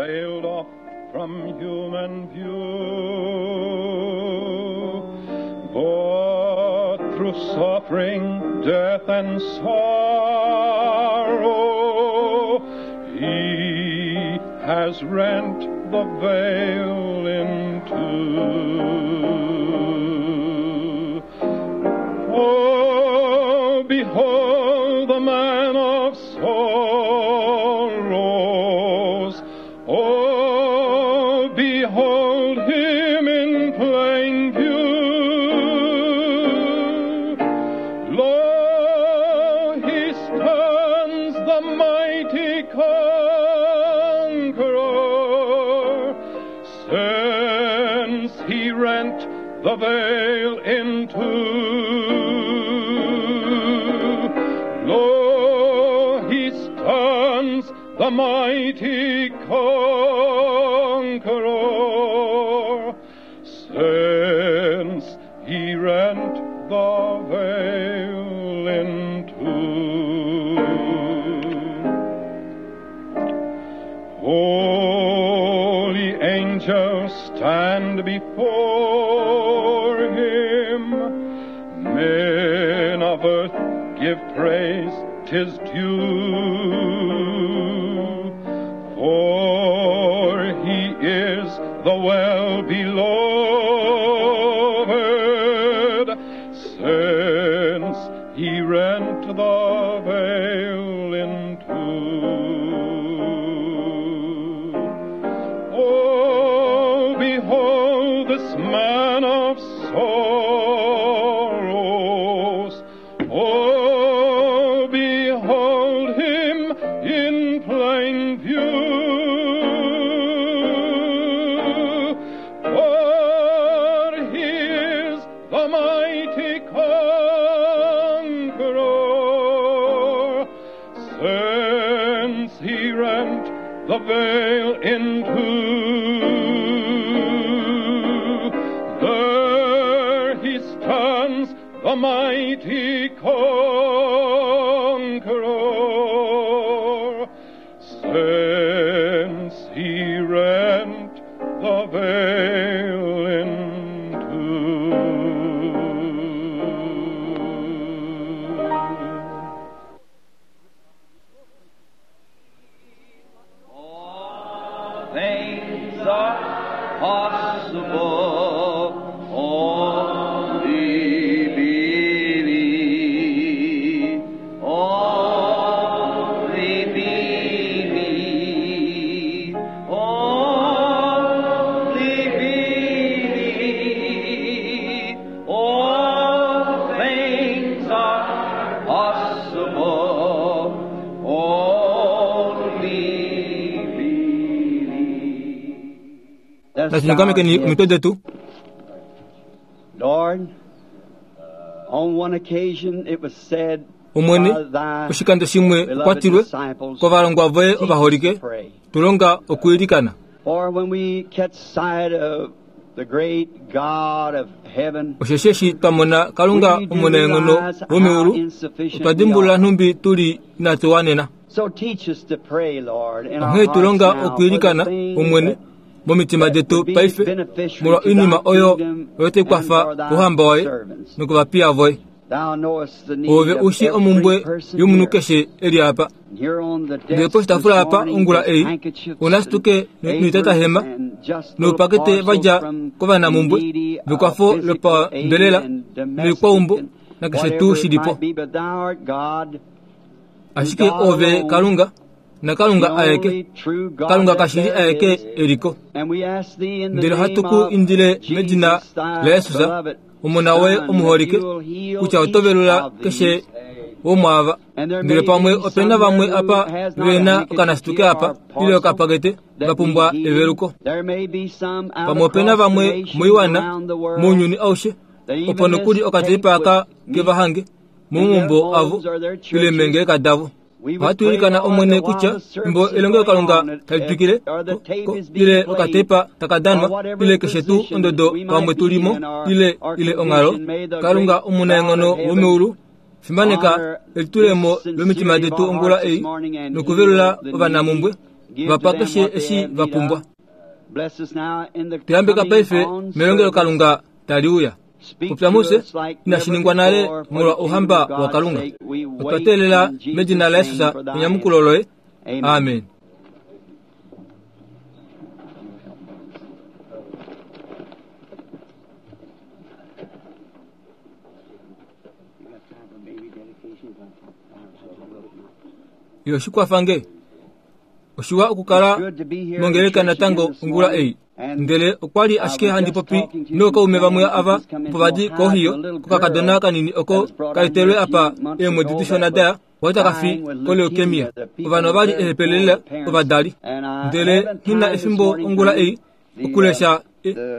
veiled off from human view. But through suffering, death, and sorrow, he has rent the veil in two. Oh, behold the man of sorrows. Oh, behold him in plain view. Lo, he stands the mighty conqueror, since he rent the veil in two. Lo, he stands the mighty conqueror, since he rent the veil in two. Holy angels stand before him. Men of earth give praise, 'tis due. For he is the well beloved, since he rent the veil in two. Oh, behold this man of sorrows. Oh, behold him in plain view. For he is the mighty conqueror, since he rent the veil in two. There he stands, the mighty conqueror, since he rent the veil in two. All things are possible. Only believe. Only believe. Only believe. All things are possible. Only believe. Natu omitwe detu. Lord, on one occasion it was said Omwene, by thy oshikando shimwe beloved okwatilwe disciples, kovalongwa voye "Teach us ovaholike to pray." tulonga okwiilikana. For when we catch sight of the great God of heaven, Osheshi eshi twa mona Kalunga we do omunaenghono realize how womeulu, insufficient otwa we dimbulula are. nhumbi tuli inatu wanena. So teach us to pray, Lord, in our Onghee hearts tulonga now for the okwiilikana things Omwene that momitima detu paife molwa oinima oyo oyo tai kwafa kouhamba waye nokovapiya voye. Thou knowest the need Ove of ushi every omumbwe person yomunhu here. keshe eli apa. And here on the Ndele desk this poshitaafula apa morning ongula is ei, handkerchiefs onasituke and aprons noitatahema and just little noupakete parcels vadja from kovanamhumbwe the needy, vekwafo physical lopambelela aid and domestic noikwaumbo and nakeshe whatever tuu it shilipo. might be, but thou art God, Ashike ove Kalunga naKalunga the aeke, only true God Kalunga that kashili there aeke is. eliko. And we ask thee in the Ndele name ohatu ku of indile medina Jesus, thy laYesus, beloved omona woye Son, that omuholike, you will heal kutya each oto velula of these. keshe womwaava. And there Ndele may pamwe be opena some vamwe here who apa has not a vena handkerchief okanasituke here apa or ile parcel okapakete that va pumbwa need healing. eveluko. There may be some out Pamwe opena across the vamwe nations moiwana around the world mounyuni aushe that even opo nokuli this tape okateipa aka would meet kevahange in their momaumbo avo homes or their ile churches. meengeleka davo. We would Ohatu pray, ilikana Lord, Omwene that while kutya the service fimbo is going elongelokalunga on, tali twikile or the tape is being ile played, okateipa taka or danwa whatever ile keshe tuu position ondodo we pamwe might be tulimo in or, ile or ile onghalo condition, may the Kalunga great God omunaenghono of heaven womeulu fimaneka honor elitulemo this lomitima sincerity of detu our ongula hearts this ei morning and nokuvelula heal the ovanamumbwe needy. Va pa keshe eshi va pumbwa. Tuyambeka paife melongelokalunga tali uya. Popya mufye, inashi ningwa nale molwa ouhamba waKalunga. Otwa teelela medina laJesus enyamukulo loye. Amen. Yo shikwafa nge. Oshiwa okukala mongeleka natango ongula ei. Ndele okwa li ashike handi popi nookaume vamwe ava opo va di koHohio, kokakadona kanini oko ka etelwe apa eemwedi dishona daya, okwa li taka fi koleukemia. Ovanhu ova li ehepele lela ovadali. Ndele nghi na efimbo ongula ei okulesha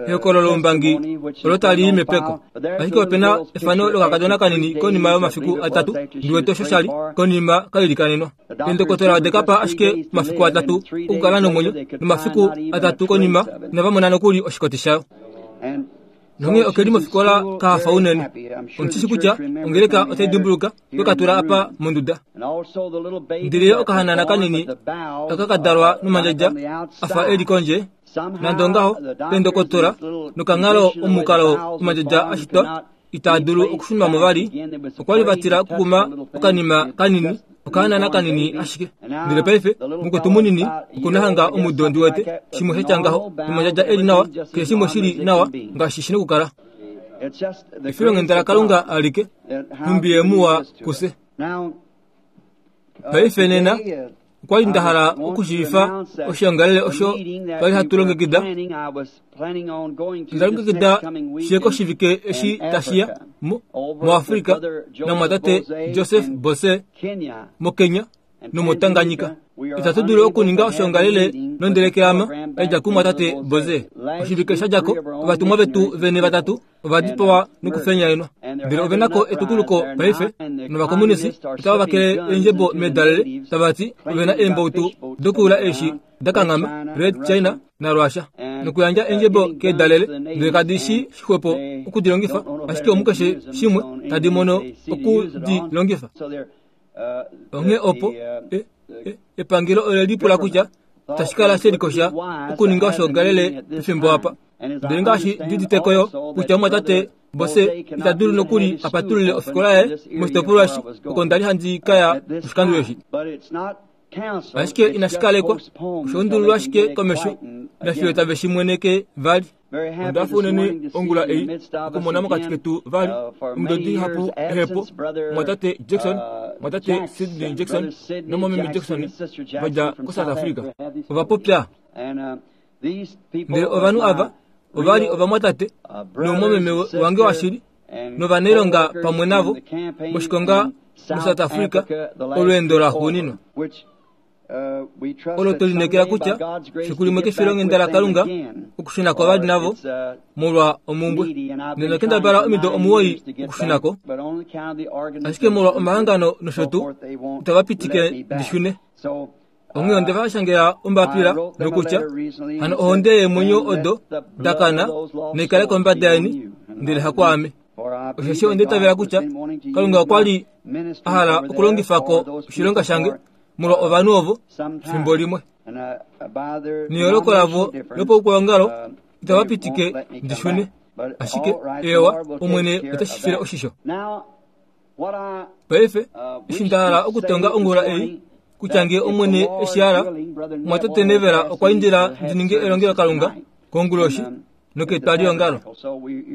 ehokololo loumbangi olo tali i mepeko. Ashike ope na efano lokakadona kanini konima yomafiku atatu, ndi wete osho sha li, konima ka ilikanenwa. Eendokotola ode ka pa ashike omafiku atatu okukala nomwenyo, nomafiku atatu konima inava mona nokuli oshikoti shayo. Nonghee oke li mofikola ka hafa unene. Ondi shi kutya ongeleka otai dimbuluka twe ka tula apa monduda. Ndele ye okahanana kanini aka ka dalwa nomandjadja a fa e li kondje, nande ongaho, eendokotola nokanghalo omukalo omandjadja a shitwa itaa dulu okushunwa mo vali, okwa li va tila okukuma okanima kanini, okahanana kanini ashike. Ndele paife, mukwetu munini oku na hanga omudo ndi wete, shimwe sha tya ngaho, nomandjadja e li nawa, keshe shimwe shi li nawa ngaashi shi nokukala. Efilonghenda laKalunga alike, nhumbi Ye muwa kufye. Paife nena, okwa li nda hala okushiivifa oshiongalele osho twa li hatu longekida. Onda longekida shi ye koshivike eshi tashi ya moAfrica namumwatate Joseph Boze moKenya nomoTanganyika. Itatu dulu okuninga oshoongalele nondelekeama ya dja kumumwatate Boze. Oshivike sha dja ko, ovatumwa vetu vene vatatu ova dipawa nokufenyaenwa. Ndele ove na ko etukuluko paife, novakomunisi otava vakele eendjebo meedalele, tava ti ove na eembautu dokuyula eeshi da kanghama, Red China naRussia, nokuyandja eendjebo keedalele, ndele kadi shi xwepo oku di longifa, ashike omukeshe shimwe tadi mono oku di longifa. Onghee opo e, e, epangelo ole lipula kutya tashi kala she likosha okuninga oshoongalele pefimbo apa. Ndele ngaashi ndi udite ko yo kutya omumwatate Bose ita dulu nokuli a patulule ofikola yaye moshitopolwa eshi oko nda li handi ka ya oshikando eshi. Ashike inashi kalekwa, osha undululwa ashike komesho nafiyo tave shi mweneke vali. Onda hafa unene ongula ei okumona mokati ketu vali omido dihapu ehepo, omumwatate Jackson, omumwatate Sidney Jackson nomumwameme Jackson va dja koSouth Africa. Ova popya. Ndele ovanhu ava ova li ovamwatate noumwameme wange washili novanailonga pamwe navo moshikonga muSouth Africa olweendo laxuuninwa. Olo twe lineekela kutya fiku limwe kefilonghenda laKalunga okushuna ko vali navo molwa omumbwe. Ndele kendabala omido omuwoi okushuna ko, ashike molwa omahangano nosho tuu itava pitike ndi shune. Onghee onde va shangela ombapila nokutya, Hano ohonde yeemwenyo odo da kana nai kale kombada yeni, ndele hakwaame. Osheshi onda itavela kutya Kalunga okwa li a hala okulongifa ko oshilonga shange molwa ovanhu ovo fimbo limwe. Neyooloko lavo lopaukwaongalo itava pitike ndi shune. Ashike, eewa, Omwene ote shi file oshisho. Paife, eshi nda hala okutonga ongula ei, kutya nge Omwene eshi hala, omumwatate Neville okwa indila ndi ninge elongelokalunga konguloshi noketwaliongalo.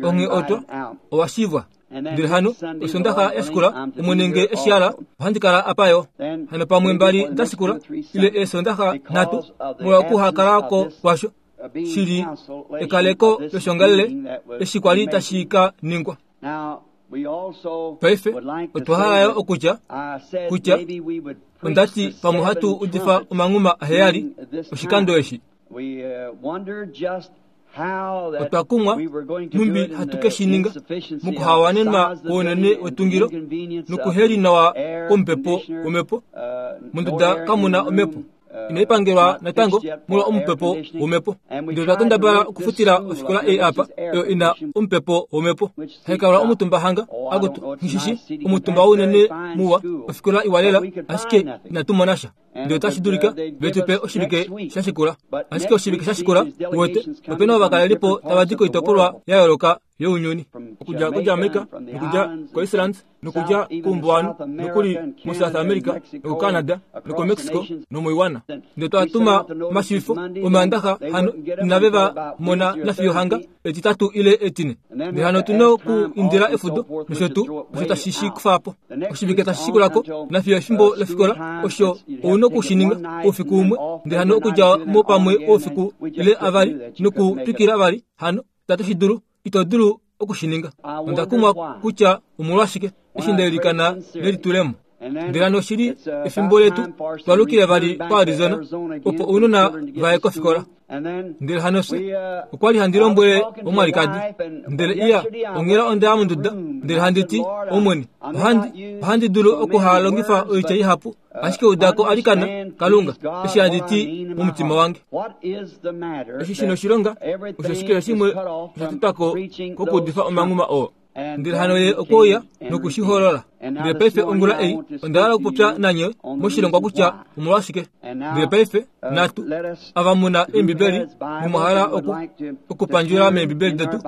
Onghee otwa, owa shivwa. Ndele hano, Osondaxa ya shikula, Omwene nge eshi hala, ohandi kala apa yo. Hano pamwe mbali da shikula, ile eesondaxa nhatu, molwa okuhakala ko kwasho, shi li ekaleko loshongalele eshi kwa li tashi ka ningwa. Paife otwa hala yo okutya kutya onda ti pamwe ohatu udifa omanghuma aheyali oshikando eshi. Otwa kumwa nhumbi hatu ke shi ninga mokuhawanenwa kwounene wetungilo nokuheli nawa kwomupepo womhepo. Monduda kamu na omhepo. Inai pangelwa natango molwa omupepo womhepo. Ndele otwa kendabala okufutila ofikola ei apa, oyo i na omupepo womhepo. Hai kalwa omutumba hanga, akutu, nghi shi shi, omutumba wounene muwa, ofikola iwa lela, ashike inatu mona sha. Ndele otashi dulika ve tu pe oshivike sha shikula. Ashike oshivike sha shikula, uwete, ope na ovakalelipo tava di koitopolwa ya yooloka younyuni, okudja koJamaica, nokudja koIceland, nokudja koumbuwanhu, nokuli moSouth America, nokoCanada, nokoMexico, nomoiwana. Ndele twa tuma omashiivifo Omaandaxa hano, inave va mona nafiyo hanga Etitatu ile Etine. Ndele hano otu na oku indila efudo nosho tuu osho tashi shi kufa po. Oshivike tashi shikula ko, nafiyo efimbo lofikola, osho ou na oku shi ninga oufiku umwe, ndele hano okudja mo pamwe oufiku ile avali nokutwikila vali hano, itatu shi dulu, ito dulu oku shi ninga. Onda kumwa kutya omolwashike eshi nda ilikana nelitulemo. Ndele hano oshi li efimbo letu twa lukile vali koArizona opo ounona va ye kofikola. Ndele hano fye okwa li handi lombwele omwalikadi, ndele iya onghela onda ya monduda ndele handi ti, Omwene, ohandi, ohandi dulu okuhalongifa oitya ihapu, ashike uda ko alikana, Kalunga, eshi handi ti momutima wange. Eshi shi noshilonga, osho keshe shimwe osha tetwa ko kokuudifa omanghuma oo. Ndele hano ye okwe uya noku shi holola. Ndele paife ongula ei onda hala okupopya nanye moshilongwa kutya omolwashike. Ndele paife natu, ava mu na Eembibeli nomwa hala oku, okupandjula mEembibeli detu,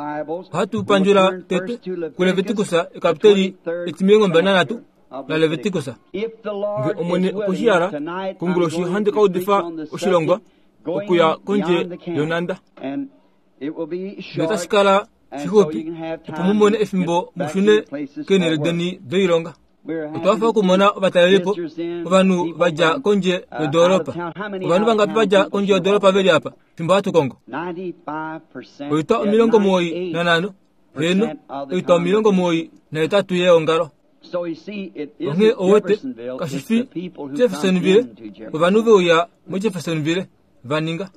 ohatu pandjula tete kuLevitikus ekapiteli etimilongo nanhatu laLevitikus. Nge Omwene okwe shi hala, konguloshi ohandi ka udifa oshilongwa okuya kondje yonhanda. Notashi kala shixupi opo mu mone efimbo mu shune keenhele deni doilonga. Otwa hafa okumona ovatalelipo, ovanhu va dja kondje yodoolopa. Ovanhu vangapi va dja kondje yodoolopa ve li apa fimbo hatu kongo? Oitwa 95, heeno, oitwa 98 yeongalo. Onghee ouwete, kashi fi Jeffersonville, ovanhu ve uya moJeffersonville, va ninga.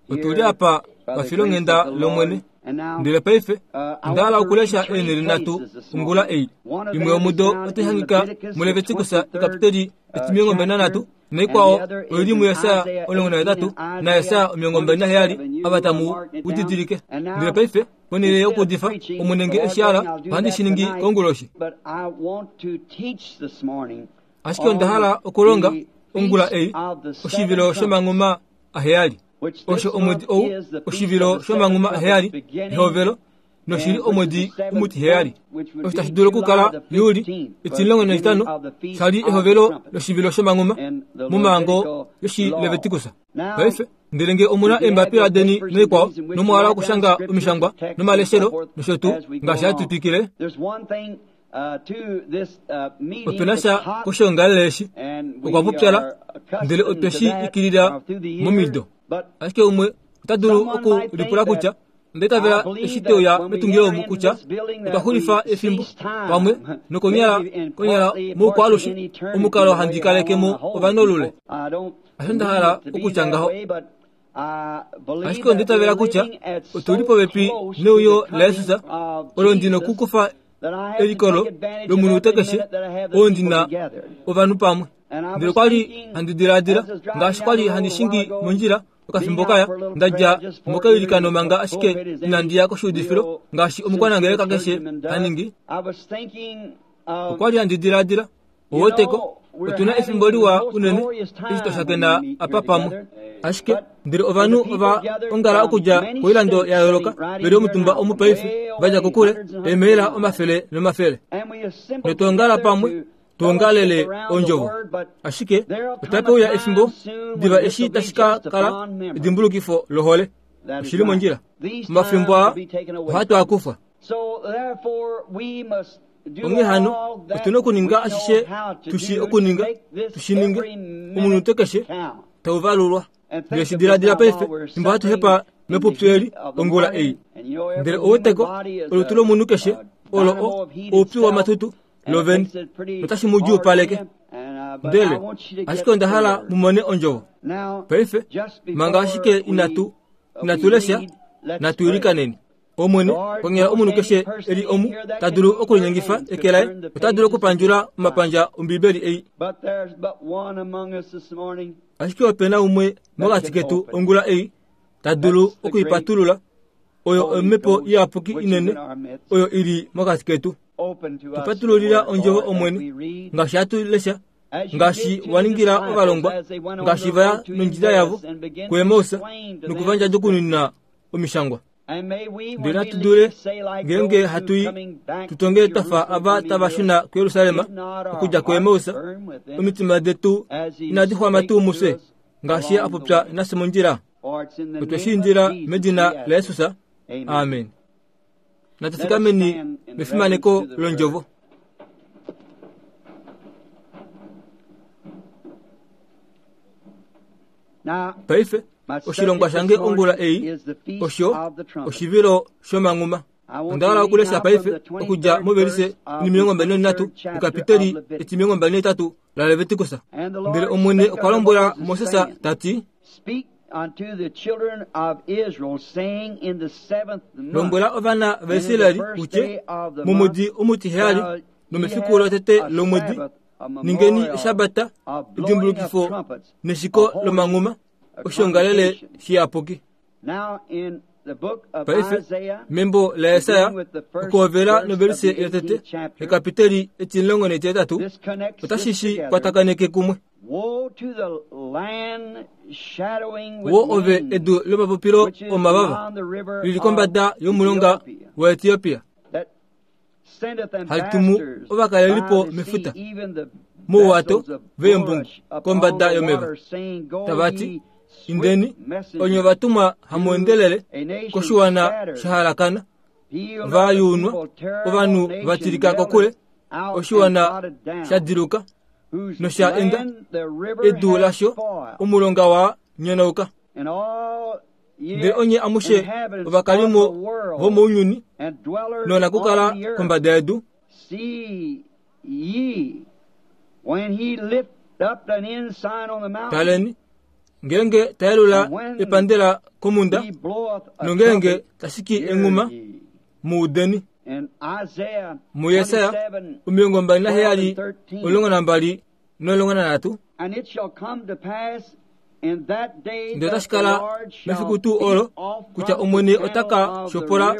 Otu li apa pafilonghenda lOmwene. Ndele paife onda hala okulesha eenhele nhatu ongula ei. Imwe yomudo otai hangika muLevitikus ekapiteli etimilongo mbali nanhatu, naikwao oi li muJesaja 18 naJesaja 27, ava tamu u didilike. Ndele paife, ponhele yokuudifa, Omwene nge e shi hala, ohandi shi ningi konguloshi. Ashike onda hala okulonga ongula ei oshivilo shomanghuma aheyali. Osho omwedi ou oshivilo shomanghuma aheyali, ehovelo, noshi li omwedi omutiheyali. Osho tashi dulu okukala Juli etimulongo naitano sha li ehovelo loshivilo shomanghuma momhango yOshilevitikus. Paife, ndele nge omu na eembapila deni noikwao, nomwa hala okushanga omishangwa nomaleshelo nosho tuu, ngaashi hatu twikile, Ope na sha koshoongalele eshi, okwa pupyala, ndele otwe shi ikilila momido. Ashike umwe ota dulu okulipula kutya, Onda itavela eshi twe uya metungilo omu kutya otwa xulifa efimbo pamwe nokonyala konyala moukwaalushe omukalo handi kaleke mo ovanhu olule. Hasho nda hala okutya ngaho. Ashike onda itavela kutya otu li popepi neuyo laJesus olo ndi nokukufa elikolo lomunute keshe oo ndi na ovanhu pamwe. Ndele okwa li handi diladila ngaashi kwa li handi shingi mondjila okafimbo kaya, nda dja mokailikano manga ashike inandi ya koshuudifilo ngaashi omukwanangeleka keshe ha ningi. Okwa li handi diladila Oweteko, otu na efimbo liwa unene eshi twa shakena apa pamwe. Ashike ndele ovanhu ova ongala okudja koilando ya yooloka ve li omutumba omu paife, va dja kokule, eemaila omafele nomafele. Notwa ongala pamwe tu ongalele ondjovo. Ashike otape uya efimbo diva eshi tashi ka kala edimbulukifo lohole. Oshi li mondjila. Omafimbo aa ohatu a kufwa. Onghee hano, otu na okuninga ashishe tu shii okuninga, tu shi ninge, omunute keshe tau valulwa. Ndele shi diladila paife, fimbo hatu hepa mepupyu eli ongula ei. Ndele ouweteko, olutu lomunhu keshe olo o, oupyu wamatutu lovene, notashi mu djuupaleke. Ndele, ashike onda hala mu mone ondjovo. Paife, manga ashike inatu, inatu lesha, natu ilikaneni. Omwene, konyala omunhu keshe e li omu ta dulu okulinyengifa eke laye, ota dulu okupandjula omapandja Ombibeli ei. Ashike ope na umwe mokati ketu ongula ei ta dulu oku i patulula, oyo Omhepo Iyapuki inene oyo i li mokati ketu. Tu patululila ondjovo, Omwene, ngaashi hatu lesha. Ngaashi wa ningila ovalongwa, ngaashi va ya nondjila yavo kuEmaus nokuvandjadjukununa omishangwa. Ndele natu dule, ngeenge hatu i, tu tonge twa fa ava tava shuna kuJerusalem okudja kuEmaus, omitima detu inadi xwama tuu mufye, ngaashi Ye a popya nafye mondjila? Otwe shi indila medina laJesus. Amen. Natu fikameni mefimaneko londjovo. Paife, oshilongwa shange ongula ei osho oshivilo shomanghuma. Onda hala okulesha paife okudja movelise 23 mokapiteli 28 laLeviticus. Ndele Omwene okwa lombwela Moses ta ti, Lombwela ovana vaIsrael u tye, Momwedi omutiheyali nomefiku lotete lomwedi ningeni eshabata edimbulukifo neshiko lomanghuma, oshiongalele shiyapuki. Paife, membo laJesaja, okuhovela novelise yotete yekapiteli etimulongo netihetatu, otashi shi kwatakaneke kumwe. Wo ove edu lomapopilo omavava, li li kombada yomulonga waEtiopia, hali tumu ovakalelipo mefuta, mouwato veembungu kombada yomeva, tava ti, Indeni, onye ovatumwa hamu endelele koshiwana sha halakana, va yuunwa, ovanhu va tilika kokule, oshiwana sha diluka nosha enda, edu lasho omulonga wa nyonauka. Ndele onye amushe ovakalimo vomounyuni noonakukala kombada yedu, Taleni, ngeenge ta yelula epandela komhunda, nongeenge ta shiki enghuma, mu udeni. MuJesaja 27, 12 no13. Ndele otashi kala mefiku tuu olo kutya Omwene ota ka shopola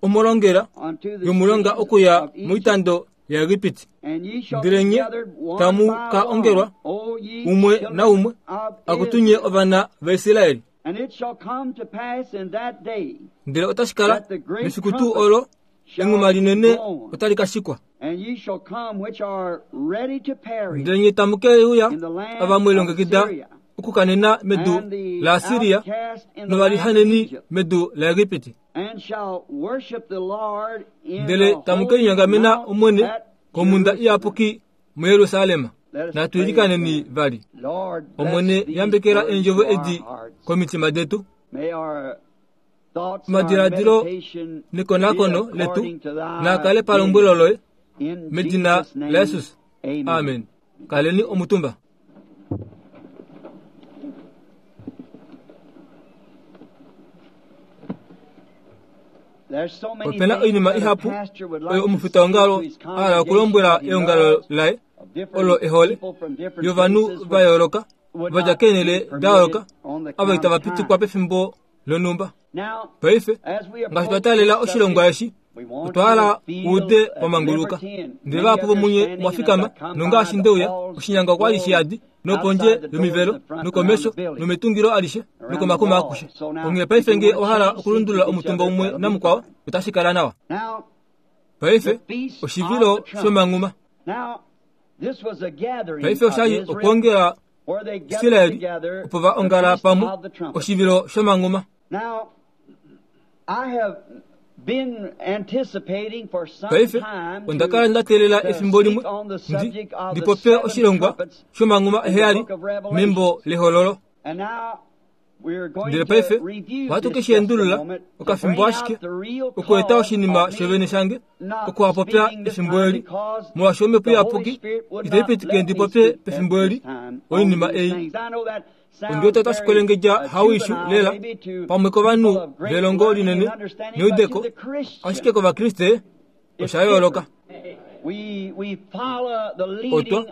omolongela yomulonga okuya moitando yaEgipiti. Ndele nye tamu ka ongelwa umwe naumwe, akutu nye ovana vaIsrael. Ndele otashi kala mefiku tuu olo enghuma linene otali ka shikwa. Ndele nye tamu ke uya ava mwe lilongekida okukanena medu laAsiria novalihaneni medu laEgipiti. Ndele tamu ke linyongamena Omwene komhunda iyapuki muJerusalem. Natu ilikaneni vali. Omwene, yambekela eendjovo edi komitima detu. Omadiladilo nekonakono letu naa kale palombwelo loye, medina laJesus. Amen. Kaleni omutumba. Ope na oinima ihapu oyo omufitaongalo a hala okulombwela eongalo laye olo e hole, yovanhu va yooloka va dja keenhele da yooloka ava itava pitikwa pefimbo lonhumba. Paife, ngaashi twa taalela oshilongwa eshi, otwa hala uude wa manguluka. Ndele vahapu vomunye mwa fikama, nongaashi nde uya, oshinyanga okwa li shi yadi, nopondje yomivelo, nokomesho, nometungilo alishe, nokomakuma akushe. Onghee paife nge owa hala okulundulula omutumba umwe namukwao, otashi kala nawa. Paife, oshivilo shomanghuma. Paife osha li okwoongela Israel opo va ongala pamwe oshivilo shomanghuma. Paife onda kala nda teelela efimbo limwe ndi ndi popye oshilongwa shomanghuma eheyali membo lehololo. Ndele paife ohatu ke shi endulula okafimbo ashike okueta oshinima shovene shange okuhapopya efimbo eli, molwaashi Omhepo Iyapuki itai pitike ndi popye pefimbo eli oinima ei. Ondi wete otashi kwelengedja hawishu lela pamwe kovanhu velongo linene neudeko, ashike kOvakriste osha yooloka. Otwa,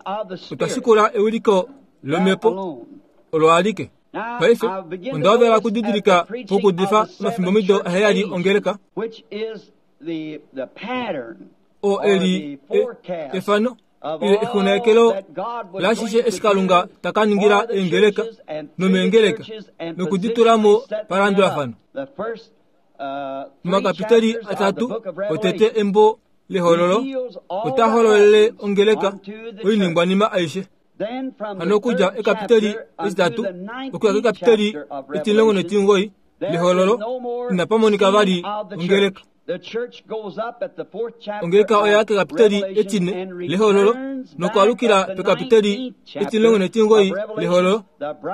otwa shikula ewiliko lOmhepo olo alike. Paife, onda hovela okudidilika pokuudifa omafimbomido aheyali ongeleka, oo e li e, efano. Ile exunganekelo lashishe eshi Kalunga ta ka ningila eengeleka nomeengeleka noku di tula mo palandulafano. Momakapiteli atatu otete embo lEhololo ota hololele ongeleka oiningwanima aishe. Hano okudja ekapiteli etitatu okuya kekapiteli etimulongo netimugoyi lEhololo inapa monika vali ongeleka. Ongeleka oya kekapiteli etine lEhololo nokwaalukila pekapiteli etimulongo netimugoyi lEhololo,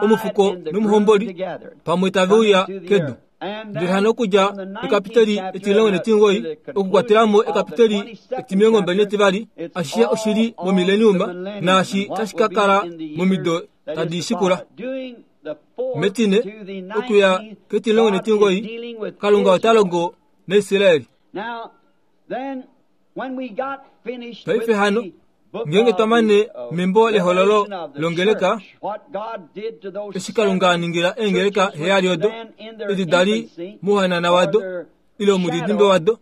omufuko nomuhomboli pamwe tave uya kedu. Ndele hano okudja ekapiteli etimulongo netimugoyi okukwatela mo ekapiteli etimilongo mbali netivali, ashishe oshi li momileniuma naashi tashi ka kala momido tadi shikula. Metine okuya ketimulongo netimugoyi, Kalunga ota longo naIsrael. Paife hano, ngeenge twa mane membo lEhololo lOngeleka, eshi Kalunga a ningila eengeleka heyali odo, edi da li mouhanana wado, ile omudidimbe wado,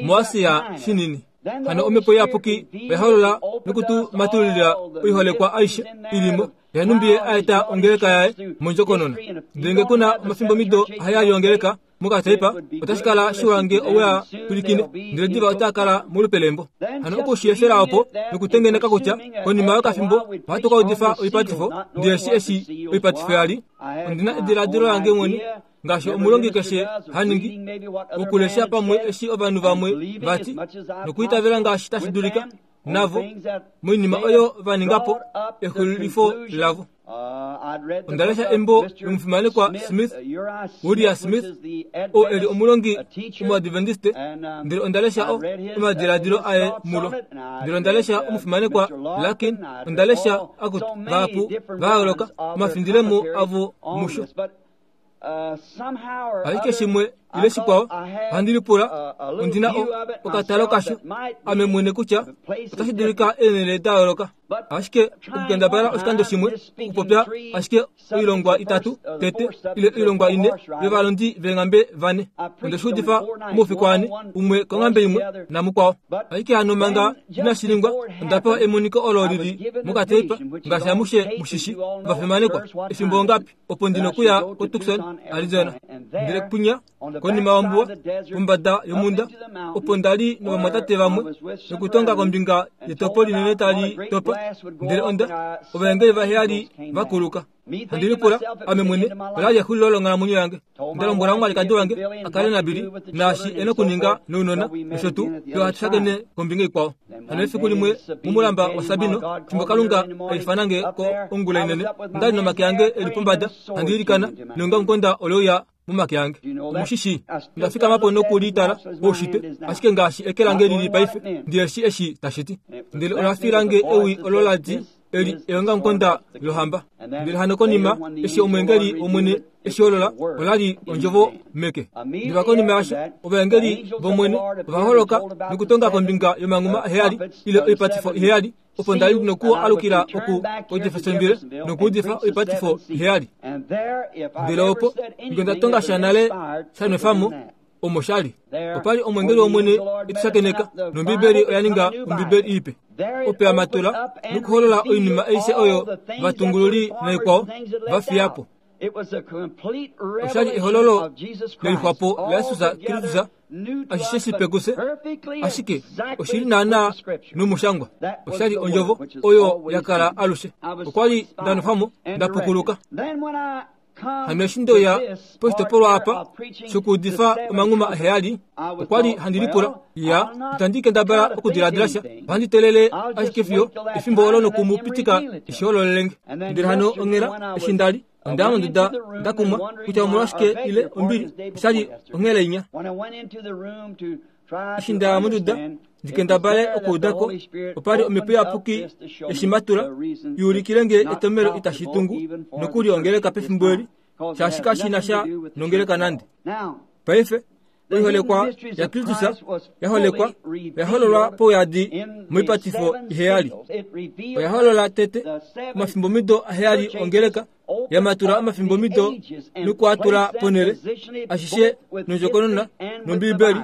muAsia Shinini. Hano Omhepo Iyapuki oya holola noku tu matululila oiholekwa aishe i li mo, yanhumbi Ye a eta ongeleka yaye mondjokonona. Ndele nge ku na omafimbomido aheyali ongeleka, mokataipa, otashi kala shiwa nge owe a pwilikine, ndele diva otaa kala molupe lembo. Hano oku shi efela opo nokutengeneka kutya konima yokafimbo ohatu ka udifa oipatifo, ndele shi eshi oipatifo ya li, ondi na ediladilo lange mwene, ngaashi omulongi keshe ha ningi, okulesha pamwe eshi ovanhu vamwe va ti, nokuitavela ngaashi tashi dulika navo moinima oyo va ninga po exulifo lavo. Onda lesha embo lomufimanekwa Smith, Uriah Smith, oo e li omulongi Omuadventiste, ndele onda lesha o, omadiladilo aye mulo. Ndele onda lesha omufimanekwa Larkin, onda lesha akutu vahapu va yooloka omafindilemo avo musho. Ashike shimwe ile shikwao, ohandi lipula, ondi na o, okatalo kasho ame mwene kutya otashi dulika eenhele da yooloka. Ashike okukendabala oshikando shimwe okupopya ashike oilongwa itatu tete ile oilongwa ine yovalondi veenghambe vane, onde shi udifa omaufiku ane, umwe konghambe imwe namukwao. Ashike hano manga inashi ningwa, onda pewa emoniko olo li li mokateipa, ngaashi amushe mu shi shii, ovafimanekwa, efimbo ongapi opo ndi nokuya koTucson, Arizona. Ndele kwinya, konima yombuwa, pombada yomhunda, opo nda li novamwatate vamwe, nokutonga kombinga yetopo linene tali topa, ndele onda, ovaengeli vaheyali va kuluka. Handi lipula, ame mwene, ola li exulilo longhalamwenyo yange. Nda lombwela omwalikadi wange a kale naBilly, naashi e nokuninga nounona, nosho tuu, fiyo hatu shakene kombinga ikwao. Hano efiku limwe momulamba waSabino, fimbo Kalunga a ifana nge ko ongula inene, onda li nomake ange e li pombada, handi ilikana, neongamukonda ole uya momake ange. Omu shi shii. Onda fikama po noku li tala poushitwe, ashike ngaashi eke lange li li paife, ndi shi eshi tashi ti. Ndele ola fila nge ewi olo la ti, Eli eongamukonda lohamba. Ndele hano konima eshi omweengeli wOmwene e shi holola, ola li ondjovo meke. Diva konima yasho, ovaengeli vOmwene ova holoka nokutonga kombinga yomanghuma aheyali ile oipatifo iheyali, opo nda li noku alukila oku koJeffersonville nokuudifa oipatifo iheyali. Ndele opo, nge onda tonga sha nale sha nwefa mo, omo sha li. Opa li omwengeli wOmwene e tu shakeneka, nOmbibeli oya ninga Ombibeli ipe. Opo ya matula nokuholola oinima aishe oyo ovatungululi naikwao va fiya po. Osha li ehololo lelixwapo laJesus Kristus, ashishe shipe kufye, ashike oshi li naanaa nomushangwa. Osha li ondjovo oyo ya kala alushe. Okwa li nda nwefa mo, nda pukuluka. Hano eshi nde uya poshitopolwa apa shokuudifa omanghuma aheyali, okwa li handi lipula, Ya, itandi kendabala okudiladila sha. Ohandi teelele ashike fiyo efimbo olo noku mu pitika e shi hololele nge. Ndele hano onghela, eshi nda li, onda ya monduda nda kumwa kutya omolwashike ile ombili, osha li onghela inya. Eshi nda ya monduda ndi kendabale okuuda ko, opa li Omhepo Iyapuki eshi matula i ulikile nge etomhelo itashi tungu nokuli ongeleka pefimbo eli, shaashi kashi na sha nongeleka nande. Paife, oiholekwa yaKristus ya holekwa oya hololwa pauyadi moipatifo iheyali. Oya holola tete omafimbomido aheyali ongeleka, ya matula omafimbomido noku a tula ponhele, ashishe nondjokonona nOmbibeli.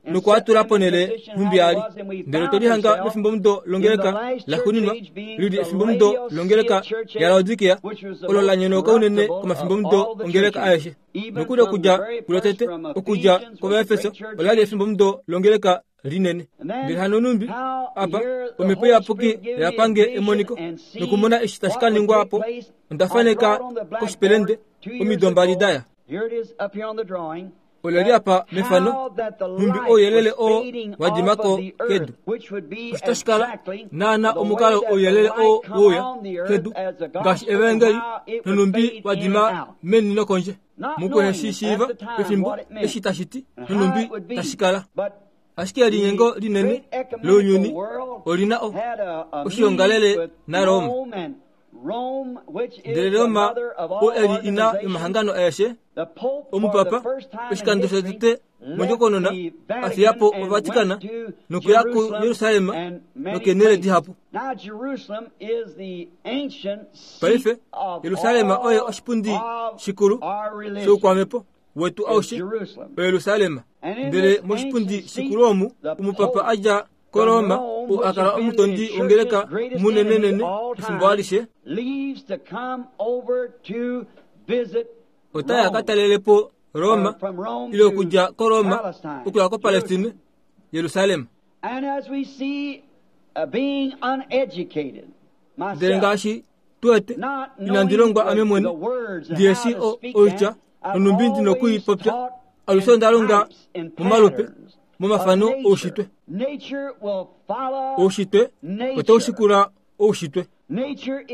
Noku a tula ponhele nhumbi a li. Ndele otwe lihanga mefimbomudo longeleka laxuuninwa, li li efimbomudo longeleka yaLaodikea, olo la nyonauka unene komafimbomudo ongeleka aeshe. Nokuli okudja kulotete, okudja kOvaefeso, ola li efimbomudo longeleka linene. Ndele hano numbi, apa, Omhepo Iyapuki oya pange emoniko, nokumona eshi tashi ka ningwa po. Onda faneka koshipelende, omido mbali da ya. Ola li apa mefano, nhumbi ouyelele oo wa dima ko kedu. Osho tashi kala naana omukalo ouyelele oo wouya kedu, ngaashi Evaengeli, nonhumbi wa dima meni nokondje. Mukuhe shi shiiva pefimbo eshi tashi ti, nonhumbi tashi kala. Ashike elinyengo linene lounyuni oli na o, oshiongalele naRoma. Ndele Roma oo e li ina yomahangano aeshe, omupapa, oshikando shotete mondjokonona a fiya po Ovatikana nokuya kuJerusalem nokeenhele dihapu. Paife, Jerusalem oye oshipundi shikulu shoukwamhepo wetu aushe, oJerusalem. Ndele moshipundi shikulu omu, omupapa a dja koRoma, oo a kala omutondi wongeleka munenenene efimbo alishe, ota ya ka talele po Roma, ile okudja koRoma okuya koPalestine, Jerusalem. Ndele ngaashi tu wete, inandi longwa ame mwene, ndi eshi oitya nonhumbi ndi noku i popya, alushe onda longa momalupe, momafano oushitwe. Oushitwe otau shikula oushitwe.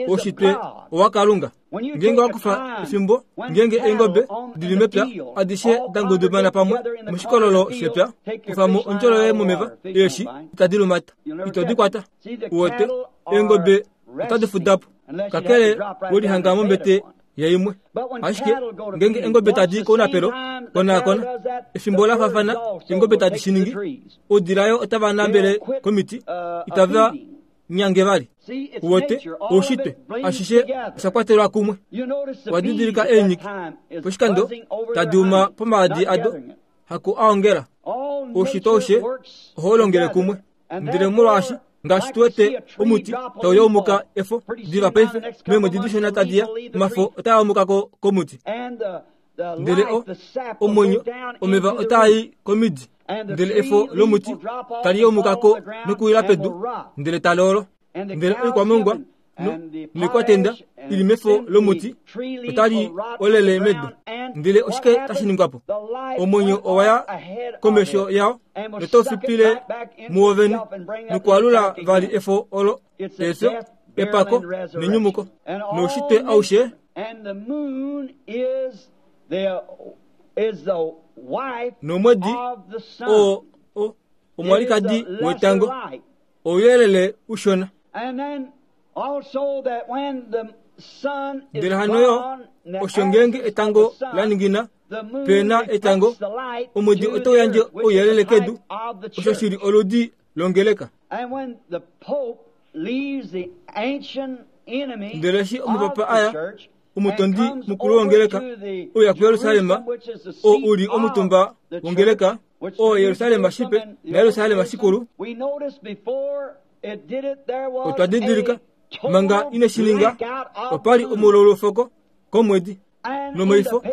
Oushitwe owaKalunga. Ngeenge wa kufa efimbo, ngeenge eengobe di li mepya adishe da ngudumana pamwe moshikololo shepya, kufa mo ondjolo yoye momeva, eeshi itadi lumata, ito di kwata. Uwete, eengobe otadi fuda po, kakele we lihanga mombete yaimwe. Ashike ngeenge eengobe tadi i kounapelo, konaakona, efimbo la faafana eengobe tadi shi ningi, oudila yo otava nambele komiti, itava nyange vali. Uwete, oushitwe, ashishe osha kwatelwa kumwe. Owa didilika eenyiki poshikando tadi uma pomaadi ado, haku a ongela. Oushitwe aushe ohau longele kumwe. Ndele molwaashi ngaashi tu wete omuti tau yaumuka efo diva paife, meemwedi dishona tadi ya, omafo otaa yaumuka ko komuti. Ndele o, omwenyo, omeva otaa i komidi, ndele efo lomuti tali yaumuka ko nokuwila pedu, ndele tali olo. Ndele oikwamongwa no, noikwatenda i li mefo lomuti otali olele medu. Ndele oshike tashi ningwa po? Omwenyo owa ya komesho yao notau fipile muwo vene nokualula vali efo olo, efyo, epako nenyumuko noushitwe aushe. Nomwedi oo o, omwalikadi wetango. Ouyelele ushona. Ndele hano yo, osho ngeenge etango la ningina, pe na etango, omwedi otau yandje ouyelele kedu, osho shi li oludi longeleka. Ndele eshi omupapa a ya, omutondi mukulu wongeleka, uya kuJerusalem, oo u li omutumba wongeleka, oo Jerusalem shipe naJerusalem shikulu. Otwa didilika, manga ine shi ninga, opa li omulolofoko komwedi. Nomoifo,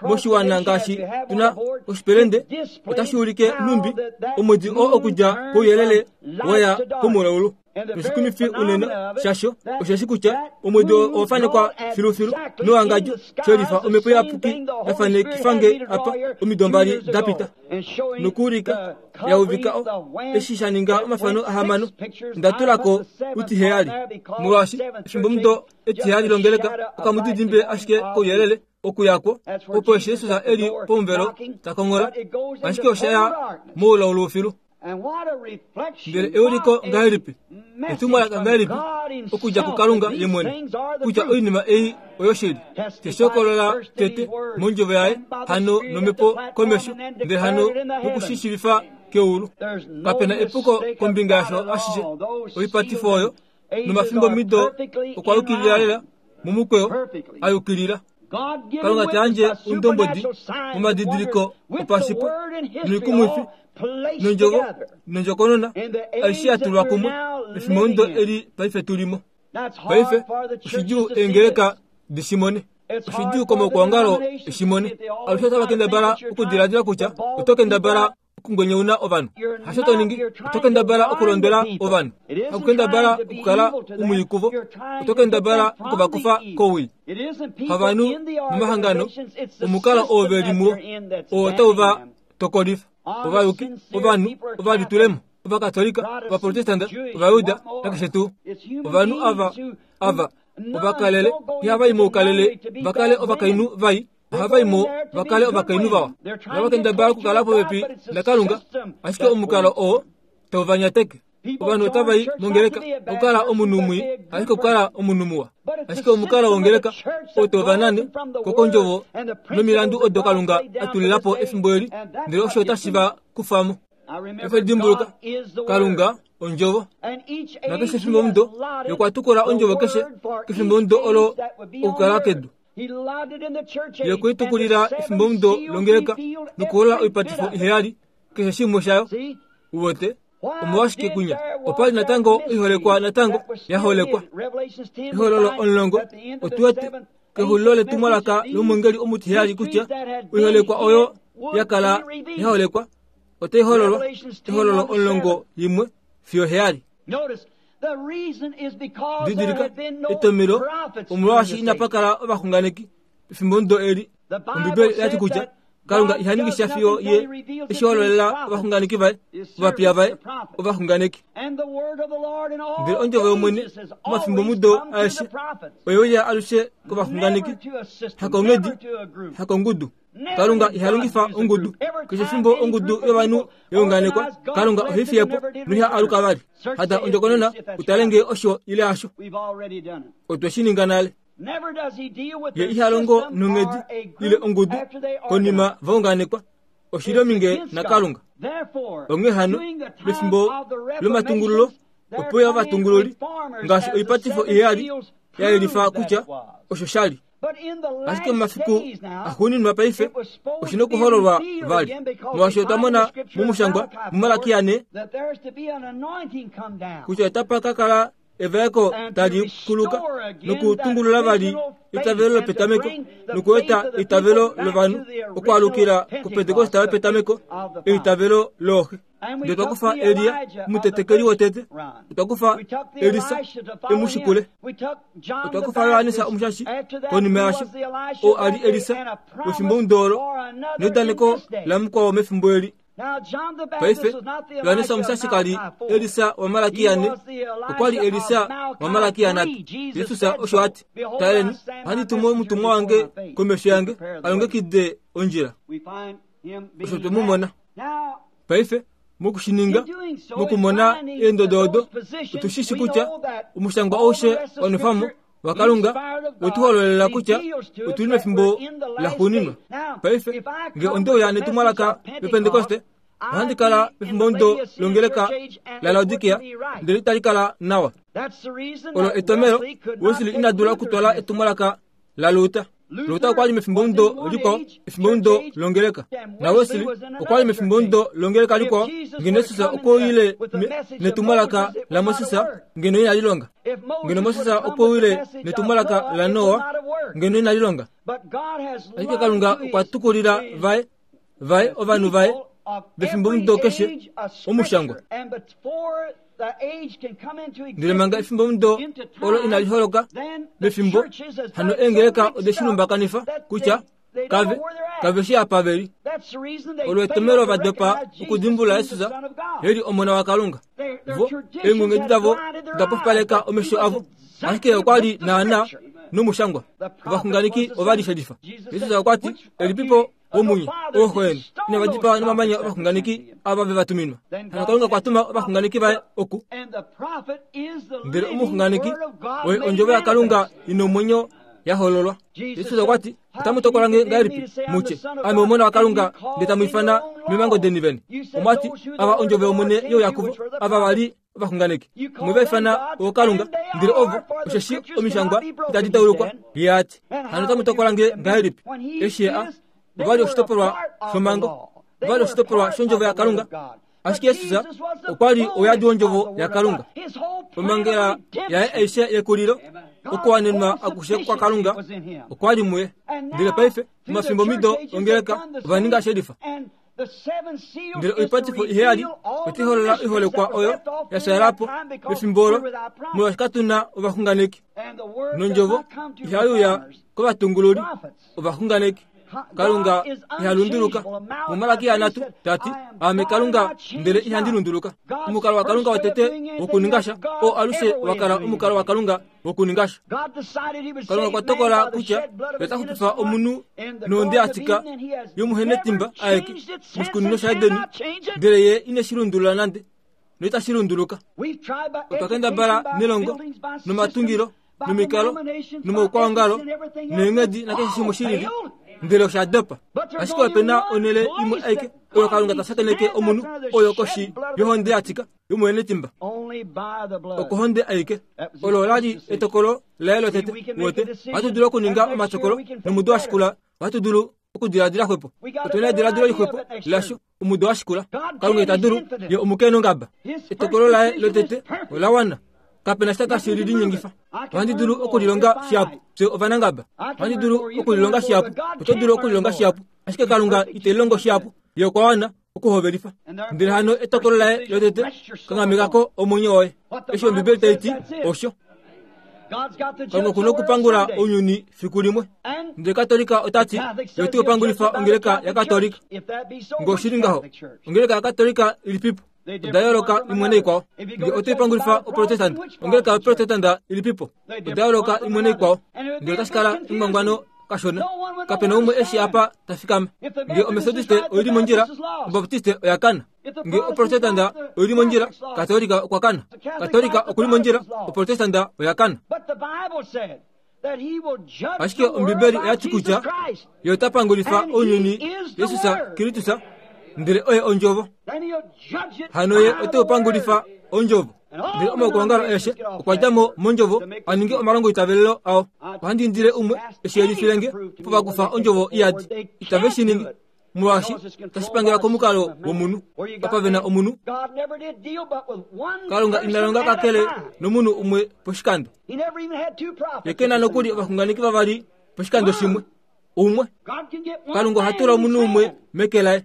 moshiwana ngaashi tu na oshipelende, otashi ulike nhumbi omwedi oo okudja kouyelele wa ya komulaulu. Noshikumifi unene shasho osheshi kutya omwedi oo owa fanekwa filufilu mewangadjo shelifa omhepo iyapuki ya fanekifa nge apa omido mbali da pita nokuulika ya uvika o eshi sha ninga omafano ahamano nda tula ko utiheyali molwaashi efimbomudo etiheyali longeleka okamudidimbe ashike kouyelele okuya kwo opo eshi Jesus e li pomuvelo ta konghola ashike osha ya moulaulu filu. Ndele euliko ngahelipi, etumwalaka ngahelipi okudja kuKalunga ye mwene, kutya oinima ei oyoshili. Te shi hokolola tete mondjovo yaye, hano nomhepo komesho, ndele hano moku shi shiivifa keulu. Kape na epuko kombinga yasho ashishe. Oipatifo oyo nomafimbomido okwa yukilila lela momukweyo a yukilila. Kalunga ta yandje oundombwedi momadidiliko opashipwe noikumwifi nondjovo nondjokonona aishe ya tulwa kumwe efimbo eli paife tu li mo. Paife oshidjuu eengeleka di shi mone. Oshidjuu komaukwaongalo e shi mone. Alushe otava kendabala okudiladila kutya oto kendabala okungwenyauna ovanhu. Hasho to ningi, oto kendabala okulondwela ovanhu. Hakukendabala okukala umwii kuvo, oto kendabala okuvakufa kowii. Havanhu momahangano, omukalo oo ve li muo, oo otau va tokolifa. Ovayuki, ovanhu, ovalitulemo, Ovakatolika, Ovaprotestante, Ovajuda, nakeshe tuu. Ovanhu ava, ava, ovakalele, ihava i moukalele va kale ovakainhu vai, ohava i mo va kale ovakainhu vawa. Ohava kendabala okukala popepi naKalunga, ashike omukalo oo tau va nyateke. Ovanhu otava i mongeleka okukala omunhu mwii, ashike okukala omunhu muwa. Ashike omukalo wongeleka oo tau va nane ko kondjovo nomilandu odo Kalunga a tulila po efimbo eli, ndele osho otashi va kufa mo. Efe dimbuluka, Kalunga ondjovo. Nakeshe efimbomudo, Ye okwa tukula ondjovo keshe kefimbomudo olo okukala kedu. Ye okwe i tukulila efimbomudo longeleka nokuholola oipatifo iheyali, keshe shimwe shayo. Uwete? Omolwashike kunya? Opa li natango oiholekwa natango ya holekwa. Ehololo omulongo, otu wete kexulilo letumwalaka lomwengeli omutiheyali kutya oiholekwa oyo ya kala ya holekwa otai hololwa. Ehololo omulongo yimwe fiyo heyali. Didilika, etomelo omolwaashi inapa kala ovaxunganeki pefimbomudo eli. Ombibeli oya ti kutya Kalunga iha ningi sha fiyo ye eshi hololela ovaxunganeki vaye, ovapiya vaye, ovaxunganeki. Ndele ondjovo yOmwene momafimbomudo aeshe oye uya alushe kovaxunganeki, hakonghedi, hakongudu. Kalunga iha longifa ongudu. Keshe efimbo ongudu yovanhu ya unganekwa, Kalunga ohe i fiye po noiha aluka vali. Hada ondjokonona u tale ngee osho ile hasho. Otwe shi ninga nale. Ye iha longo nonghedi ile ongudu konima va unganekwa. Oshi li ominge naKalunga. Onghee hano, pefimbo lomatungululo, ope uya ovatungululi, ngaashi oipatifo iheyali ya yelifa kutya osho sha li. Ashike momafiku axuuninwa paife oshi nokuhololwa vali, molwaashi otwa mona momushangwa muMalakia 4 kutya otapa ka kala evaeko tali kuluka nokutungulula vali eitavelo lopetameko nokueta eitavelo lovanhu okwaalukila kuPentekoste yopetameko, eitavelo looxe. Ndele otwa kufa Elia, omutetekeli wotete. Otwa kufa Elisa, e mu shikule. Otwa kufa Johannes Omushashi, konima yasho, oo a li Elisa wefimbomudo olo, neudaneko lamukwao mefimbo eli. Paife, Johannes Omushashi ka li Elisa waMalakia ne, okwa li Elisa waMalakia nhatu. Jesus osho a ti, Taleni, ohandi tumu omutumwa wange komesho yange, a longekide ondjila. Osho twe mu mona. Paife, moku shi ninga, mokumona eendodo odo, otu shi shi kutya omushangwa aushe wa nwefwa mo waKalunga we tu hololela kutya otu li mefimbo laxuuninwa. Paife, nge onde uya netumwalaka lOpentekoste, ohandi kala mefimbomudo longeleka laLaodikia, ndele itali kala nawa. Olo etomelo Wesley ina dula okutwala etumwalaka laLuther. Luther okwa li mefimbomudo likwao, efimbomudo longeleka. NaWesley okwa li mefimbomudo longeleka likwao. Ngeno Jesus okwe uyile netumwalaka laMoses, ngeno inali longa. Ngeno Moses okwe uyile netumwalaka laNoa, ngeno inali longa. Ashike Kalunga okwa tukulila vaye, vaye, ovanhu vaye vefimbomudo keshe omushangwa. Ndele manga efimbomudo olo inali holoka mefimbo, hano eengeleka ode shi lumbakanifa kutya kave, kave shi apa ve li. Olo etomelo va dopa okudimbulula Jesus e li Omona waKalunga. Vo, eenghulunghedi davo oda pofipaleka omesho avo, ashike okwa li naanaa nomushangwa. Ovaxunganeki ova li shelifa. Jesus okwa ti, Elipipo womunye, ooxo inava dipaa nomamanya ovaxunganeki ava ve va tuminwa. Hano Kalunga okwa tuma ovaxunganeki vaye oku. Ndele omuxunganeki oye ondjovo yaKalunga i nomwenyo ya hololwa. Jesus okwa ti, Otamu tokola nge ngahelipi mu tye, Ame Omona waKalunga, ndele tamu ifana memango deni vene? Omwa ti, Ava ondjovo yOmwene ye uya kuvo, ava va li. ovaxunganeki. Mwe va ifana ookalunga, ndele ovo, osheshi omishangwa itadi taulukwa, Ye a ti. Hano otamu tokola nge ngahelipi? Eshi Ye a, ova li oshitopolwa shomhango, ova li oshitopolwa shOndjovo yaKalunga. Ashike Jesus okwa li ouyadi wOndjovo yaKalunga. Omhangela yaye aishe yekulilo, okuwanenwa akushe kwaKalunga okwa li muye. Ndele paife, omafimbomido ongeleka ova ninga shelifa. Ndele oipatifo iheyali otai holola oiholekwa oyo ya fyaala po pefimbo olo, molwaashi katu na ovaxunganeki. Nondjovo ihai uya kovatungululi, ovaxunganeki. Kalunga iha lunduluka. MuMalaki yanhatu ta ti, Aame Kalunga ndele ihandi lunduluka. Omukalo waKalunga wotete wokuninga sha, oo alushe wa kala omukalo waKalunga wokuninga sha. Kalunga okwa tokola kutya ye ota xupifa omunhu nohonde ya tika yomuhenetimba aeke moshikunino shaEden, ndele ye ine shi lundulula nande, noitashi lunduluka. Otwa kendabala nelongo, nomatungilo, nomikalo, nomaukwaongalo, neenghedi nakeshe shimwe shi lili, ndele osha dopa. Ashike ope na onhele imwe aike oyo Kalunga ta shakeneke omunhu, oyo koshi yohonde ya tika yomuhenetimba. Okohonde aike. Olo ola li etokolo laye lotete. Wote, ohatu dulu okuninga omatokolo, nomudo wa shikula ohatu dulu okudiladila xwepo. Otu na ediladilo lixwepo lasho omudo wa shikula. Kalunga ita dulu, ye omukeenongaba. Etokolo laye lotete ola wana. Kape na sha tashi li linyengifa. Ohandi dulu okulilonga shihapu. Fye ovanangaba. Ohandi dulu okulilonga shihapu. Oto dulu okulilonga shihapu. Ashike Kalunga ite lilongo shihapu. Ye okwa wana okuhovelifa. Ndele hano etokolo laye lotete, kanghameka ko omwenyo woye. Eshi Ombibeli tai ti, osho. Kalunga oku na okupangula ounyuni fiku limwe. Ndele Katolika ota ti, ye ote upangulifa ongeleka yaKatolika. Nge oshi li ngaho, ongeleka yaKatolika ilipipo? Oda yooloka imwe naikwao. Nge ote ipangulifa Oprotestante, ongeleka yaProtestante ilipipo? Oda yooloka imwe naikwao. Ndele otashi kala engwangwano kashona. Kape na umwe eshi apa ta fikama. Nge Omethodiste oi li mondjila, Obaptiste oya kana. Nge Oprotestante oi li mondjila, Katolika okwa kana. Katolika oku li mondjila, Oprotestante oya kana. Ashike Ombibeli oya ti kutya Ye ota pangulifa ounyuni Jesus Kristus, ndele oye Ondjovo. Hano Ye ote u pangulifa Ondjovo. Ndele omaukwaongalo aeshe okwa dja mo mOndjovo a ninge omalongoitavelelo ao. Ohandi indile umwe e shi yelifile nge opo va kufa Ondjovo iyadi. Itave shi ningi, molwaashi otashi pangelwa komukalo womunhu. Apa ve na omunhu, Kalunga ina longa kakele nomunhu umwe poshikando. Ye ke na nokuli ovaxunganeki vavali poshikando shimwe. Umwe. Kalunga oha tula omunhu umwe meke laye.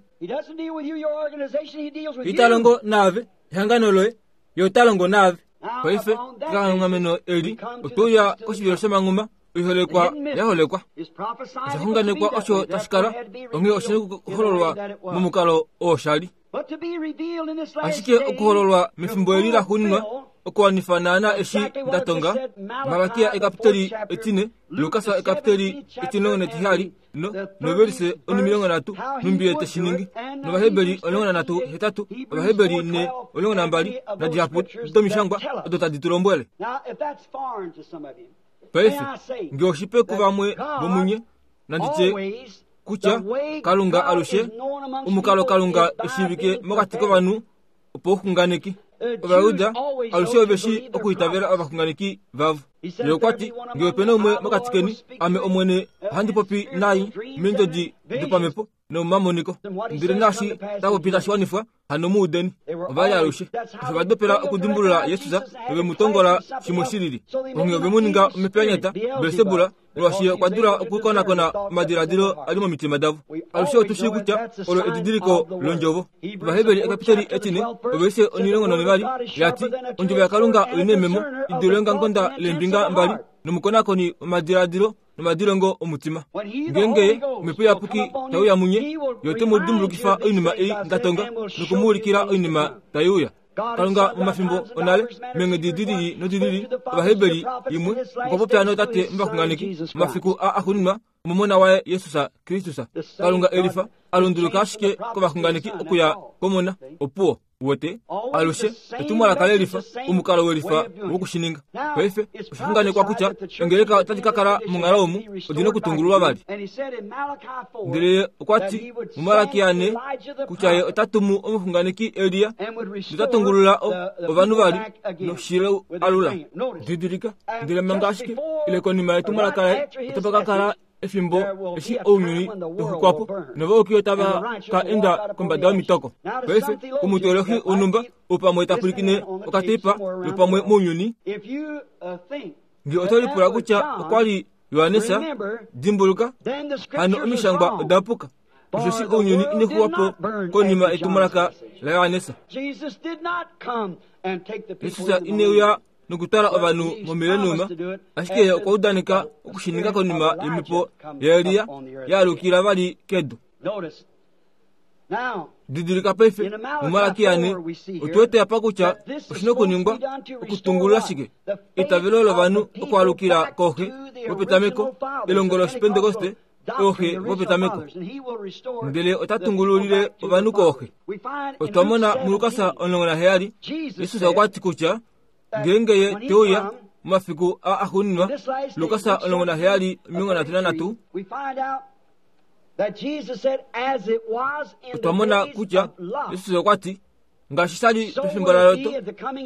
Ita longo naave, ehangano loye, ye ota longo naave. Paife, kekanghameno eli, otwe uya koshivilo shomanghuma, oiholekwa ya holekwa. Osha xunganekwa osho tashi kala, onghee oshi na okuhololwa momukalo oo sha li. Ashike okuhololwa mefimbo eli laxuuninwa, okuwanifa naana eshi nda tonga, Malakia ekapiteli etine, Lukas ekapiteli etimulongo netiheyali, no, novelise onimilongo nhatu, nhumbi ye te shi ningi, nOvaheberi 13 hetatu, Ovaheberi 4 12, nadihapu domishangwa odo tadi tu lombwele. Paife, nge oshipe kuvamwe vomunye, nandi tye kutya Kalunga alushe, omukalo Kalunga e shiivike mokati kovanhu opouxunganeki. Ovajuda alushe ove shii okuitavela ovaxunganeki vavo. Ye okwa ti, Nge ope na umwe mokati keni, ame Omwene ohandi popi naye meendjodi dopamhepo nomomamoniko. Ndele naashi ta popi tashi wanifwa, hano mu udeni. Ova li alushe osho va dopela okudimbulula Jesus nove mu tongola shimwe shi lili. Onghee ove mu ninga omhepo ya nyata, Belsebul, molwaashi ye okwa dula okukonakona omadiladilo a li momitima davo. Alushe otu shii kutya olo edidiliko londjovo. Ovaheberi ekapiteli etine, ovelishe onhilongo nonhivali, ya ti, Ondjovo yaKalunga oi neememo i dule eongamukonda leembinga mbali, nomukonakoni womadiladilo nomadilongo omutima. Ngeenge Ye, Omhepo Iyapuki, tai uya munye, Ye ote mu dimbulukifa oinima ei nda tonga, noku mu ulikila oinima tai uya. Kalunga momafimbo onale, meenghedi di lili nodi lili, Ovaheberi imwe, okwa popya nootate movaxunganeki, momafiku aa axuuninwa, omOmona waye Jesus Kristus. Kalunga e lifa, a lunduluka ashike kovaxunganeki okuya kOmona. Opuwo. Uwete? Alushe etumwalaka lelifa, omukalo welifa wokushininga. Paife osha xunganekwa kutya ongeleka otadi ka kala monghalo omu odi na okutungululwa vali. Ndele ye okwa ti muMalaki 4 kutya ye ota tumu omuxunganeki Elia nota tungulula ovanhu vali noshilo alula. Didilika, ndele manga ashike ile konima yetumwalaka laye otapa ka kala efimbo eshi ounyuni tau xukwa po novayuki otava ka enda kombada yomitoko. Paife, omuteolohi wonhumba ou pamwe ta pwilikine okateipa lopamwe mounyuni, nge oto lipula kutya okwa li Johannes, dimbuluka, hano omishangwa oda puka, osheshi ounyuni ine xuwa po konima yetumwalaka laJohannes. Jesus ine uya nokutwala ovanhu momilenuma, ashike ye okwa udaneka oku shi ninga konima yomhepo yaElia ya alukila vali kedu. Didilika paife, muMalaki 4, otu wete apa kutya oshi na okuningwa okutungulula shike? Eitavelo lovanhu okwaalukila kooxe vopetameko, elongo lOshipentekoste, ooxe vopetameko. Ndele ota tungululile ovanhu kooxe. Otwa mona muLukas 17, Jesus okwa ti kutya ngeenge ye te uya momafiku a axuuninwa, Lukas 17, 33, Otwa mona kutya Jesus okwa ti, Ngaashi sha li pefimbo laLot,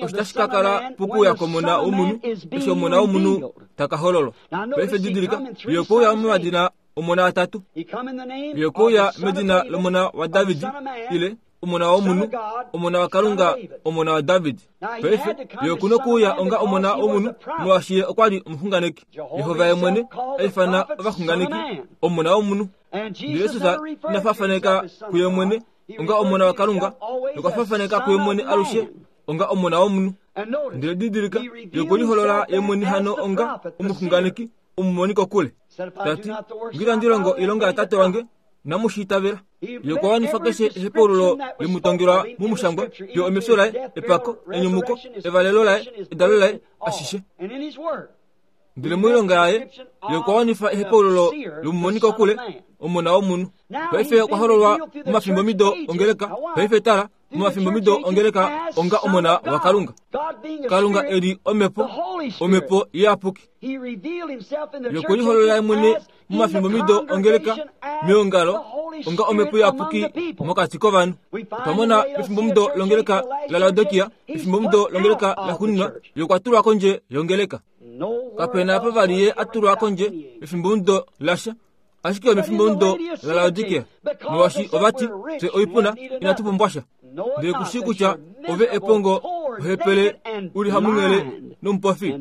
osho tashi ka kala pokuuya kwOmona wOmunhu, eshi Omona wOmunhu ta ka hololwa. Paife didilika, Ye okwe uya momadina omona atatu. Ye okwe uya medina lOmona waDavid, ile Omona wOmunhu, Omona waKalunga, Omona waDavid. Paife, Ye oku nokuuya onga Omona wOmunhu, molwaashi Ye okwa li omuxunganeki. Jehova Ye mwene a ifana ovaxunganeki Omona wOmunhu. Ndele Jesus ina faafaneka kuye mwene onga Omona waKalunga, nokwa faafaneka kuye mwene alushe onga Omona wOmunhu. Ndele didilika, Ye okwe liholola Ye mwene hano onga omuxunganeki, omumoni kokule, ta ti, Nge itandi longo oilonga yaTate wange, inamu shi itavela. Ye okwa wanifa keshe ehepaululo le mu tongelwa mOmushangwa, fiyo omefyo laye, epako, enyumuko, evalelo laye, edalo laye, ashishe. Ndele moilonga yaye, ye okwa wanifa ehepaululo lomumoni kokule, Omona wOmunhu. Paife okwa hololwa momafimbomido ongeleka. Paife tala, momafimbomido ongeleka onga Omona waKalunga. Kalunga e li Omhepo, Omhepo Iyapuki. Ye okwe liholola ye mwene momafimbomido ongeleka meongalo onga Omhepo Iyapuki mokati kovanhu. Otwa mona pefimbomudo longeleka laLaodikia, pefimbomudo longeleka laxuuninwa, ye okwa tulwa kondje yongeleka. Kape na apa vali ye a tulwa kondje pefimbomudo lasha, ashike omefimbomudo laLaodikia, molwaashi ova ti, Fye oipuna, inatu pumbwa sha. Ndele ku shii kutya ove epongo, ohepele, u li hamunghele nomupofi,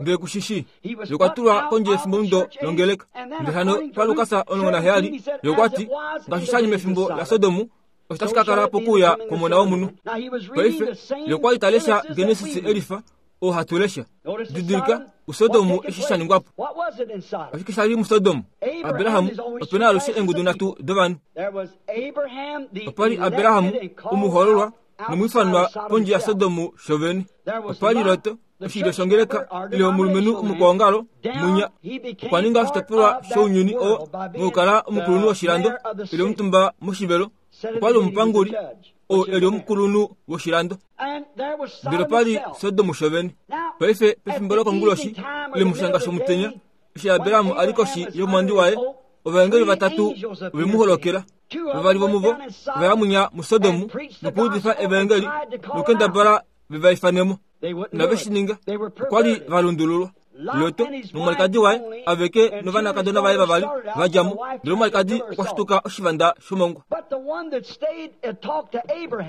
ndele ku shi shii. Ye okwa tulwa kondje yefimbomudo longeleka. Ndele hano paLukas 17, ye okwa ti, Ngaashi sha li mefimbo laSodom, osho tashi ka kala pokuuya kwOmona wOmunhu. Paife, ye okwa li ta lesha Genesis elifa, oo hatu lesha. Didilika, uSodom eshi sha ningwa po. Oshike sha li muSodom? Abraham, ope na alushe eengudu nhatu dovanhu. Opa li Abraham, omuhoololwa, nomwiifanwa pondje yaSodom shovene. Opa li Lot, oshilyo shongeleka, ile omulumenhu omukwaongalo, munya. Okwa ninga oshitopolwa shounyuni oo mokukala omukulunhu woshilando, ile omutumba moshivelo. Okwa li omupanguli, oo e li omukulunhu woshilando. Ndele opa li Sodom shovene. Paife, pefimbo lokonguloshi, ile moshanga shomutenya, eshi Abraham a li koshi yomwandi waye, ovaengeli vatatu ove mu holokela. Vavali vomuvo ova ya munya muSodom nokuudifa evaengeli nokukendabala ve va ifane mo. Inave shi ninga. Okwa li va lundululwa. Lot nomwalikadi waye aveke novanakadona vaye vavali va dja mo, ndele omwalikadi okwa shituka oshivanda shomongwa.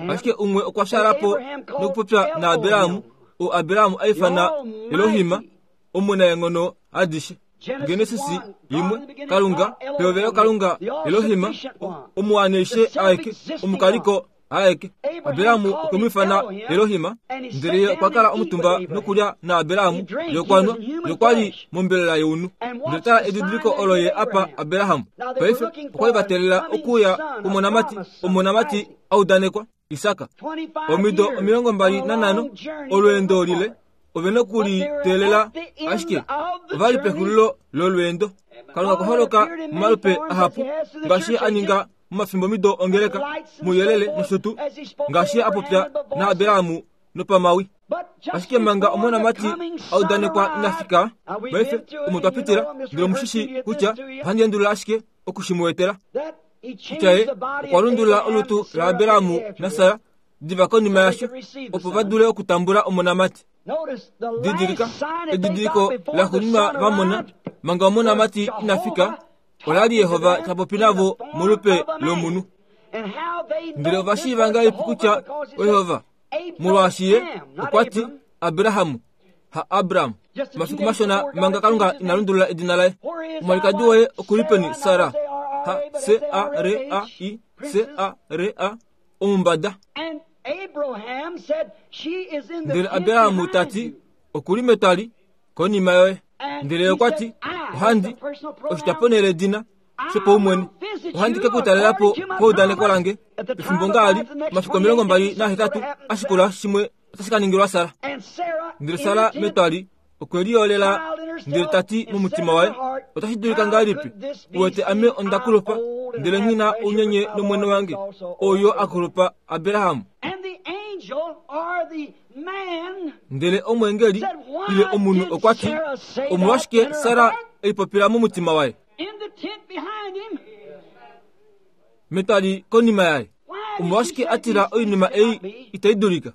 Ashike umwe okwa fyaala po nokupopya naAbraham, oo Abraham a ifana Elohim, Omunaenghono adishe. Genesis 1, Kalunga, pehovelo Kalunga, Elohim, Omuwaneishe aeke, Omukaliko aeke. Abrahamu okwe mu ifana Elohim, ndele ye okwa kala omutumba nokulya naAbrahamu, ye okwa nwa, ye okwa li mombelela younhu. Ndele tala edidiliko olo ye a pa Abraham. Paife okwa li va teelela okuuya kwomonamati, omonamati a udanekwa, Isak. Omido 25, olweendo lile, ove noku li teelela, ashike ova li pexulilo lolweendo. Kalunga okwa holoka momalupe ahapu, ngaashi a ninga. momafimbomido ongeleka, mouyelele nosho tuu, ngaashi Ye a popya naAbraham nopamawi. Ashike manga omonamati a udanekwa ina fika, paife omo twa pitila, ndele omu shi shii kutya ohandi endulula ashike oku shi mu etela, kutya ye okwa lundulula olutu laAbraham naSara diva konima yasho, opo va dule okutambula omonamati. Didilika, edidiliko laxuuninwa va mona manga omonamati ina fika, ola li Jehova ta popi navo molupe lomunhu. Ndele ova shiiva ngahelipi kutya oJehova? Molwaashi ye okwa ti, Abraham, ha Abram. Omafiku mashona manga Kalunga ina lundulula edina laye. Omwalikadi woye oku li peni, Sara? Ha C A R A I C A R A omumbada. Ndele Abraham ta ti, Oku li metwali konima yoye. Ndele ye okwa ti, Ohandi, oshitwaponhele ledina shopaumwene, ohandi ke ku talela po paudaneko lange pefimbo ngaali, omafiku 28 a shikula shimwe otashi ka ningilwa Sara. Ndele Sara metwali okwe liyolela ndele ta ti momutima waye, Otashi dulika ngahelipi, u wete ame onda kulupa, ndele nghi na ounyenye nomwene wange, ou yo a kulupa, Abraham? Ndele omweengeli ile omunhu okwa ti, Omolwashike Sara e lipopila momutima waye? Metwali konima yaye, omolwashike a tila oinima ei itai dulika?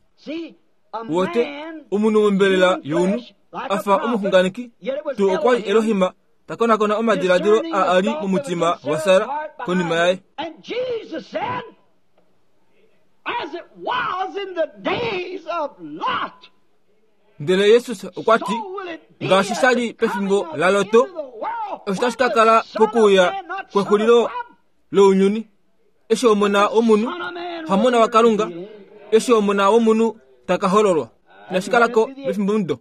Wote, omunhu mombelela younhu, a fa omuxunganeki, tuu okwa li Elohim ta konakona omadiladilo a a li momutima waSara konima yaye. Ndele Jesus okwa ti, ngaashi sha li pefimbo laLoto, osho tashi ka kala pokuuya kwexulilo lounyuni. Eshi Omona wOmunhu, hamona waKalunga, eshi Omona wOmunhu ta ka hololwa. Inashi kala ko mefimbomudo.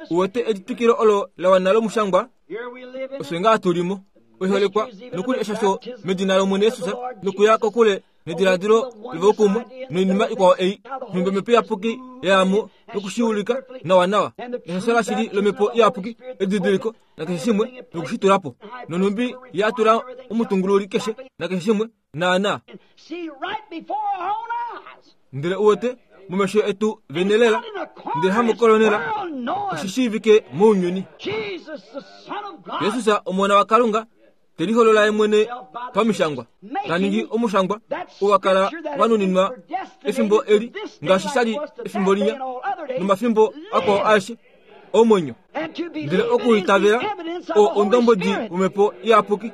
Uwete elitwikilo olo la wana lomushangwa? Osho ngaa tu li mo. Oiholekwa nokuli eshasho medina lOmwene Jesus nokuya kokule nediladilo lovaukumwe noinima ikwao ei nhumbi omhepo iyapuki ya ya mo noku shi ulika nawanawa neshasho lashili lomhepo iyapuki edidiliko nakeshe shimwe noku shi tula po nonhumbi ya tula omutungululi keshe nakeshe shimwe naana ndele u wete momesho etu vene lela ndele hamukolonela oshi shiivike mounyuni Jesus omona waKalunga te liholola ye mwene pamishangwa ta ningi omushangwa oo wa kala wa nuninwa efimbo eli ngaashi sha li efimbo linya nomafimbo akwao aeshe omwenyo ndele okuitavela oo ondombwedi womhepo iyapuki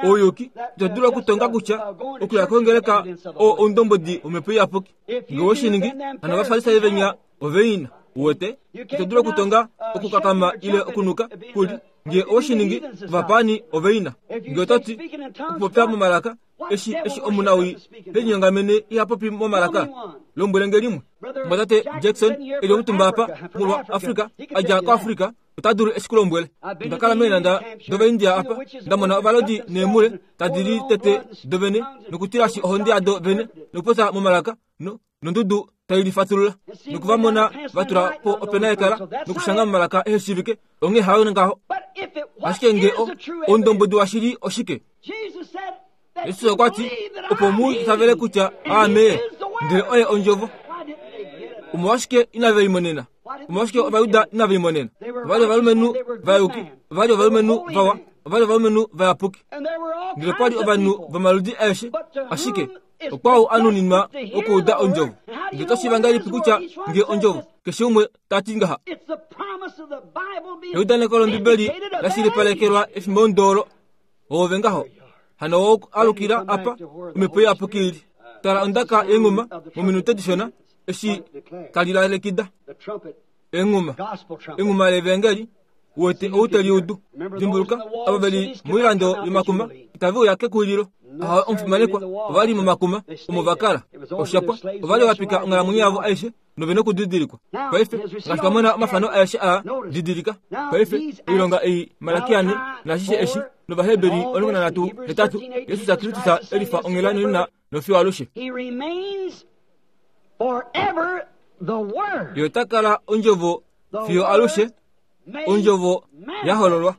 ouyuki ito dulu okutonga kutya okuya kongeleka oo oundombwedi womhepo iyapuki nge we shi ningi hano ovafarisai venya ove ina uwete ito dulu okutonga okukakama ile okunuka kuli nge owe shi ningi ovapaani ove ina nge oto ti okupopya momalaka eshi eshi omunawii te linyongamene iha popi momalaka lombwele nge limwe mwatate Jackson e li omutumba apa molwa Afrika a dja koAfrika ota dulu eshi ku lombwele onda kala meenhanda dOvaindia apa nda mona ovalodi neemule tadi li tete dovene nokutilashi ohonde yado vene nokupopya momalaka no nondudu tai lifatulula noku va mona va tula po opena yekala nokushanga momalaka ehe shiivike onghee hayo ngaho ashike nge o oundombwedi washili oshike Jesus okwa ti opo mu itavele kutya aame ndele oye ondjovo omolwashike inave limonena omolwashike ovajuda inave limonena ova li ovalumenhu vayuki ova li ovalumenhu vawa ova li ovalumenhu vayapuki ndele okwa li ovanhu vomaludi aeshe ashike okwao a nuninwa okuuda ondjovo ndele oto shiiva ngahelipi kutya nge ondjovo keshe umwe ta ti ngaha eudaneko lombibeli la shilipalekelwa efimbo ndoolo oove ngaho hano wo alukila apa omhepo iyapuki ili tala ondaka yenghuma mominute dishona eshi tali lalekida enghuma enghuma levangeli wete ou te liudu dimbuluka ava ve li moilando yomakuma itave uya kekulilo aha omufimanekwa ova li momakuma omo va kala oshapwa ova li va pika onghalamwenyo yavo aishe nove nokudidilikwa paife ngaashi twa mona omafano aeshe aa didilika paife oilonga ei malakiane naashishe eshi novaheberi 13 Jesus Kristus e lifa onghela nonena nofiyo alushe ye ota kala ondjovo fiyo alushe. Ondjovo ya hololwa.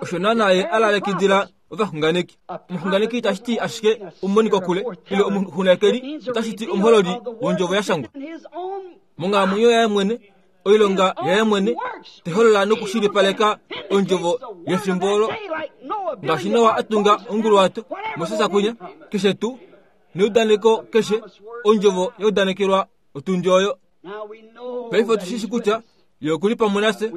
Osho naana ye a lalekidila ovaxunganeki. Omuxunganeki itashi ti ashike omumonikokule ile omuxunganekeli, otashi ti omuhololi wondjovo ya shangwa. Monghalamwenyo yaye mwene, oilonga yaye mwene, te holola nokushilipaleka ondjovo yefimbo olo. Ngaashi Noa a tunga onguluwato, Moses kwinya, keshe tuu, neudaneko keshe, ondjovo ya udanekelwa otundi oyo. Paife otu shi shi kutya Ye oku li pamwe nafye,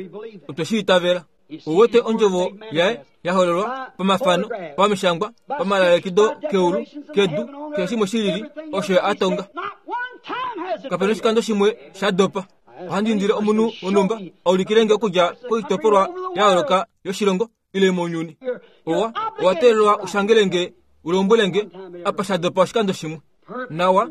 otwe shi itavela. Ou wete ondjovo yaye ya hololwa pamafano, pamishangwa, pamalalekido keulu, kedu, keshe shimwe shi lili, osho Ye a tonga. Kape na oshikando shimwe sha dopa. Ohandi indile omunhu wonhumba a ulikile nge okudja koitopolwa ya yooloka yoshilongo ile mounyuni. Owa, owa teelelwa u shangele nge, u lombwele nge apa sha dopa oshikando shimwe. Nawa,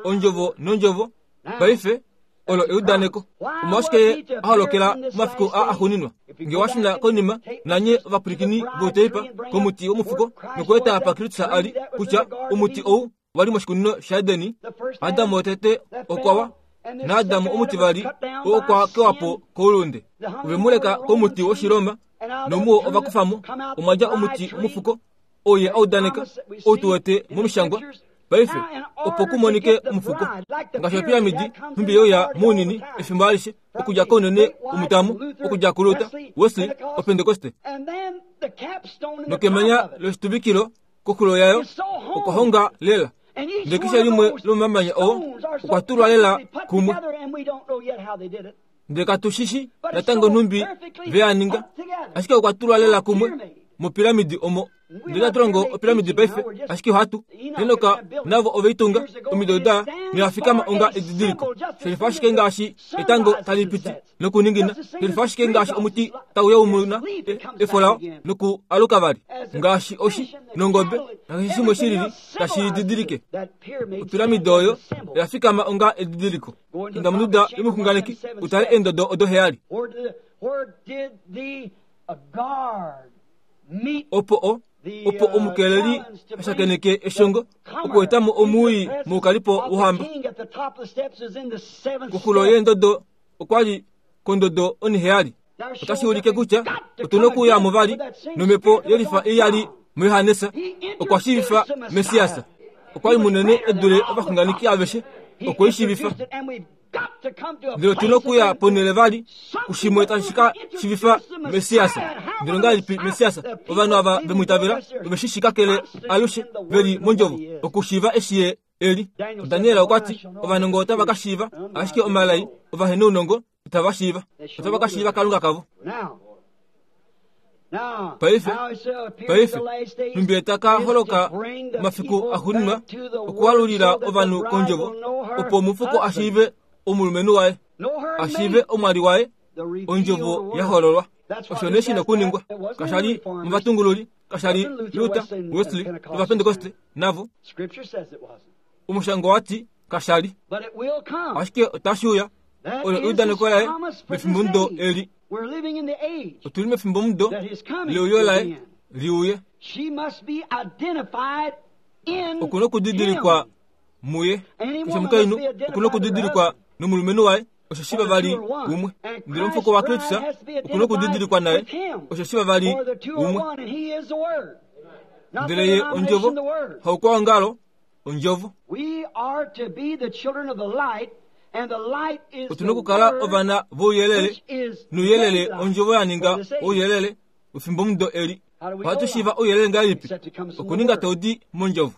ondjovo nondjovo, paife, olo eudaneko. Omolwashike ye a holokela momafiku aa axuuninwa? Nge wa shuna konima, nanye ovapwilikini vouteipa, komuti womufuko, nokueta apa Kristus a li, kutya omuti ou wa li moshikunino shaEdeni, Adam wotete okwa wa, naAdam omutivali okwa kewa po koulunde. Ove mu leka komuti woshiloma, nomuwo ova kufa mo, omwa dja omuti womufuko, oo ye a udaneka, ou tu wete momishangwa paife, opo ku monike omufuko. Ngaashi opiramidi, nhumbi ye uya mounini efimbo alishe, okudja kounene womutamo, okudja kuLuther, Wesley, Opentekoste. Nokemanya loshituvikilo koxulo yayo okwa honga lela. Ndele keshe limwe lomomamanya oo okwa tulwa lela kumwe. Ndele katu shi shi natango nhumbi ve a ninga, ashike okwa tulwa lela kumwe mopiramidi omo. Ndele itatu longo opiramidi paife, ashike ohatu. Henok navo ove i tunga, omido da noya fikama onga edidiliko. Shelifa ashike ngaashi etango tali piti nokuningina, shelifa ashike ngaashi omuti tau yaumuna efo lao noku aluka vali, ngaashi oshi nongobe nakeshe shimwe shi lili tashi didilike. Opiramidi oyo oya fikama onga edidiliko. Inda monduda yomuxunganeki u tale eendodo odo heyali. Opo o, opo omukeleli a shakeneke eshongo okueta mo omuui moukalipo wohamba. Koxulo yeendodo okwa li kondodo oniheyali. Otashi ulike kutya otu na okuuya mo vali nomhepo yelifa ei ya li muJohannes. Okwa shiivifa Messias. Okwa li munene e dule ovaxunganeki aveshe. Okwe i shiivifa. Ndele otu na okuya ponhele vali kushimwe tashi ka shiivifa Messias. Ndele ongahelipi Messias ovanhu ava ve mu itavela ove shi shi kakele alushe ve li mondjovo okushiiva eshi ye eli? Daniel okwa ti ovanongo otava ka shiiva, ashike omalai ovahenaunongo itava shiiva. Otava ka shiiva Kalunga kavo. Paife, paife, nhumbi ye ta ka holoka omafiku axuuninwa okualulila ovanhu kondjovo, opo omufuko a shiive omulumenhu waye, a shiive omwali waye, ondjovo ya hololwa. Osho nee shi na okuningwa. Kasha li movatungululi, kasha li Luther, Wesley, nOvapentekoste, navo. Omushango wa ti kasha li. Ashike otashi uya. Olo eudaneko laye mefimbomudo eli. Otu li mefimbomudo leuyo laye li uye. Oku na okudidilikwa muye. Keshe omukainhu oku na okudidilikwa nomulumenhu waye, osheshi vavali umwe. Ndele omufuko waKristus oku na okudidilikwa naye, osheshi vavali umwe. Ndele ye ondjovo, haukwaongalo, ondjovo. Otu na okukala ovana vouyelele, nouyelele ondjovo ya ninga ouyelele wefimbomudo eli. Ohatu shiiva ouyelele ngahelipi? Okuninga tau di mondjovo.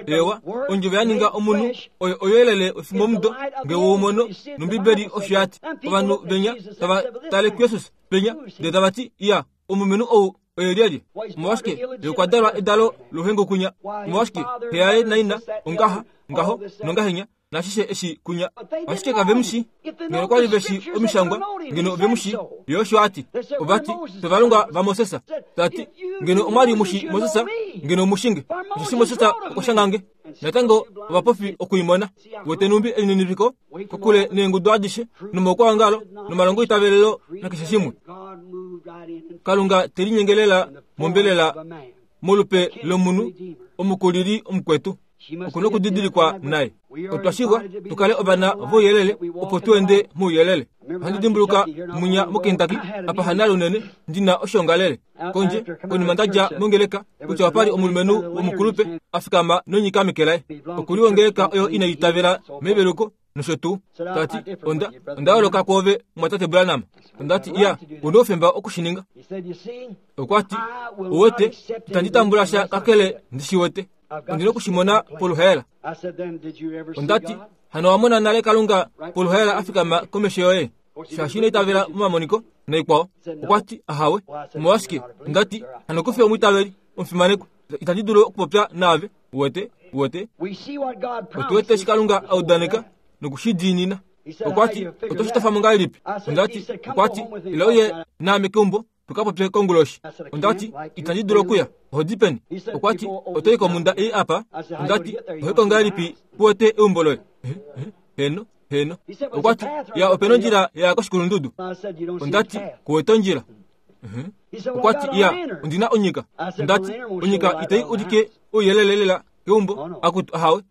Eewa, ondjovo ya ninga omunhu oyo ouyelele wefimbomudo nge we u mono, nOmbibeli osho ya ti. Ovanhu venya tava tale kuJesus penya, ndele tava ti, Iya, omulumenhu ou oye lyelye? Omolwashike ye okwa dalwa edalo louhengukunya? Omolwashike xe yaye naina ongaha, ngaho, nongahenya, nashishe eshi kunya? Ashike kave mu shi. Ngeno okwa li ve shi omishangwa, ngeno ove mu shi. Ye osho a ti. Ova ti, Fye ovalongwa vaMoses. Ta ti, Ngeno omwa li mu shi Moses, ngeno mu shi nge. Osheshi Moses okwa shanga nge. Natango ovapofi oku i mona. Wete nhumbi elininipiko, kokule neengudu adishe, nomaukwaongalo, nomalongoitavelelo nakeshe shimwe. Kalunga te linyenge lela mombelela molupe lomunhu, omukulili omukwetu. Oku na okudidilikwa naye. Otwa shivwa tu kale ovana vouyelele opo tu ende mouyelele. Ohandi dimbuluka munya moKentucky apa hanale unene ndi na oshoongalele kondje konima nda dja mongeleka kutya opa li omulumenhu womukulupe a fikama nonyika meke laye. Oku li wongeleka oyo inai itavela meveluko nosho tuu. Ta ti, Onda, onda yooloka kwoove, mumwatate Branham. Onda ti, Iya, u na oufemba oku shi ninga. Okwa ti, Uwete, itandi tambula sha kakele ndi shi wete. Ondi na oku shi mona poluhaela. Onda ti, Hano owa mona nale Kalunga poluhaela a fikama komesho yoye? Shaashi ino itavela momamoniko naikwao. Okwa ti, Ahawe. Omolwashike? Onda ti, Hano ku fi omwiitaveli, omufimanekwa. Itandi dulu okupopya naave. Uwete? Uwete? Otu wete eshi Kalunga a udaneka noku shi diinina. Okwa ti, Oto shi tofa mo ngahelipi? Onda ti, Okwa ti, Ila uye naame keumbo tu ka popye konguloshi. Onda ti, Itandi dulu okuya. Oho di peni? Okwa ti, Oto i komhunda ei apa. Onda ti, Oho i ko ngahelipi ku wete eumbo loye? Heno, heno. Okwa ti, Ya, ope na ondjila ya ya koshikulundudu. Onda ti, Ku wete ondjila. Okwa ti, Ya, ondi na onyika. Onda ti, Onyika itai ulike ouyelele lela keumbo, akutu ahawe.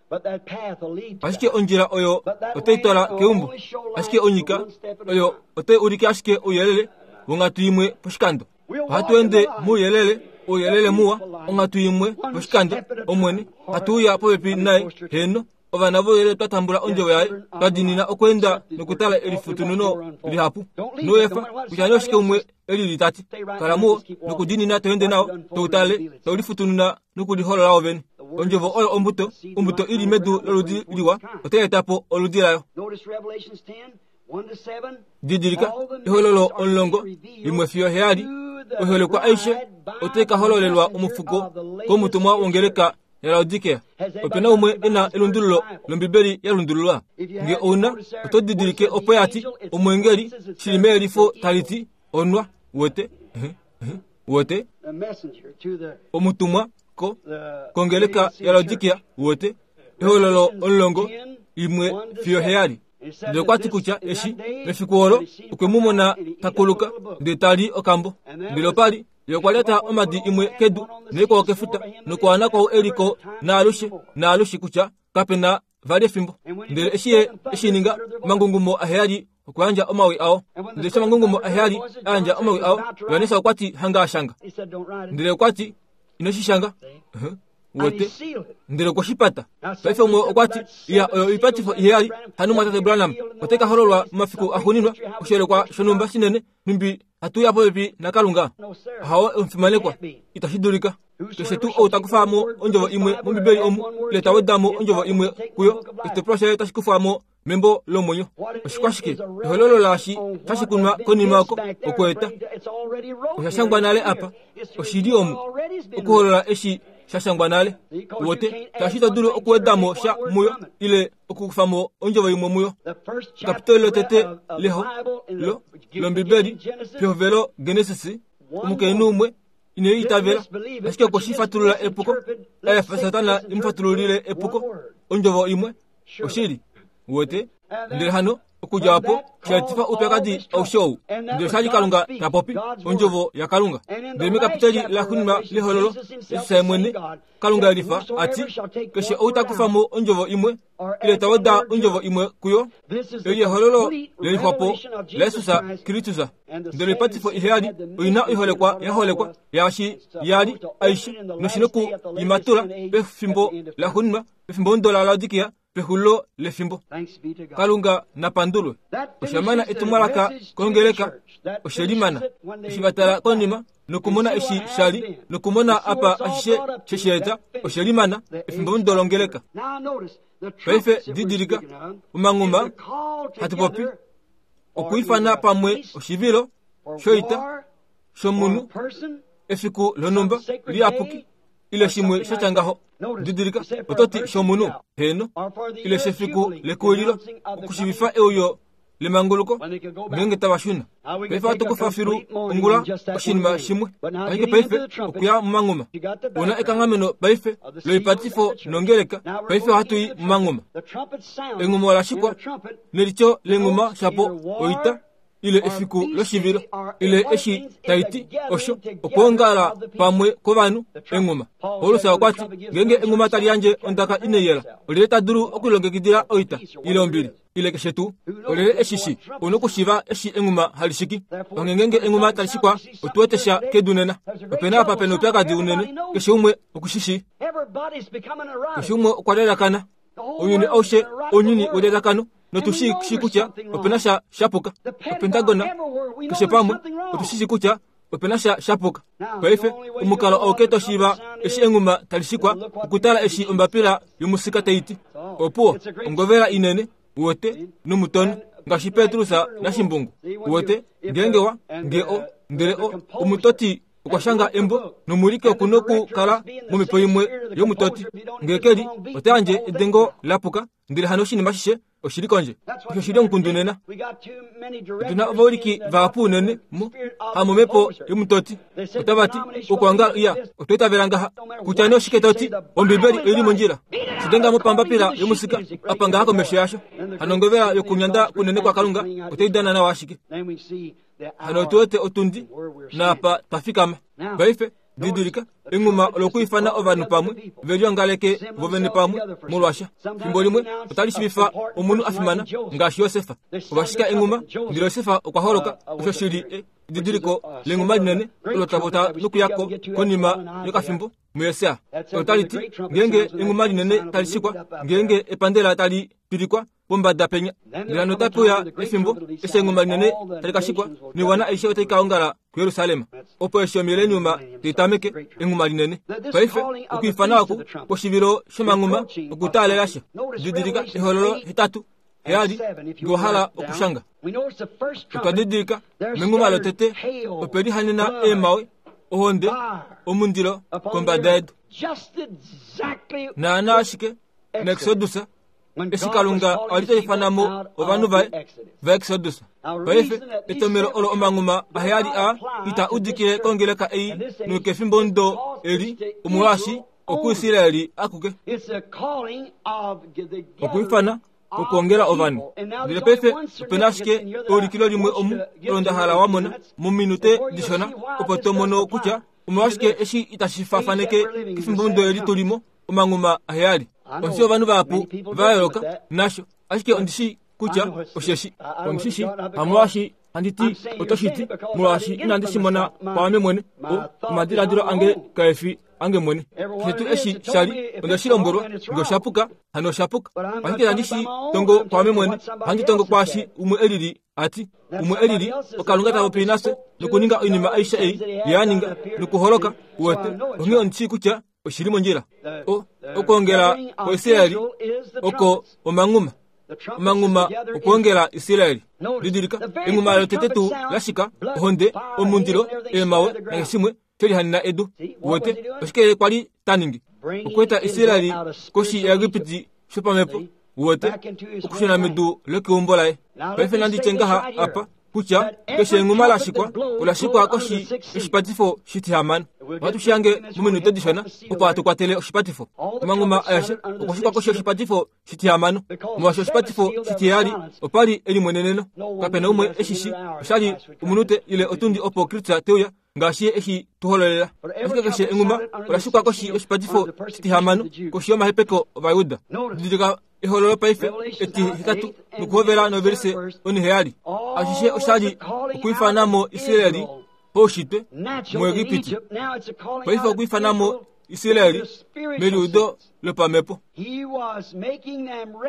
Ashike ondjila oyo otai twala keumbo. Ashike onyika oyo otai ulike ashike ouyelele wonghatu imwe poshikando. Ohatu ende mouyelele, ouyelele muwa, onghatu imwe poshikando, Omwene, hatu uya popepi naye, heeno, ovana vouyelele twa tambula ondjovo yaye, twa diinina okweenda nokutala elifutununo lihapu. Ino efa kutya nee oshike umwe e lili ta ti. Kala muwo nokudiinina to ende nao, to u tale, tau lifutununa nokuliholola wovene. Ondjovo oyo ombuto, ombuto i li medu loludi liwa otai eta po oludi layo. Didilika, Ehololo 11-7, oiholekwa aishe otai ka hololelwa omufuko komutumwa wongeleka yaLaodikea. Ope na umwe e na elundululo lOmbibeli ya lundululwa? Nge ou na, oto didilike opo ya ti, Omweengeli, shi li meyelifo tali ti, onwa, wete, wete, omutumwa ko, kongeleka yaLaodikea, wete, Ehololo 11-7. Ndele okwa ti kutya eshi, mefiku olo, okwe mu mona ta kuluka, ndele ta li okambo. Ndele opa li Ye okwa lyata omadi imwe kedu naikwao kefuta, nokwaana kwao e li ko naalushe naalushe kutya kape na vali efimbo. Ndele eshi ye e shi ninga, omangungumo aheyali okwa yandja omawi ao. Ndele eshi omangungumo aheyali a yandja omawi ao, Johannes okwa ti, Hanga a shanga. Ndele okwa ti, Ino shi shanga. Wete? Ndele okwe shi pata. Paife umwe okwa ti, Ya, oyo oipatifo iheyali, hano Mumwatate Branham otai ka hololwa momafiku axuuninwa, oshiyelekwa shonhumba shinene, nhumbi hatu uya popepi naKalunga? Ahawe, omufimanekwa, itashi dulika. Keshe tuu ou ta kufa mo ondjovo imwe mOmbibeli omu, ile ta weda mo ondjovo imwe kuyo, oshitopolwa shaye otashi kufwa mo membo lomwenyo. Oshikwashike? Ehololo laashi tashi kunwa konima oko, okweeta. Osha shangwa nale apa. Oshi li omu, okuholola eshi sha shangwa nale. Uwete, shaashi ito dulu okuweda mo sha muyo, ile okukufa mo ondjovo imwe muyo. Ekapitoli lotete leho lo lOmbibeli, pehovelo Genesis, omukainhu umwe ine i itavela, ashike okwe shi fatulula epuko, a efa Satana e mu fatululile epuko, ondjovo imwe. Oshili. Uwete? Ndele hano, okudja opo, sha etifa oupyakadi aushe ou. Ndele osha li Kalunga ta popi, Ondjovo yaKalunga. Ndele mekapitali laxuuninwa lEhololo, Jesus ye mwene, Kalunga elifa, a ti, Keshe ou ta kufa mo Ondjovo imwe, ile ta weda ondjovo imwe kuyo, eli ehololo le lixwa po laJesus Kristus. Ndele oipatifo iheyali oi na oiholekwa ya holekwa yaashi ya li aishe, noshi noku i matula pefimbo laxuuninwa, pefimbo omudo laLaodikia, pexulilo lefimbo. Kalunga na pandulwe. Osha mana etumwalaka kongeleka, oshe li mana. Eshi va tala konima nokumona eshi sha li, nokumona apa ashishe she shi eta, oshe li mana, efimbo omudo longeleka. Paife didilika, omanghuma, hatu popi, okwiifana pamwe oshivilo shoita shomunhu, efiku lonhumba liyapuki, ile shimwe sha tya ngaho. Didilika, oto ti shomunhu, heeno, ile shefiku lekuwililo, okushivifa euyo lemanguluko ngeenge tava shuna. Paife ohatu kufa filu ongula oshinima shimwe, ashike paife okuya momanghuma. Una ekanghameno paife loipatifo nongeleka, paife ohatu i momanghuma. Enghuma ola shikwa nelityo lenghuma shapo oita. ile efiku loshivilo ile eshi tai ti osho okwoongala pamwe kwovanhu enghuma. Paulus okwa ti, Ngeenge enghuma tali yandje ondaka inai yela, olyelye ta dulu okulilongekidila oita ile ombili ile keshe tuu? Olyelye e shi shii? Ou na okushiiva eshi enghuma hali shiki. Onghee ngeenge enghuma tali shikwa, otu wete sha kedu nena. Ope na apa pe na oupyakadi unene, keshe umwe oku shi shii. Keshe umwe okwa lalakana. Ounyuni aushe ounyuni welalakano notu shi shii kutya ope na sha sha puka. Opentagona, keshe pamwe, otu shi shii kutya ope na sha sha puka. Paife, omukalo auke to shiiva eshi enghuma tali shikwa, okutala eshi ombapila yomusika tai ti. Opuwo, ongovela inene, uwete, nomutono, ngaashi Petrus naShimbungu. Uwete, ngeenge wa, nge o, ndele o, omutoti okwa shanga embo nomuwiliki oku nokukala momhepo imwe yomutoti. Nge ke li, ota yandje edengo la puka, ndele hano oshinima ashishe oshi li kondje. Osho oshi li omukundu nena. Otu na ovawiliki vahapu unene mo, hamomhepo yomutoti. Otava ti, Okuongala, iya, otwa itavela ngaha. Kutya nee oshike to ti, Ombibeli oi li mondjila. Shi denga mo pambapila yomusika, apa ngaha komesho yasho. Hano ongovela yokunyanda kunene kwaKalunga otai dana nawa ashike. Hano otu wete otundi naapa twa fikama. Paife, didilika, enghuma olokwiifana ovanhu pamwe, ve liongaleke vo vene pamwe molwasha. Fimbo limwe otali shivifa omunhu a fimana, ngaashi Josef. Ova shika enghuma, ndele Josef okwa holoka, osho shi li edidiliko lenghuma linene olo tava ta nokuya ko konima yokafimbo muJesaja. Otali ti, ngeenge enghuma linene tali shikwa, ngeenge epandela tali pilikwa, pombada penya. Ndele hano otape uya efimbo eshi enghuma linene tali ka shikwa, noiwana aishe otai ka ongala kuJerusalem. Opo eshi omileniuma tai tameke, enghuma linene. Paife, okwiifana oku kwoshivilo shomanghuma okutaalela sha. Didilika Ehololo 8, 7, nge wa hala okushanga. Otwa didilika menghuma lotete ope lihanena eemhawe, ohonde, omundilo kombada yedu. Naanaa ashike mExodus eshi Kalunga a li ta ifana mo ovanhu vaye vaExodus. Paife, etomhelo olo omanghuma aheyali a ita udikile kongeleka ei nokefimbomudo eli, omolwaashi okuIsraeli akuke. Okwiifana okwoongela ovanhu. Ndele paife ope na ashike eulikilo limwe omu olo nda hala wa mona mominute dishona, opo to mono kutya omolwashike eshi itashi faafaneke kefimbomudo eli tu li mo. omanghuma aheyali. Ondi shii ovanhu vahapu va yooloka nasho, ashike ondi shii kutya osheshi. Ondi shi shii, hamolwaashi handi ti oto shi ti, molwaashi inandi shi mona kwaame mwene. O, omadiladilo ange kae fi ange mwene. Keshe tuu eshi sha li, onde shi lombwelwa, nge osha puka, hano osha puka. Ashike itandi shi tongo kwaame mwene, ohandi tongo kwaashi umwe e lili a ti, Umwe e lili, oKalunga ta popi nafye nokuninga oinima aishe ei Ye a ninga, nokuholoka, uwete. Onghee ondi shii kutya oshi li mondjila. O, okwoongela kwaIsraeli oko omanghuma. Omanghuma okwoongela Israeli. Didilika, enghuma lotete tuu la shika, ohonde, omundilo, eemhawe, nakeshimwe she lihanena edu. Uwete, oshike ye kwa li ta ningi? Okweeta Israeli koshi yaEgipiti shopamhepo, uwete, okushuna medu lokeumbo laye. Paife nandi tye ngaha apa, kutya keshe enghuma la shikwa ola shikwa koshi yoshipatifo shitihamano. Ohatu shi hange mominute dishona opo hatu kwatele oshipatifo. Omanghuma aeshe okwa shikwa koshi yoshipatifo shitihamano, molwaashi oshipatifo shitiheyali opa li elimweneneno. Kape na umwe e shi shii, osha li omunute ile otundi opo Kristus te uya, ngaashi ye eshi tu hololela. Ashike keshe enghuma ola shikwa koshi yoshipatifo shitihamano, koshi yomahepeko Ovajuda. Didilika Ehololo paife etihetatu nokuhovela novelise oniheyali. Ashishe osha li okwiifana mo Israeli paushitwe muEgipiti. Paife okwiifana mo Israeli meliudo lopamhepo.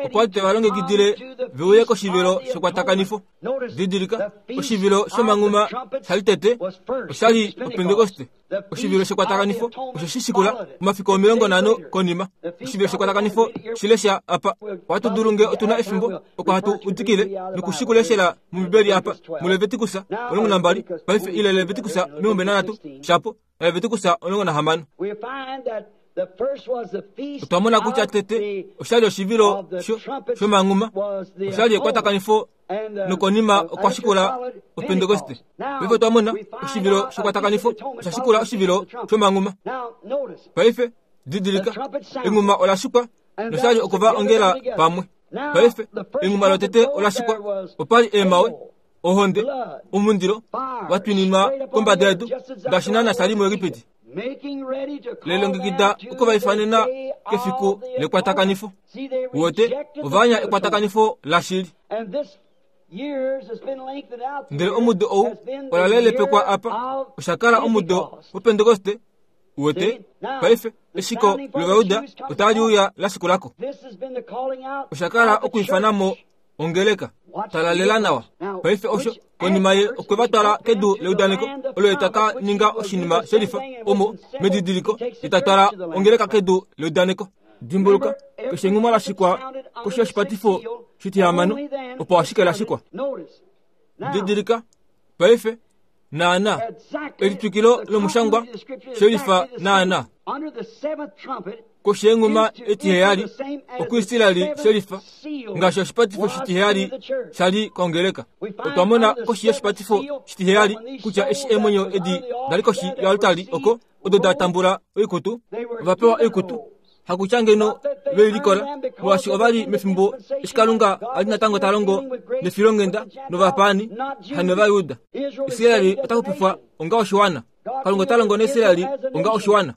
Okwa li te va longekidile ve uye koshivilo shekwatakanifo. Didilika, oshivilo shomanghuma sha li tete osha li Opentekoste. Oshivilo shekwatakanifo osho shi shikula omafiku 50 konima. Oshivilo shekwatakanifo shi lesha apa. Ohatu dulu nge otu na efimbo oko hatu udikile noku shi kuleshela mOmbibeli apa muLevitikus 12 paife ile Levitikus 23 shapo naLevitikus 16. Otwa mona kutya tete osha li oshivilo shomanghuma, osha li ekwatakanifo nokonima okwa shikula Opentekoste. Paife otwa mona oshivilo shekwatakanifo osha shikula oshivilo shomanghuma. Paife didilika, enghuma ola shikwa nosha li oku va ongela pamwe. Paife enghuma lotete ola shikwa, opa li eemhawe. Ohonde, omundilo, wa twininwa kombada yedu, ngaashi naana sha li muEgipiti. Lelongekida oku va ifanena kefiku lekwatakanifo. Uwete, ova anya ekwatakanifo lashili. Ndele omudo ou ola lelepekwa apa, osha kala omudo wOpentekoste. Uwete, paife, eshiko lOvayuda otali uya la shikula ko. Osha kala okwiifana mo ongeleka. Tala lela nawa. Paife osho, konima ye okwe va twala kedu leudaneko, olo ye ta ka ninga oshinima shelifa, omo, medidiliko, ye ta twala ongeleka kedu leudaneko. Dimbuluka, keshe enghuma la shikwa koshi yoshipatifo shitihamano, opo ashike la shikwa. Didilika, paife, naana, elitwikilo lomushangwa shelifa naana. Koshi yenghuma etiheyali, okuIsraeli shelifa, ngaashi oshipatifo shitiheyali sha li kongeleka. Otwa mona koshi yoshipatifo shitiheyali kutya eshi eemwenyo edi da li koshi yoaltari oko, odo da tambula oikutu, ova pewa oikutu, hakutya ngeno ve i likola, molwaashi ova li mefimbo eshi Kalunga a li natango ta longo nefilonghenda novapaani, hanovajuda. Israel ota xupifwa onga oshiwana. Kalunga ota longo naIsrael onga oshiwana.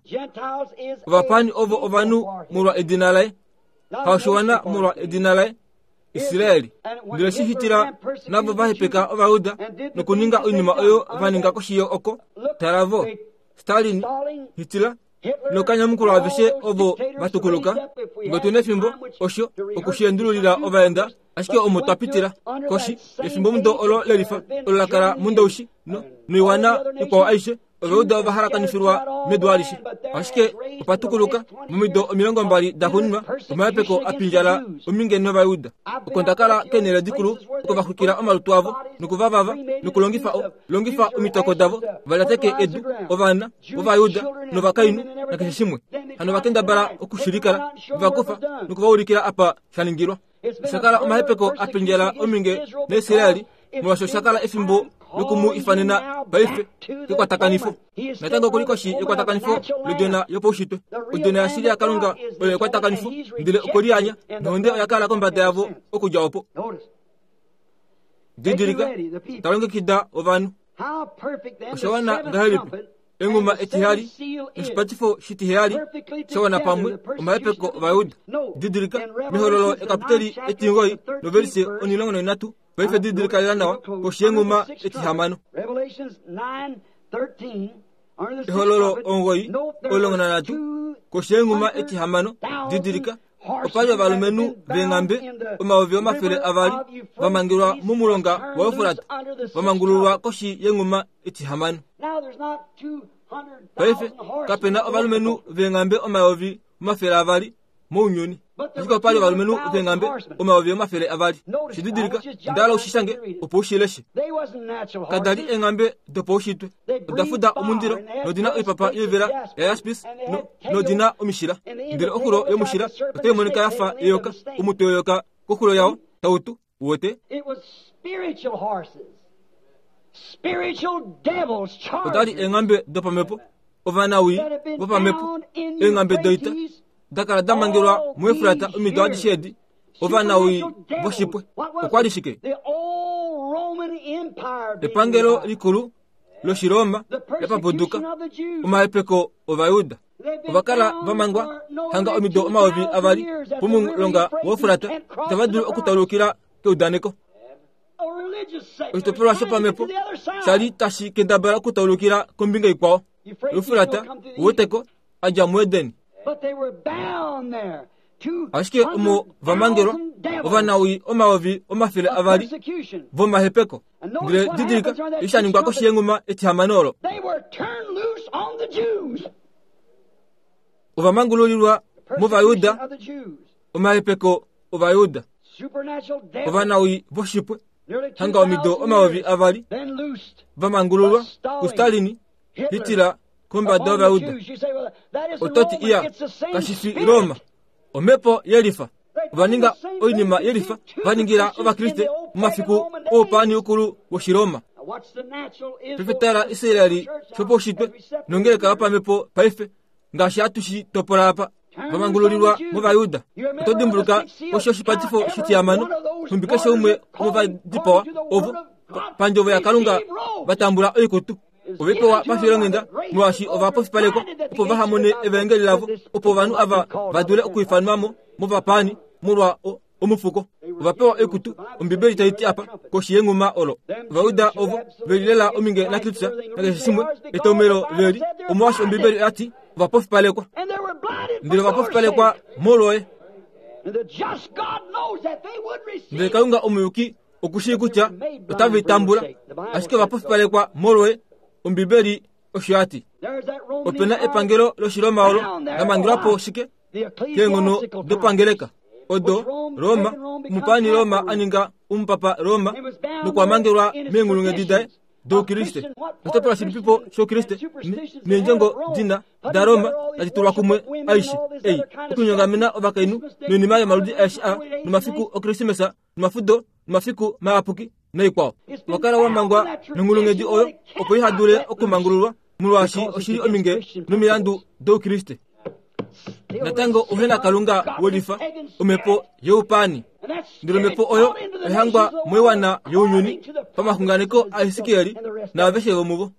Ovapaani ovo ovanhu molwa edina laye, haoshiwana molwa edina laye. Israel. Ndele shi hitila navo va hepeka Ovajuda nokuninga oinima oyo va ninga koshi oko. Tala vo, Stalin, Hitler, nokanyamukulwa aveshe ovo va tukuluka. Nge otu nefimbo, osho, oku shi endululila ovaenda, ashike omo twa pitila, koshi yefimbomudo olo lelifa, olo la kala mundoushi, no, noiwana ikwao aishe, Ovauda ova halakanifilwa medu alishe. Ashike opa tukuluka, momido 20 daxuuninwa, omahepeko a pindjala ominge nOvayuda. Oko nda kala keenhele dikulu oko va xwikila omalutu avo noku va vava nokulongifa o, longifa omitoko davo va lyateke edu, ovana vOvayuda novakainhu nakeshe shimwe. Hano va kendabala oku shi likala, ve va kufa noku va ulikila apa sha ningilwa. Osha kala omahepeko a pindjala ominge naIsraeli molwaashi osha kala efimbo loku mu ifanena paife kekwatakanifo. Natango okuli koshi yekwatakanifo lodjona yopaushitwe. Odjona yashili yaKalunga oyo ekwatakanifo, ndele okwe lianya, nohonde oya kala kombada yavo okudja opo. Didilika, ta longekida ovanhu. Osha wana ngahelipi? Enghuma etiheyali noshipatifo shitiheyali sha wana pamwe omahepeko Ovayuda. Didilika, mehololo ekapiteli etingoyi novelise 13, paife didilika lela nawa koshi yenghuma etihamano. Ehololo 9:13 koshi yenghuma etihamano, didilika, Opa li ovalumenhu veenghambe 200,000 va mangelwa momulonga waEufrat, va mangululwa koshi yenghuma etihamano. Paife kape na ovalumenhu veenghambe 200,000 mounyuni, ashike opa li ovalumenhu veenghambe 200,000. Shi didilika, onda hala u shi shange opo u shi leshe. Kada li eenghambe dopaushitwe. Oda fuda omundilo nodi na oipapa yoivela yayaspis no, nodi na omishila. Ndele oxulo yomushila otai monika ya fa eyoka, omutwe weyoka koxulo yao tau tu. Uwete? Oda li eenghambe dopamhepo, ovanawii vopamhepo, eenghambe doita da kala da mangelwa muEfrata omido adishe edi. Ovanawii voshipwe. Okwa li shike? Epangelo likulu lOshiroma la papuduka omahepeko Ovayuda. Ova kala va mangwa hanga omido 2000 pomulonga waEufrata, itava dulu okutaulukila keudaneko. Oshitopolwa shopamhepo sha li tashi kendabala okutaulukila kombinga ikwao. Eufrata, uweteko, a dja muEden. Ashike omo va mangelwa ovanawii 200,000 vomahepeko. Ndele didilika eshi sha ningwa koshi yenghuma etihamano olo. Ova mangululilwa mOvayuda, omahepeko Ovayuda. Ovanawii voshipwe, hanga omido 2000, va mangululwa kuStalin, Hitler, kombada yOvayuda. Oto ti, Iya, kashi fi Roma. Omhepo yelifa. Ova ninga oinima yelifa va ningila Ovakriste momafiku oupaani ukulu wOshiroma. Paife tala Israel shopaushitwe nongeleka yopamhepo paife, ngaashi hatu shi topola apa, va mangululilwa mOvayuda. Oto dimbuluka osho oshipatifo shitihamano, nhumbi keshe umwe womova dipawa ovo. Pandjovo yaKalunga va tambula oikutu. Ove pewa pafilonghenda molwaashi ova pofipalekwa opo vaha mone evaengeli lavo, opo ovanhu ava va dule okwiifanwa mo movapaani molwa omufuko. Ova pewa oikutu, Ombibeli tai ti apa, koshi yenghuma olo. Ovajuda ovo ve li lela ominge naKristus nakeshe shimwe, etomhelo ve li, omolwaashi Ombibeli oya ti ova pofipalekwa. Ndele ova pofipalekwa molwoye. Ndele Kalunga omuyuki oku shii kutya otave i tambula, ashike ova pofipalekwa molwoye, Ombibeli osho ya ti. Ope na epangelo lOshiroma olo la mangelwa po shike? Keenghono dopangeleka odo Roma, omupaani Roma a ninga omupapa Roma nokwa mangelwa meenghulunghedi daye dOukriste. Oshitopolwa shilipipo shOukriste neendjongo dina daRoma tadi tulwa kumwe aishe ei okunyongamena ovakainhu noinima yomaludi aeshe a nomafiku Okrismesa nomafudo nomafiku mayapuki naikwao. Owa kala wa mangwa nonghulunghedi oyo opo iha dule okumangululwa molwaashi oshi li ominge nomilandu dOukriste. Natango uhe na Kalunga welifa, omhepo youpaani. Ndele omhepo oyo oya hangwa moiwana younyuni pamaxunganeko aHesekiel naaveshe vomuvo.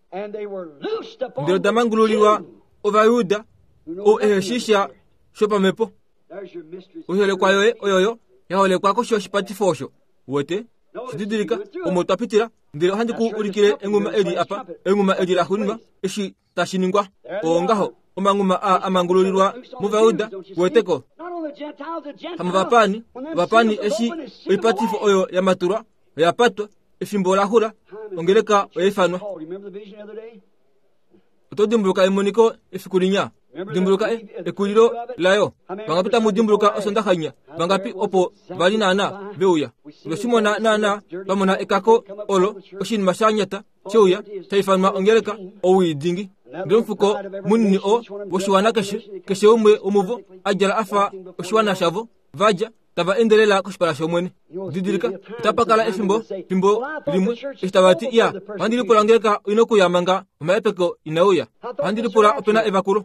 Ndele oda mangululilwa Ovajuda, ou ehe shii sha shopamhepo. Oiholekwa yoye oyoyo ya holekwa koshi yoshipatifo osho. Uwete? Shididilika, omo twa pitila, ndele ohandi ku ulikile enghuma eli apa, enghuma eli la xuuninwa, eshi tashi ningwa. Oo ngaho, omanghuma aa a mangululilwa mOvayuda, uweteko. Hamovapaani, ovapaani eshi oipatifo oyo ya matulwa, oya patwa, efimbo ola xula, ongeleka oya ifanwa. Oto dimbuluka emoniko efiku linya? Dimbuluka e, ekulilo layo. Vangapi tamu dimbuluka osondaxa inya? Vangapi opo va li naana ve uya? Otwe shi mona naana, twa mona ekako olo, oshinima sha nyata she uya, sha ifanwa ongeleka, owii dingi. Ndele omufuko munini oo woshiwana keshe, keshe umwe womuvo a djala a fa oshiwana shavo, va dja, tava ende lela koshipala shOmwene. Didilika, otapa kala efimbo, fimbo limwe, eshi tava ti, Ya, ohandi lipula ongeleka oi nokuya manga omahepeko inae uya. Ohandi lipula ope na evakulo.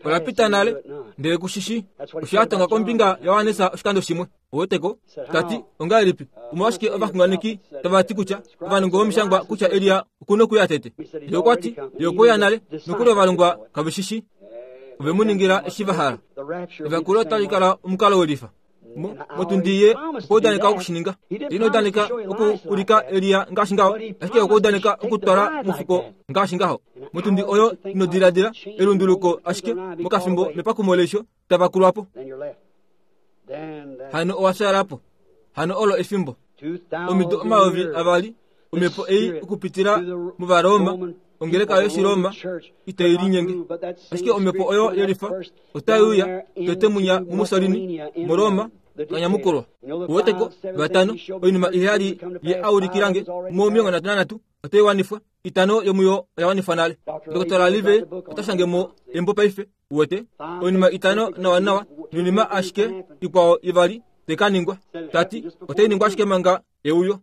Ola pita nale, ndele ku shi shii. Osho ya tonga kombinga yaJohannes oshikando shimwe. Ouweteko? Ta ti, Ongahelipi, omolwashike ovaxunganeki tava ti kutya, ovanongo vomishangwa kutya Elia oku nokuya tete? Ye okwa ti, Ye okwe uya nale, nokuli ovalongwa kave shi shii. Ove mu ningila eshi va hala. Evakulo otali kala omukalo welifa. Motundi ye okwa udaneka oku shi ninga. Ina udaneka oku ulika Elia ngaashi ngaho, ashike okwa udaneka okutwala omufuko ngaashi ngaho. Motundi oyo ino diladila elunduluko ashike mokafimbo mepakumo leisho tava kulwa po. Hano owa fyaala po. Hano olo efimbo. Omido 2000 omhepo ei okupitila mOvaroma, ongeleka yOshiroma itai linyenge. Ashike omhepo oyo yelifa otai uya tete munya muMussolini muRoma kanyamukulwa. Uweteko, vatano, oinima iheyali ye a ulikila nge mo 33 otai wanifwa, itano yomuyo oya wanifwa nale. Ndokotola Livey ota shange mo embo paife. Uwete, oinima itano nawanawa noinima ashike ikwao ivali tai ka ningwa. Ta ti, otai ningwa ashike manga euyo.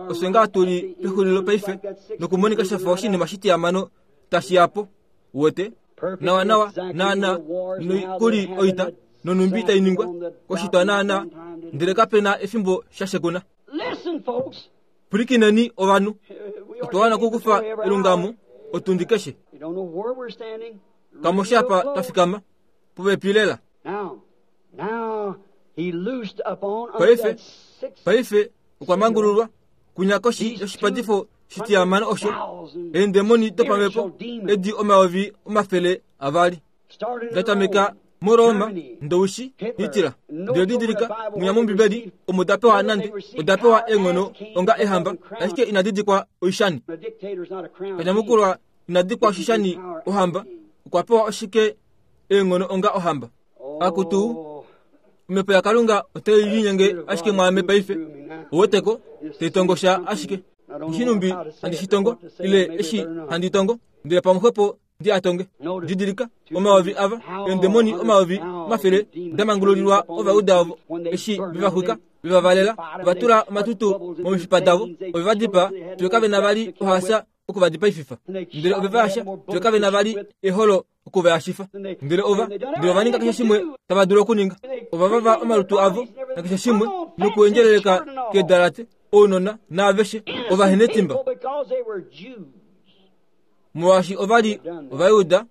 Ofye ngaa tu li pexulilo paife, nokumonika sha fa oshinima shitiyamano tashi ya po. Uwete? Nawanawa, naana, nokuli oita, nonhumbi tai ningwa, koshitwa naana, ndele kape na efimbo sha shekuna. Pwilikineni ovanhu. Otwa wana okukufa elungamo otundi keshe. Kamu shi apa twa fikama, popepi lela. Paife, paife okwa mangululwa kunya koshi yoshipatifo shitiyamano osho eendemoni dopamhepo edi 200,000 da tameka muRoma, Ndoushi, Hitler. Ndele didilika, mwinya mOmbibeli omo da pewa nande oda pewa eenghono onga eehamba, ashike inadi dikwa oishani. Kanyamukulwa ina dikwa oshishani ohamba, okwa pewa oshike eenghono onga ohamba? Akutu, omhepo yaKalunga otai linyenge ashike mwaame paife. Ouweteko, tai tongo sha ashike. Ndishi numbi handi shi tongo, ile eshi handi tongo, ndele pamwe xwepo ndi a tonge. Didilika, omayovi ava, eendemoni 100,000 da mangululilwa Ovajuda ovo, eshi ve va xwika, ve va valela, ova tula omatutu momifipa davo, ove va dipaa, fiyo kave na vali ohaasa oku va dipaififa. Ndele ove va yasha, fiyo kave na vali eholo oku va yashifa. Ndele ova, ndele ova ninga keshe shimwe tava dulu okuninga. Ova vava omalutu avo nakeshe shimwe, nokuendjeleleka keedalate. ounona naaveshe ovahenetimba molwaashi ova li Ovajuda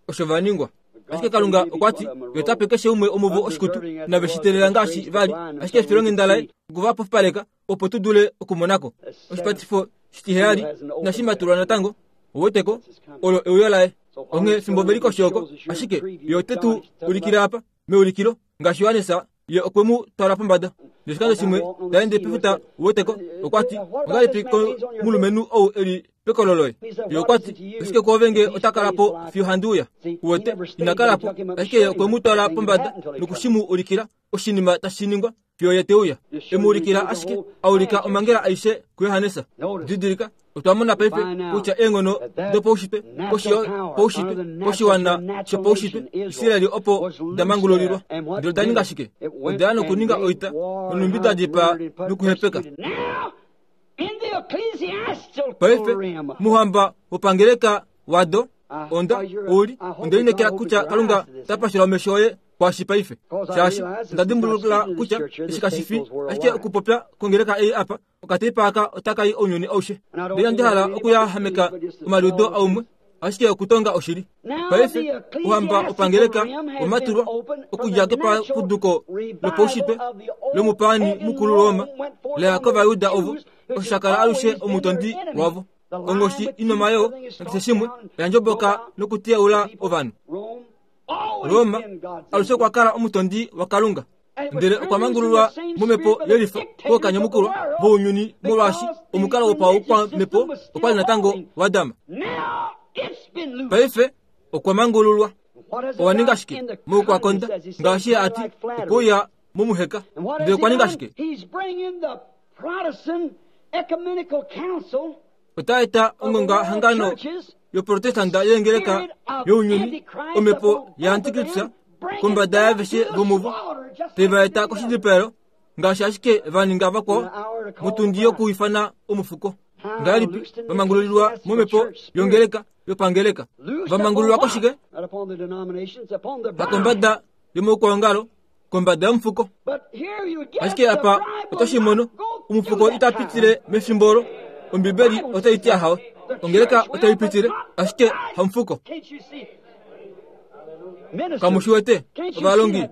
osho va ningwa. Ashike Kalunga okwa ti, Ye ota pe keshe umwe omuvo oshikutu, nave shi teelela ngaashi va li. Ashike efilonghenda laye oku va pofipaleka opo tu dule okumona ko. Oshipatifo shitiheyali inashi matulwa natango, ou wete ko, olo euyo laye. Onghee fimbo ve li koshi oko, ashike Ye ote tu ulikile apa, meulikilo, ngaashi Johannes Ye okwe mu twala pombada. Noshikando shimwe ta ende pefuta, ou wete ko, okwa ti, Ongahelipi komulumenhu ou e li pekolo loye? Ye okwa ti, Oshike kwoove nge ota kala po fiyo handi uya? Uwete, ina kala po. Ashike ye okwe mu twala pombada noku shi mu ulikila, oshinima tashi ningwa fiyo ye te uya. E mu ulikila ashike, a ulika omhangela aishe kuJohannes. Didilika, Otwa mona paife kutya eenghono dopaushitwe koshi yopaushitwe koshiwana shopaushitwe Israel opo da mangululilwa. Ndele oda ninga shike? Oda ya nokuninga oita nonhumbi da dipaa nokuhepeka. Paife, mouhamba wopangeleka wado, onda, ou li, onda lineekela kutya Kalunga ta pashula omesho oye kwaashi paife. Shaashi, onda dimbulukila kutya eshi kashi fi ashike okupopya kongeleka ei apa, Okateipa aka otaka i ounyuni aushe. Ndele inandi hala okuyahameka omaliudo aumwe, ashike okutonga oshili. Paife, Ouhamba wopangeleka omatulwa okudja kepapuduko lopaushitwe lomupaani mukulu Roma la ya kOvayuda ovo, osho sha kala alushe omutondi wavo. Onghoshi inomayoo nakeshe shimwe oya ndjoboka nokuteyaula ovanhu. Roma alushe okwa kala omutondi waKalunga. Ndele okwa mangululwa momhepo yelifa kookanyamukulwa vounyuni molwaashi omukalo wopaukwamhepo okwa li natango wa dama. Paife okwa mangululwa. Owa ninga shike? Moukwakonda, ngaashi ye a ti, okwe uya momuheka. Ndele okwa ninga shike? Ota eta ongongahangano yoProtestanta yeengeleka younyuni, omhepo yaantikristus kombada yaaveshe vomuvo, te va eta koshidipaelo ngaashi ashike va ninga vakwao motundi yokuifana omufuko. Ngahelipi va mangululilwa momhepo yongeleka yopangeleka? Va mangululwa koshike? Hakombada yomaukwaongalo, kombada yomufuko. Ashike apa oto shi mono, omufuko ita pitile mefimbo olo. Ombibeli otai ti ahawe. Ongeleka otai pitile, ashike hamufuko. Kamu shi wete, ovalongi?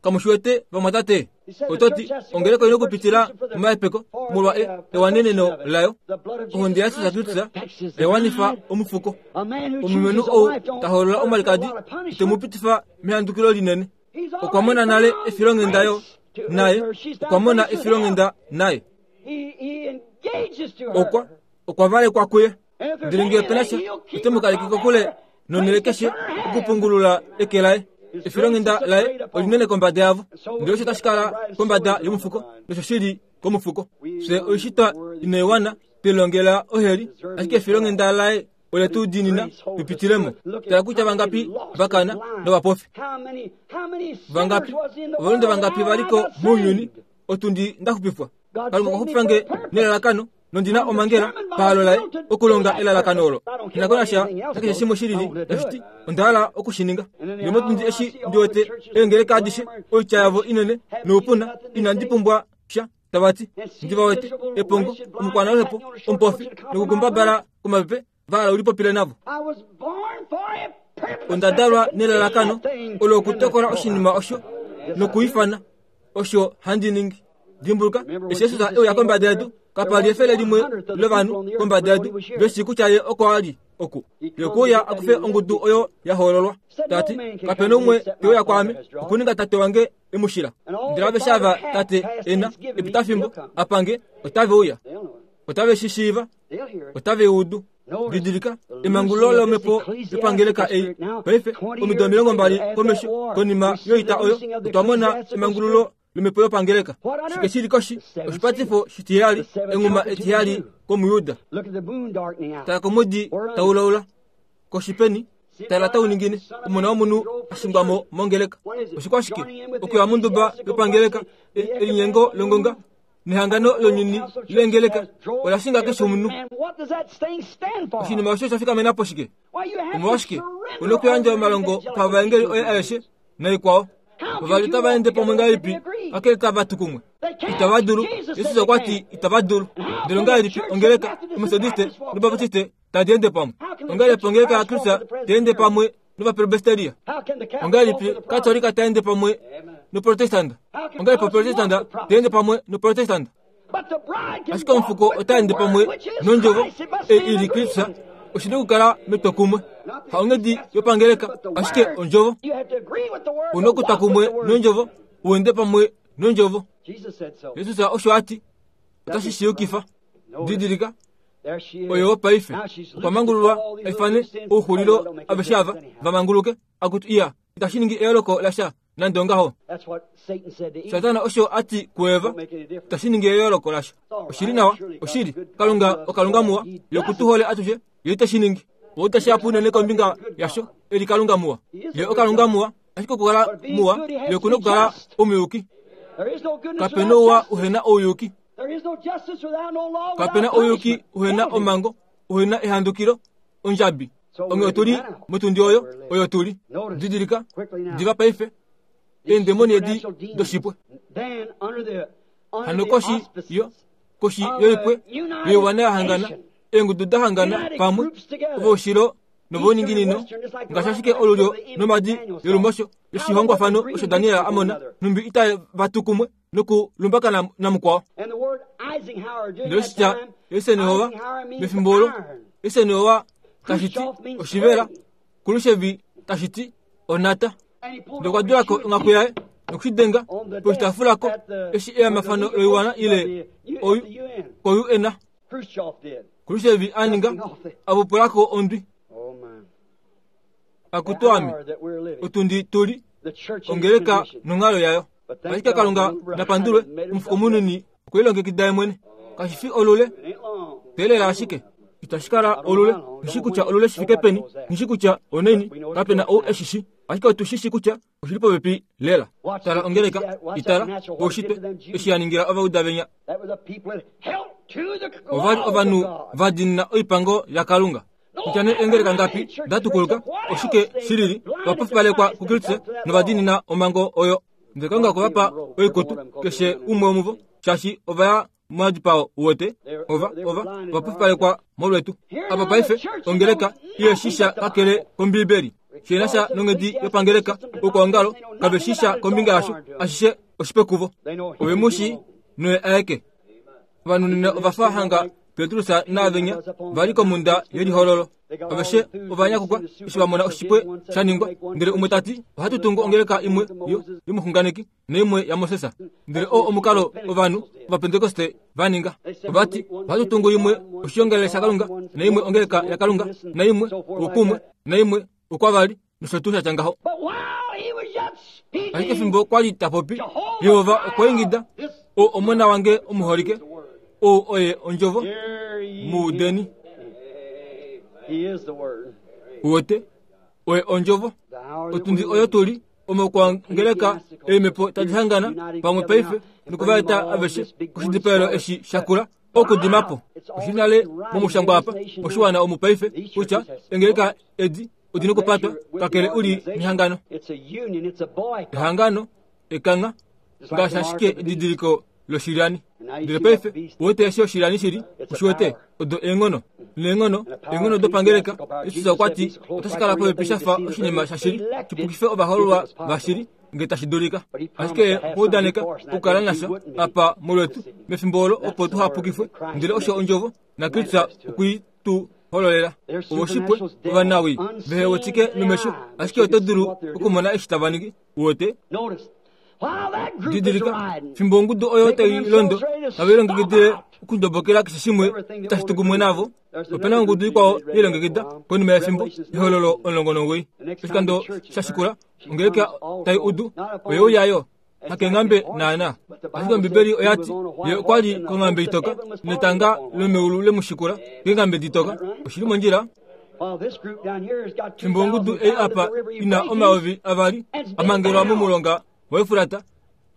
Kamu shi wete, vamwatate? Oto ti, ongeleka oi na okupitila momahepeko molwa e, ewaneneno layo. Ohonde yaJesus Kristus oya wanifa omufuko. Omulumenhu ou ta hoolola omwalikadi ite mu pitifa mehandukilo linene. Okwa mona nale efilonghenda yo naye okwa mona efilonghenda naye. Okwa okwa valekwa kuye. Ndele ngee ope na sha, ote mu kaleke kokule nonhele keshe okupungulula eke laye. Efilonghenda laye olinene kombada yavo. Ndele osho tashi kala kombada yomufuko nosho shi li komufuko. Fye oishitwa inaiwana, twe lilongela oheli, ashike efilonghenda laye ole tu diinina tu pitile mo. Tala kutya vangapi va kana novapofi. Vangapi, ovalunde vangapi va li ko mounyuni, otundi nda xupifwa. Kalunga okwa xupifa nge nelalakano, nondi na omhangela pahalo laye okulonga elalakano olo. Nghi na ko nasha nakeshe shimwe shi lili tashi ti onda hala oku shi ninga. Ndele motundi eshi ndi wete eengeleka adishe, oitya yavo inene noupuna, inandi pumbwa sha. Tava ti, Ndi va wete, epongo, omukwanaluhepo, omupofi, nokukumbabala komapepe, va hala u lipopile navo. Onda dalwa nelalakano olo okutokola oshinima osho nokuifana osho handi ningi. Dimbuluka, eshi Jesus e uya kombada yedu, kapa li efele limwe lovanhu kombada yedu ve shii kutya ye oko a li oku. Ye okwe uya a kufe ongudu oyo ya hoololwa. Ta ti, Kape na umwe te uya kwaame okuninga Tate wange e mu shila. Ndele aveshe ava Tate e na, epitafimbo, a pa nge, otave uya. Otave shi shiiva. Otave i udu. Didilika, emangululo lomhepo yopangeleka ei. Paife, omido 20 komesho, konima yoita oyo, otwa mona emangululo lomhepo yopangeleka. Shike shi li koshi? Oshipatifo shitiheyali, enghuma etiheyali kOmuyuda. Tala komwedi tau laula. Koshi peni? Tala tau ningine, Omona womunhu a shingwa mo mongeleka. Oshikwashike? Okuya monduba yopangeleka, elinyengo longonga nehangano lonyuni leengeleka ola shinga keshe omunhu. Oshinima osho osha fikamena po shike? Omolwashike u na okuyandja omalongo pavaengeli oye aeshe naikwao? Ova li tava ende pamwe ngahelipi kakele tava tu kumwe? Itava dulu. Jesus okwa ti itava dulu. Ndele ongahelipi ongeleka Ometodiste nObaptiste tadi ende pamwe? Ongahelipi ongeleka yaKristus tai ende pamwe novapresbiteria? Ongahelipi Katolika tai ende pamwe noprotestanta? Ongahelipi oprotestanta tai ende pamwe noprotestanta? Ashike omufuko ota ende pamwe nondjovo ei i li Kristus. Oshi na okukala metwokumwe, haonghedi yopangeleka, ashike ondjovo. U na okutwa kumwe nondjovo, u ende pamwe nondjovo. Jesus osho a ti. Otashi shi yukifa. Didilika, oyo paife okwa mangululwa a ifane ouxulilo aveshe ava va manguluke. Akutu iya, itashi ningi eyooloko lasha nande ongaho. Satana osho a ti kuEva, itashi ningi eyooloko lasha. Oshi li nawa, oshili. Kalunga oKalunga muwa, Ye oku tu hole atushe, Ye ite shi ningi. Ou ta shihapu unene kombinga yasho, e li Kalunga muwa. Ye oKalunga muwa, ashike okukala muwa, Ye oku na okukala omuyuki. Kape na ouwa uhe na ouyuki. Kape na ouyuki uhe na omhango, uhe na ehandukilo, ondjabi. Onghee otu li motundi oyo, oyo tu li. Didilika, diva paife, eendemoni edi doshipwe. Hano koshi yo, koshi yoipwe yoiwana ya hangana, eengudu da hangana pamwe, ovoushilo novouninginino, ngaashi ashike olulyo nomadi yolumosho yoshihongwafano osho Daniel a mona, nhumbi itava tu kumwe nokulumbakana namukwao. Ndele oshitya Eisenhower mefimbo olo, Eisenhower tashi ti oshivela, Khrushchev tashi ti onata. Ndele okwa dula ko onghaku yaye noku shi denga poshitaafula ko eshi eamafano loiwana ile ko-UN. Khrushchev a ninga a pupula ko ondwi. Akutu ame, otundi tu li ongeleka nonghalo yayo. Ashike Kalunga na pandulwe, omufuko munini okwe lilongekida ye mwene. Kashi fi olule, teelela ashike. Itashi kala olule. Nghi shi kutya olule shi fike peni, nghi shi kutya oneni, kape na ou e shi shi. Ashike otu shi shi kutya oshi li popepi lela. Tala ongeleka, i tala, poushitwe, eshi ya ningila ovauda venya. Ova li ovanhu va diinina oipango yaKalunga. Kutya nee eengeleka ngapi da tukuluka, oshike shi lili, ova pofipalekwa kuKristus nova diinina omhango oyo. Ndele Kalunga okwe va pa oikutu, keshe umwe womuvo, shaashi ova ya momadipao uwete, ova, ova, ova pofipalekwa molwetu. Apa paife, ongeleka ihe shi sha kakele kOmbiibeli. Shi na sha nonghedi yopangeleka, oukwaongalo, kave shi sha kombinga yasho, ashishe oshipe kuvo. Ove mu shii, noye aeke. Ovanhu nena ova fa hanga Petrus naavenya va li komhunda yelihololo. Aveshe ova nyakukwa eshi va mona oshipwe sha ningwa. Ndele umwe ta ti, Ohatu tungu ongeleka imwe yo, yomuxunganeki naimwe yaMoses. Ndele oo omukalo ovanhu Ovapentekoste va ninga. Ova ti, Ohatu tungu imwe oshiongalele shaKalunga, naimwe ongeleka yaKalunga, naimwe oukumwe, naimwe okwavali, nosho tuu sha tya ngaho. Ashike fimbo kwa li ta popi, Jehova okwa ingida, O omona wange omuholike, ou oye ondjovo, mu udeni. Uwete, oye ondjovo. Otundi oyo tu li, omo kwangeleka eemhepo tadi hangana pamwe paife nokuvaeta aveshe koshidipaelo eshi sha kula okudima po. Oshi nale momushangwa apa moshiwana omu paife kutya engeleka edi odi nokupatwa kakele u li mehangano. Ehangano, ekangha, ngaashi ashike edidiliko loshilyani. Ndele paife uwete eshi oshilyani shi li, ushi wete, odo eenghono. Neenghono, eenghono dopangeleka, Jesus okwa ti, otashi kala popepi sha fa oshinima shashili, shi pukife ovahoololwa vashili, nge tashi dulika. Ashike Ye okwa udaneka okukala nasha apa molwetu, mefimbo olo opo tuha pukifwe. Ndele osho Ondjovo, naKristus okwe i tu hololela. Ovo oshipwe, ovanawii, vehe wetike nomesho, ashike oto dulu okumona eshi tava ningi. Uwete? Didilika, fimbo ongudu oyo tai londo, tave lilongekidile okundobokela keshe shimwe tashi tu kumwe navo, ope na ongudu ikwao ye lilongekida konima yefimbo, Ehololo 19. Oshikando sha shikula, ongeleka tai udu, oye uya yo. Hakenghambe naana. Ashike Ombibeli oya ti, Ye okwa li konghambe itoka, netanga lomeulu le mu shikula keenghambe ditoka. Oshi li mondjila? Fimbo ongudu ei apa i na 2000 a mangelwa momulonga waEufrata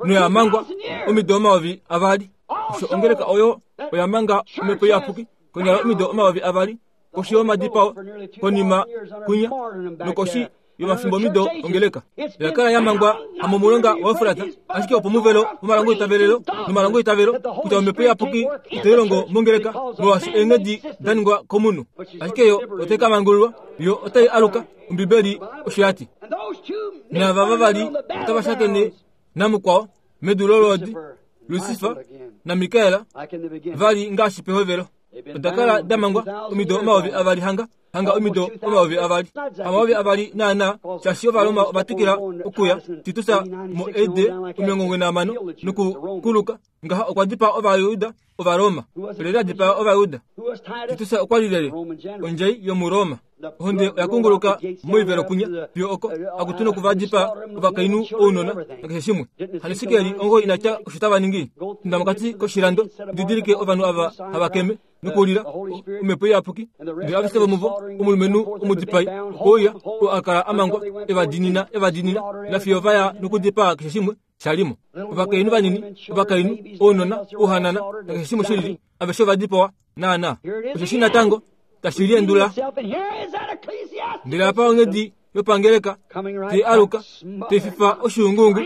noya mangwa omido 2000. Osho ongeleka oyo oya manga omhepo iyapuki konyala omido 2000 koshi yomadipao konima kwinya nokoshi. yomafimbomhido ongeleka. Oya kala ya mangwa hamomulonga waEufrata, ashike opomuvelo womalongoitavelelo nomalongoitavelo kutya Omhepo Iyapuki itai longo mongeleka molwaashi eenghedi da ningwa komunhu. Ashike yo otai ka mangululwa, yo otai aluka, Ombibeli osho ya ti. Naava vavali otava shakene namukwao medu lolwoodi, Lusifa naMikael, va li ngaashi pehovelo. Oda kala da mangwa omido 2000 hanga hanga omido 2000. Hamayovi naanaa, shaashi Ovaroma ova twikila okuya, Titus mo AD 95 nokukuluka ngaha okwa dipaa Ovajuda Ovaroma. Olyelye a dipaa Ovajuda? Titus okwa li lyelye? Ondjai yomuRoma. Ohonde oya kunguluka moivelo kwinya fiyo oko akutu noku va dipaa ovakainhu, ounona nakeshe shimwe. Hano Esekiel ongo ina tya osho tava ningi. Inda mokati koshilando, didilike ovanhu ava hava keme nokulila Omhepo Iyapuki. Ndele aveshe vomuvo, omulumenhu omudipai okwe uya, oo a kala a mangwa, e va diinina, e va diinina, nafiyo va ya nokudipaa keshe shimwe sha li mo. Ovakainhu vanini, ovakainhu, ounona, ouhanana, nakeshe shimwe shilili, aveshe ova dipawa naanaa. Osheshi natango tashi liendula. Ndele apa onghedi yopangeleka tai aluka, tai fifa oshuunguungu,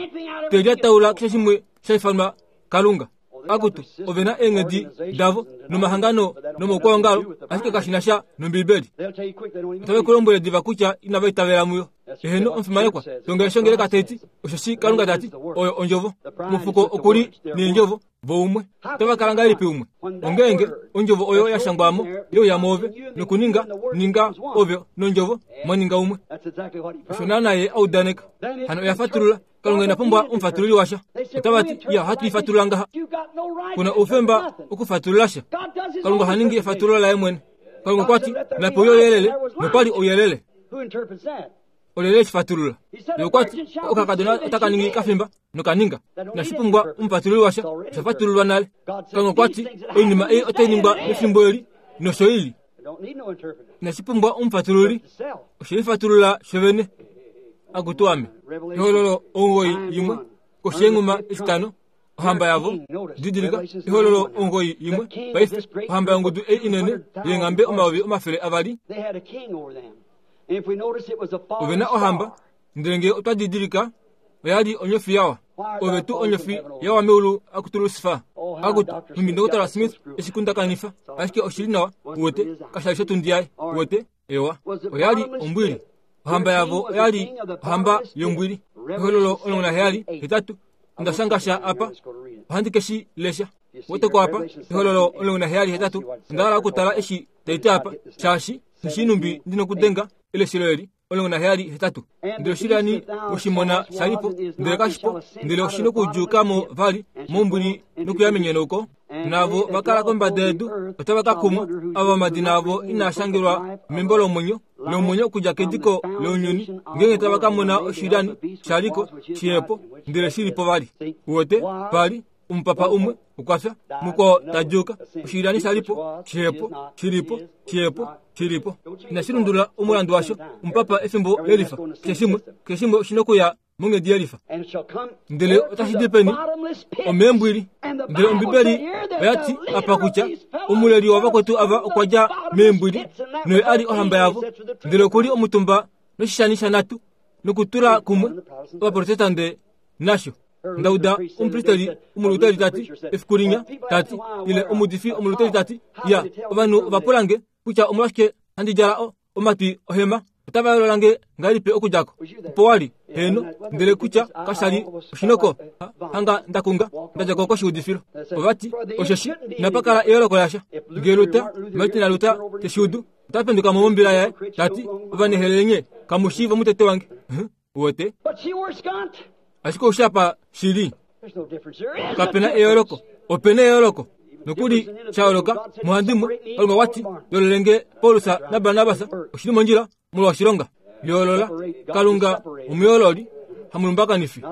tai lyataula keshe shimwe sha ifanwa Kalunga. Akutu, ove na eenghedi davo nomahangano nomaukwaongalo, ashike kashi na sha nOmbibeli. Otave ku lombwele diva kutya inava itavela muyo. Eheno, omufimanekwa, tonga eshi ongeleka tai ti, osheshi Kalunga ta ti, oyo Ondjovo. Omufuko oku li nEendjovo, vo umwe. Otava kala ngahelipi umwe? Ongeenge Ondjovo oyo ya shangwa mo ye uya mwoove, nokuninga, ninga ove nOndjovo, mwa ninga umwe. Osho naanaa Ye a udaneka. Hano oya fatulula. Kalunga ina pumbwa omufatululi washa. Otava ti, Ya, ohatu i fatulula ngaha. Ku na oufemba okufatulula sha. Kalunga oha ningi efatululo laye mwene. Kalunga okwa ti, Nape uye ouyelele, nokwa li ouyelele. Olyelye e shi fatulula? Ye okwa ti, Okakadona otaka ningi kafimba, noka ninga. Inashi pumbwa omufatululi washa, osha fatululwa nale. Kalunga okwa ti, Oinima ei otai ningwa mefimbo eli, nosho i li. Inashi pumbwa omufatululi, oshe lifatulula shovene. Akutu ame! Ehololo 91, koshi yenghuma etitano, ohamba yavo. Didilika, Ehololo 91, paife, ohamba yongudu ei inene yeenghambe 200,000. Ove na ohamba, ndele ngee otwa didilika, oya li onyofi yawa. Ove tuu onyofi yawa meulu akutu Lusifa. Akutu, nhumbi Ndokotola Smith eshi kundakanifa, ashike oshi li nawa, uwete, kasha li shotundi yaye, uwete. Ewa, oya li ombwili. Ohamba yavo oya li ohamba yombwili. Ehololo 17, 8, onda shanga sha apa, ohandi ke shi lesha. Weteko apa, Ehololo 17, 8, onda hala okutala eshi tai ti apa, shaashi nghi shii nhumbi ndi nokudenga eleshelo eli. 17, 8. Ndele oshilani oshimona sha li po, ndele kashi po, ndele oshi nokudjuuka mo vali mombwili nokuya menyenouko. Naavo va kala kombada yedu otava ka kumwa, ava omadina avo inaa shangelwa membo lomwenyo lomwenyo okudja kediko lounyuni, ngeenge tava ka mona oshilyani sha li ko, shihe po, ndele shi li po vali. Uwete, pa li omupapa umwe okwa fya, mukwao ta djuuka, oshilyani sha li po, shihe po, shi li po, shihe po, shi li po. Inashi lundulula omulandu washo, omupapa efimbo lelifa. Keshe shimwe, keshe shimwe oshi nokuya monghedi yelifa. Ndele otashi di peni? Omeembwili. Ndele Ombibeli oya ti apa kutya omuleli wavakwetu ava okwa dja meembwili, noye a li ohamba yavo, ndele oku li omutumba noshishani shanatu nokutula kumwe Ovaprotestante nasho. Nda uda omupristeli omuluteri ta ti, efiku linya, ta ti, ile omuudifi omuluteri ta ti, Ya, ovanhu ova pula nge kutya omolwashike handi djala o, omatwi ohema. Otava yoolola nge ngahelipi okudja ko? Opo wa li, heeno, ndele kutya kasha li oshinoko, ha, hanga nda kunga, nda dja ko koshiudifilo. Ova ti, Osheshi, inapa kala eyooloko lasha. Nge Luther, Martin naLuther te shi udu, ota penduka mo mombila yaye, ta ti, Ovanehelele nye, kamu shii vomutete wange. Huh? Uwete? Ashike oushi apa shi li. Kape na eyooloko. Ope na eyooloko. Nokuli sha yooloka muhandimwe, Kalunga okwa ti, Yoolole nge Paulus naBarnabas, oshi li mondjila molwa oshilonga. Yoolola. Kalunga omuyoololi, hamulumbakanifi.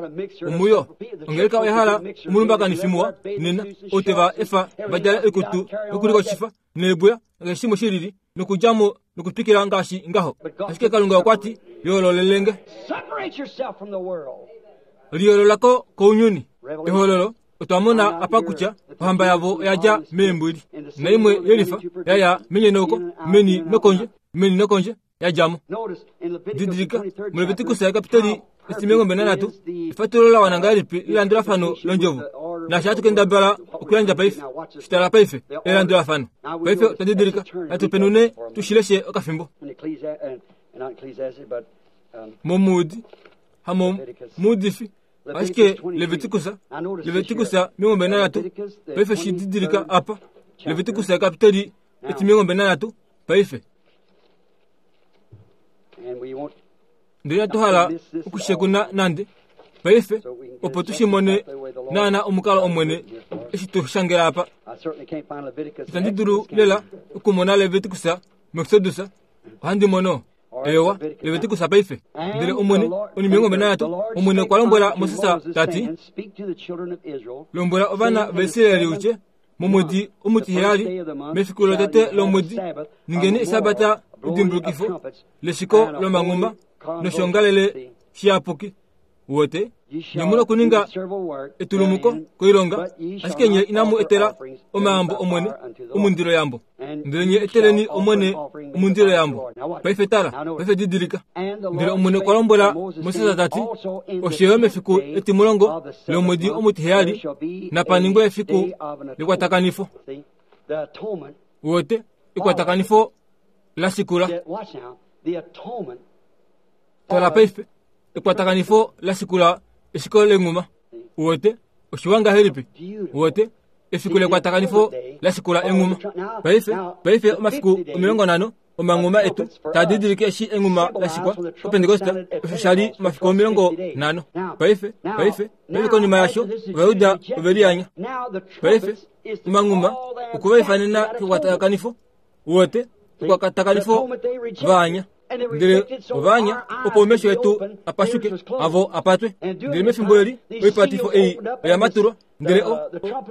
Omuyo. Ongeleka oya hala omulumbakanifi muwa nena, ou te va efa va djale oikutu yokulikoshifa neebuya nakeshe shimwe shi lili nokudja mo nokutwikila ngaashi ngaho. Ashike Kalunga okwa ti, Yoololelenge. Liyoolola ko kounyuni. Ehololo, otwa mona apa kutya ohamba yavo oya dja meembwili. Naimwe yelifa ya ya menyenoko, meni nokondje, meni nokondje. ya dja mo. Didilika, muLeviticus yakapiteli etimilongo 23, efatululo la wana ngahelipi lelandulafano londjovo. Naashi hatu kendabala okuyandja paife, shitala paife, elandulafano. Paife otwa didilika, natu penune tu shi leshe okafimbo. Momuudi, hamomuudifi, ashike Levitikus, Levitikus 23, paife shi didilika apa, Levitikus yakapiteli etimilongo 23, paife. Ndele inatu hala okushekuna nande paife opo tu shi mone naana omukalo Omwene eshi tu shangela apa. Itandi dulu lela okumona Levitikus muExodus, ohandi mono. Eyowa, Levitikus paife. Ndele Omwene, onimilongo mbali nanhatu, Omwene okwa lombwela Moses ta ti, Lombwela ovana vaIsraeli u tye, Momwedi omutiheyali, mefiku lotete lomwedi, ningeni esabata edimbulukifo leshiko lomanghuma noshiongalele shiyapuki. Wote, nye mu nokuninga etulumuko koilonga, ashike nye inamu etela omayambo Omwene omundiloyambo. Ndele nye eteleni Omwene omundiloyambo. Paife tala, paife didilika. Ndele Omwene okwa lombwela Moses ta ti, Osho yo mefiku etimulongo lomwedi omutiheyali napa ningwe efiku lekwatakanifo. Wote, ekwatakanifo la shikula. Tala paife, ekwatakanifo la shikula eshiko lenghuma. Uwete, oshiwa ngahelipi? Uwete, efiku lekwatakanifo la shikula enghuma. Paife, paife omafiku 50 omanghuma etu taa didilike eshi enghuma la shikwa oPentekoste, osho sha li omafiku 50. Paife, paife, paife konima yasho, Ovajuda ove liyanya. Paife, omanghuma okwe va ifanena kekwatakanifo. Uwete, ekwatakanifo vaanya. Ndele ovaanya opo omesho etu a pashuke, avo a patwe. Ndele mefimbo eli oipatifo ei oya matulwa, ndele o,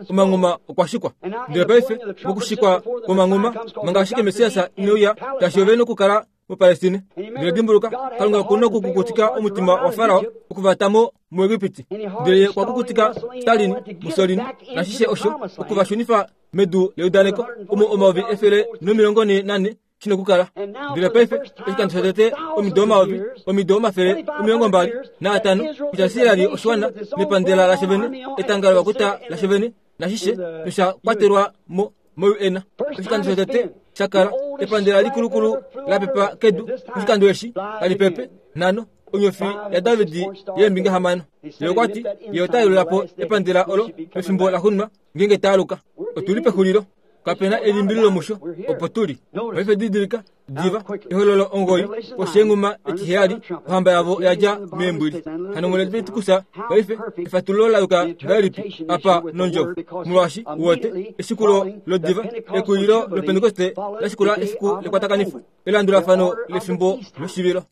omanghuma okwa shikwa. Ndele paife mokushikwa kwomanghuma, manga ashike Messias ine uya, tashi ove nokukala muPalestine. Ndele dimbuluka, Kalunga oku nokukukutika omutima waFarao okuvata mo muEgipiti. Ndele ye okwa kukutika Stalin, Mussolini, nashishe osho, oku va shunifa medu leudaneko, omo 1404 shi nokukala. Ndele paife, oshikando shotete omido omayovi, omido 25 kutya Israel oshiwana nepandela lasho vene, etanga lovakuta lasho vene, nashishe nosha kwatelwa mo moUN. Oshikando shotete sha kala epandela likulukulu la pepa kedu, oshikando eshi tali pepe nhano, onyofi yaDavid yeembinga hamano. Ye okwa ti, Ye ota yelula po epandela olo mefimbo laxuuninwa ngeenge ta aluka. Otu li pexulilo. Kape na elimbililo musho, opo tu li. Paife didilika, diva, Ehololo 9, kosheenghuma etiheyali, ohamba yavo oya dja meembwili. Hano muLeviticus, paife, efatululo la yuka ngahelipi apa nondjovo? Molwaashi, uwete, eshikulo lodiva, ekulilo lOpentekoste la shikula efiku lekwatakanifo, elandulafano lefimbo loshivilo.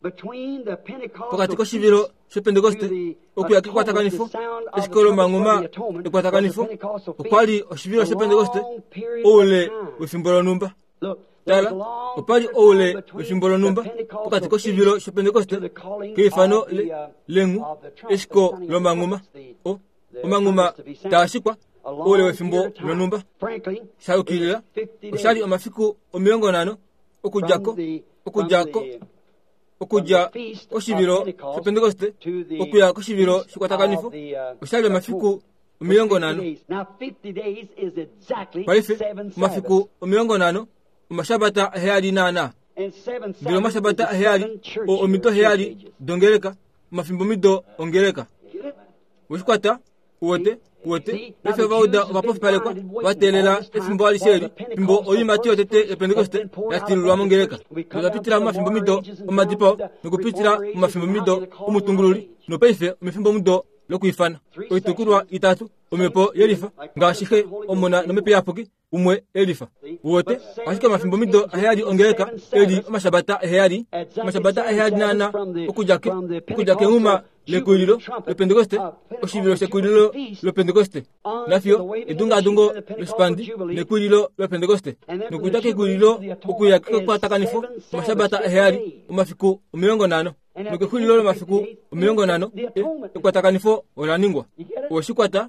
Pokati koshivilo shOpentekoste okuya kekwatakanifo, eshiko lomanghuma ekwatakanifo, okwa li oshivilo shOpentekoste oule wefimbo lonhumba. Tala, opa li oule wefimbo lonhumba pokati koshivilo shOpentekoste keifano lenghu, eshiko lomanghuma, o, omanghuma taa shikwa oule wefimbo lonhumba. Sha yukilila, osha li omafiku 50 okudja ko, okudja ko, okudja koshivilo shOpentekoste okuya koshivilo shekwatakanifo, osha li omafiku 50. Paife, omafiku 50 omashabata aheyali naanaa. Ndele omashabata aheyali oo omido heyali dongeleka, omafimbomido ongeleka. Weshikwata? Uwete? Uwete? Paife Ovauda ova pofipalekwa, va teelela efimbo alishe eli, fimbo oiimati yotete yOpentekoste ya tilulwa mongeleka. Notwa pitila momafimbomido omadipao, nokupitila momafimbomido omutungululi, nopaife omefimbomudo lokwiifana. Oitukulwa itatu, Omhepo yelifa, ngaashi Xe, Omona nOmhepo Iyapuki, umwe elifa. Uwete? Ashike omafimbomido aheyali ongeleka e li omashabata aheyali, omashabata aheyali naana okudja ke, okudja kenghuma lekulilo lOpentekoste, oshivilo shekulilo lOpentekoste, nafiyo edungaadungo loshipandi nekulilo lOpentekoste, nokudja kekulilo okuya kekwatakanifo, omashabata aheyali, omafiku 50. Nokexulilo lomafiku 50, ekwatakanifo ola ningwa. Owe shi kwata?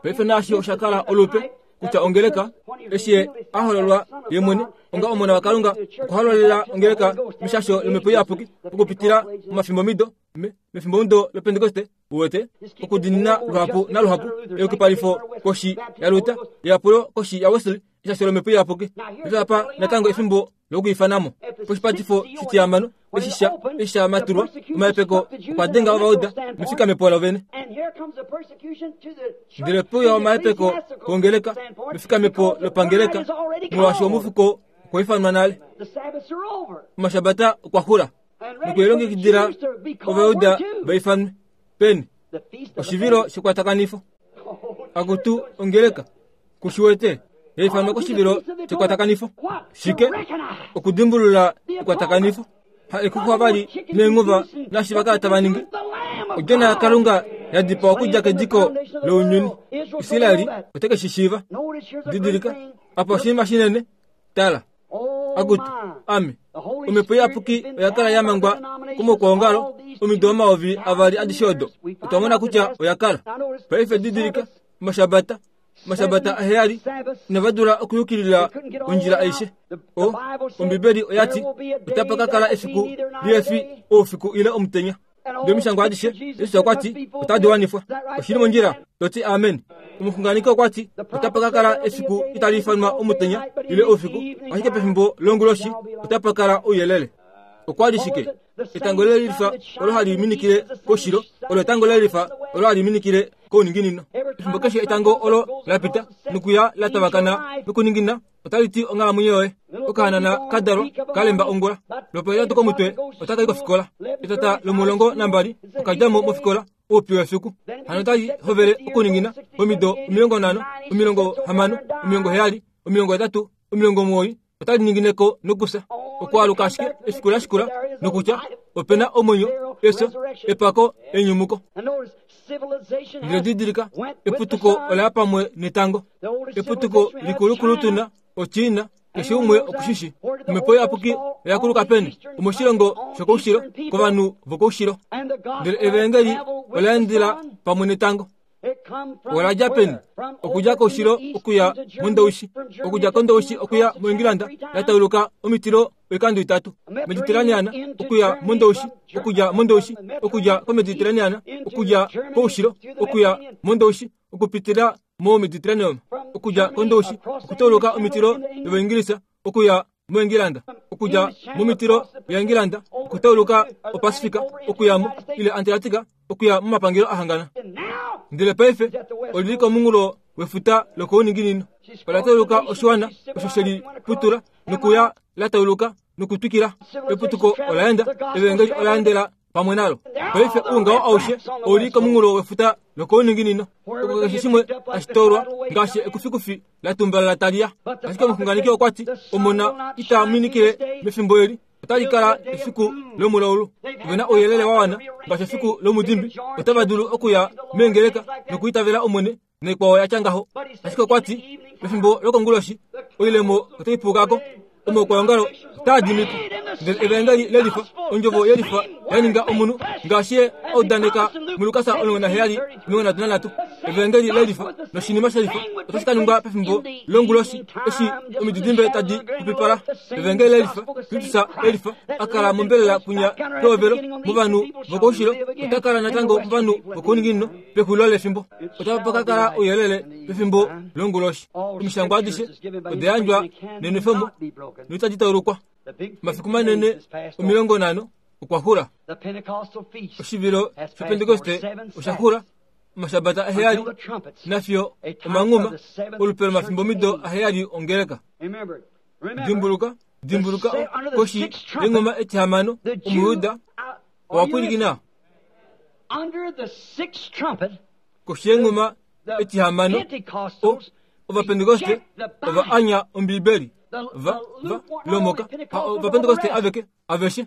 Paife naashi osha kala olupe. kutya ongeleka eshi ye a hololwa ye mwene onga omona wakalunga okwa hololela ongeleka meshasho lomhepo iyapuki okupitila momafimbomido mefimbomudo lopentekoste uwete okudinina luhapu naluhapu eyukipalifo koshi yaluta eyapulo koshi yawesley eshasho lomhepo iyapuki apa natango efimbo lokuifanamo poshipatifo shitihamano eshi sha eshi sha matulwa omahepeko okwa denga ovauda mefikamepo lovene ndele puya omahepeko kongeleka mefikamepo lopangeleka molwaashi omufuko okwa ifanwa nale omashabata okwa xula nokulilongekidila ovauda va ifanwe peni oshivilo shekwatakanifo akutu ongeleka kushiwete yaifanwa koshivilo shekwatakanifo shike okudimbulula ekwatakanifo ha ekuxwa vali neenguva naashi va kala tava ningi odjona yakalunga ya dipawa okudja kediko lounyuni israeli ote ke shi shiiva didilika apa oshinima shinene tala akutu ame omhepo iyapuki oya kala ya mangwa komokwoongalo omido omayovi avali adishe odo otwa mona kutya oya kala paife didilika omashabata omashabata aheyali inava dula okuyukilila ondjila aishe o ombibeli oya ti otapa ka kala efiku lihefi oufiku ile omutenya ndele omishangwa adishe jesus okwa ti otadi wanifwa oshili mondjila to ti amen omuxunganeki okwa ti otapa ka kala efiku itali ifanwa omutenya ile oufiku ashike pefimbo longuloshi otapa kala ouyelele okwa li shike etango lelifa olo hali minikile koshilo olo etango lelifa olo hali minikile kouninginino efimbo keshe etango olo la pita nokuya la tavakana nokuningina otali ti onghalamwenyo yoye okahanana ka dalwa ka lemba ongula lopohetatu komutwe otaka i kofikola etata lomulongo nambali oka dja mo mofikola oupi wefiku hano otali hovele okuningina omido 50 60 70 80 90 otali ningineko nokufya okwaaluka ashike efiku la shikula nokutya ope na omwenyo efyo epako enyumuko ndele didilika eputuko ola ya pamwe netango eputuko likulukulu tuna ochina keshe umwe okushishi omhepo iyapuki oya kuluka peni omoshilongo shokoushilo kovanhu vokoushilo ndele evangeli ola endela pamwe netango Ola dja peni? Okudja koushilo okuya mondoushi, okudja kondoushi okuya moEngilanda, ya tauluka omitilo oikando itatu, Mediterranean okuya mondoushi, okudja mondoushi okudja koMediterranean okudja koushilo okuya mondoushi okupitila moMediterranean, okudja kondoushi okutauluka omitilo yOvaingilisa okuya moEngilanda, okudja momitilo yaEngilanda okutauluka oPasifika okuya mo ile Antarctica okuya momapangelo a hangana. Ndele paife oli li komunghulo wefuta lokouninginino. Ola tauluka oshiwana osho she li putula nokuya la tauluka nokutwikila. Eputuko ola enda, evangeli ola endela pamwe nalo. Paife oungaho aushe ou li komunghulo wefuta lokouninginino, oko keshe shimwe tashi toolwa ngaashi ekufikufi la tumbala tali ya. Ashike omuxunganeki okwa ti, Omona ita minikile mefimbo eli, otali kala efiku lomulaulu. Ove na ouyelele wa wana ngaashi efiku lomudimbi, otava dulu okuya meengeleka nokwiitavela Omwene naikwao ya tya ngaho. Ashike okwa ti, pefimbo lokonguloshi, oilemo otai puuka ko, omaukwaongalo otaa dimi po. Ndele Evaengeli lelifa, Ondjovo yelifa ya ninga omunhu, ngaashi Ye a udaneka muLukas 17, 33. Evaengeli lelifa noshinima shelifa otashi ka ningwa pefimbo longuloshi eshi omididimbe tadi pupipala. Evaengeli lelifa, Kristus elifa, a kala mombelela kwinya pehovelo movanhu vokoushilo, ota kala natango movanhu vokouninginino pexulilo lefimbo. Otapa ka kala ouyelele pefimbo longuloshi. Omishangwa adishe oda yandjwa nenwefemo noitadi taulukwa. Omafiku manene 50 okwa xula. Oshivilo shOpentekoste osha xula. Omashabata aheyali nafiyo omanghuma olupe lomafimbomido aheyali ongeleka. Dimbuluka, dimbuluka koshi yenghuma etihamano Omuyuda owa pwilikina koshi yenghuma etihamano Ovapentekoste ova anya Ombibeli. Va, va, lomoka. Ha Ovapentekoste aveke, aveshe.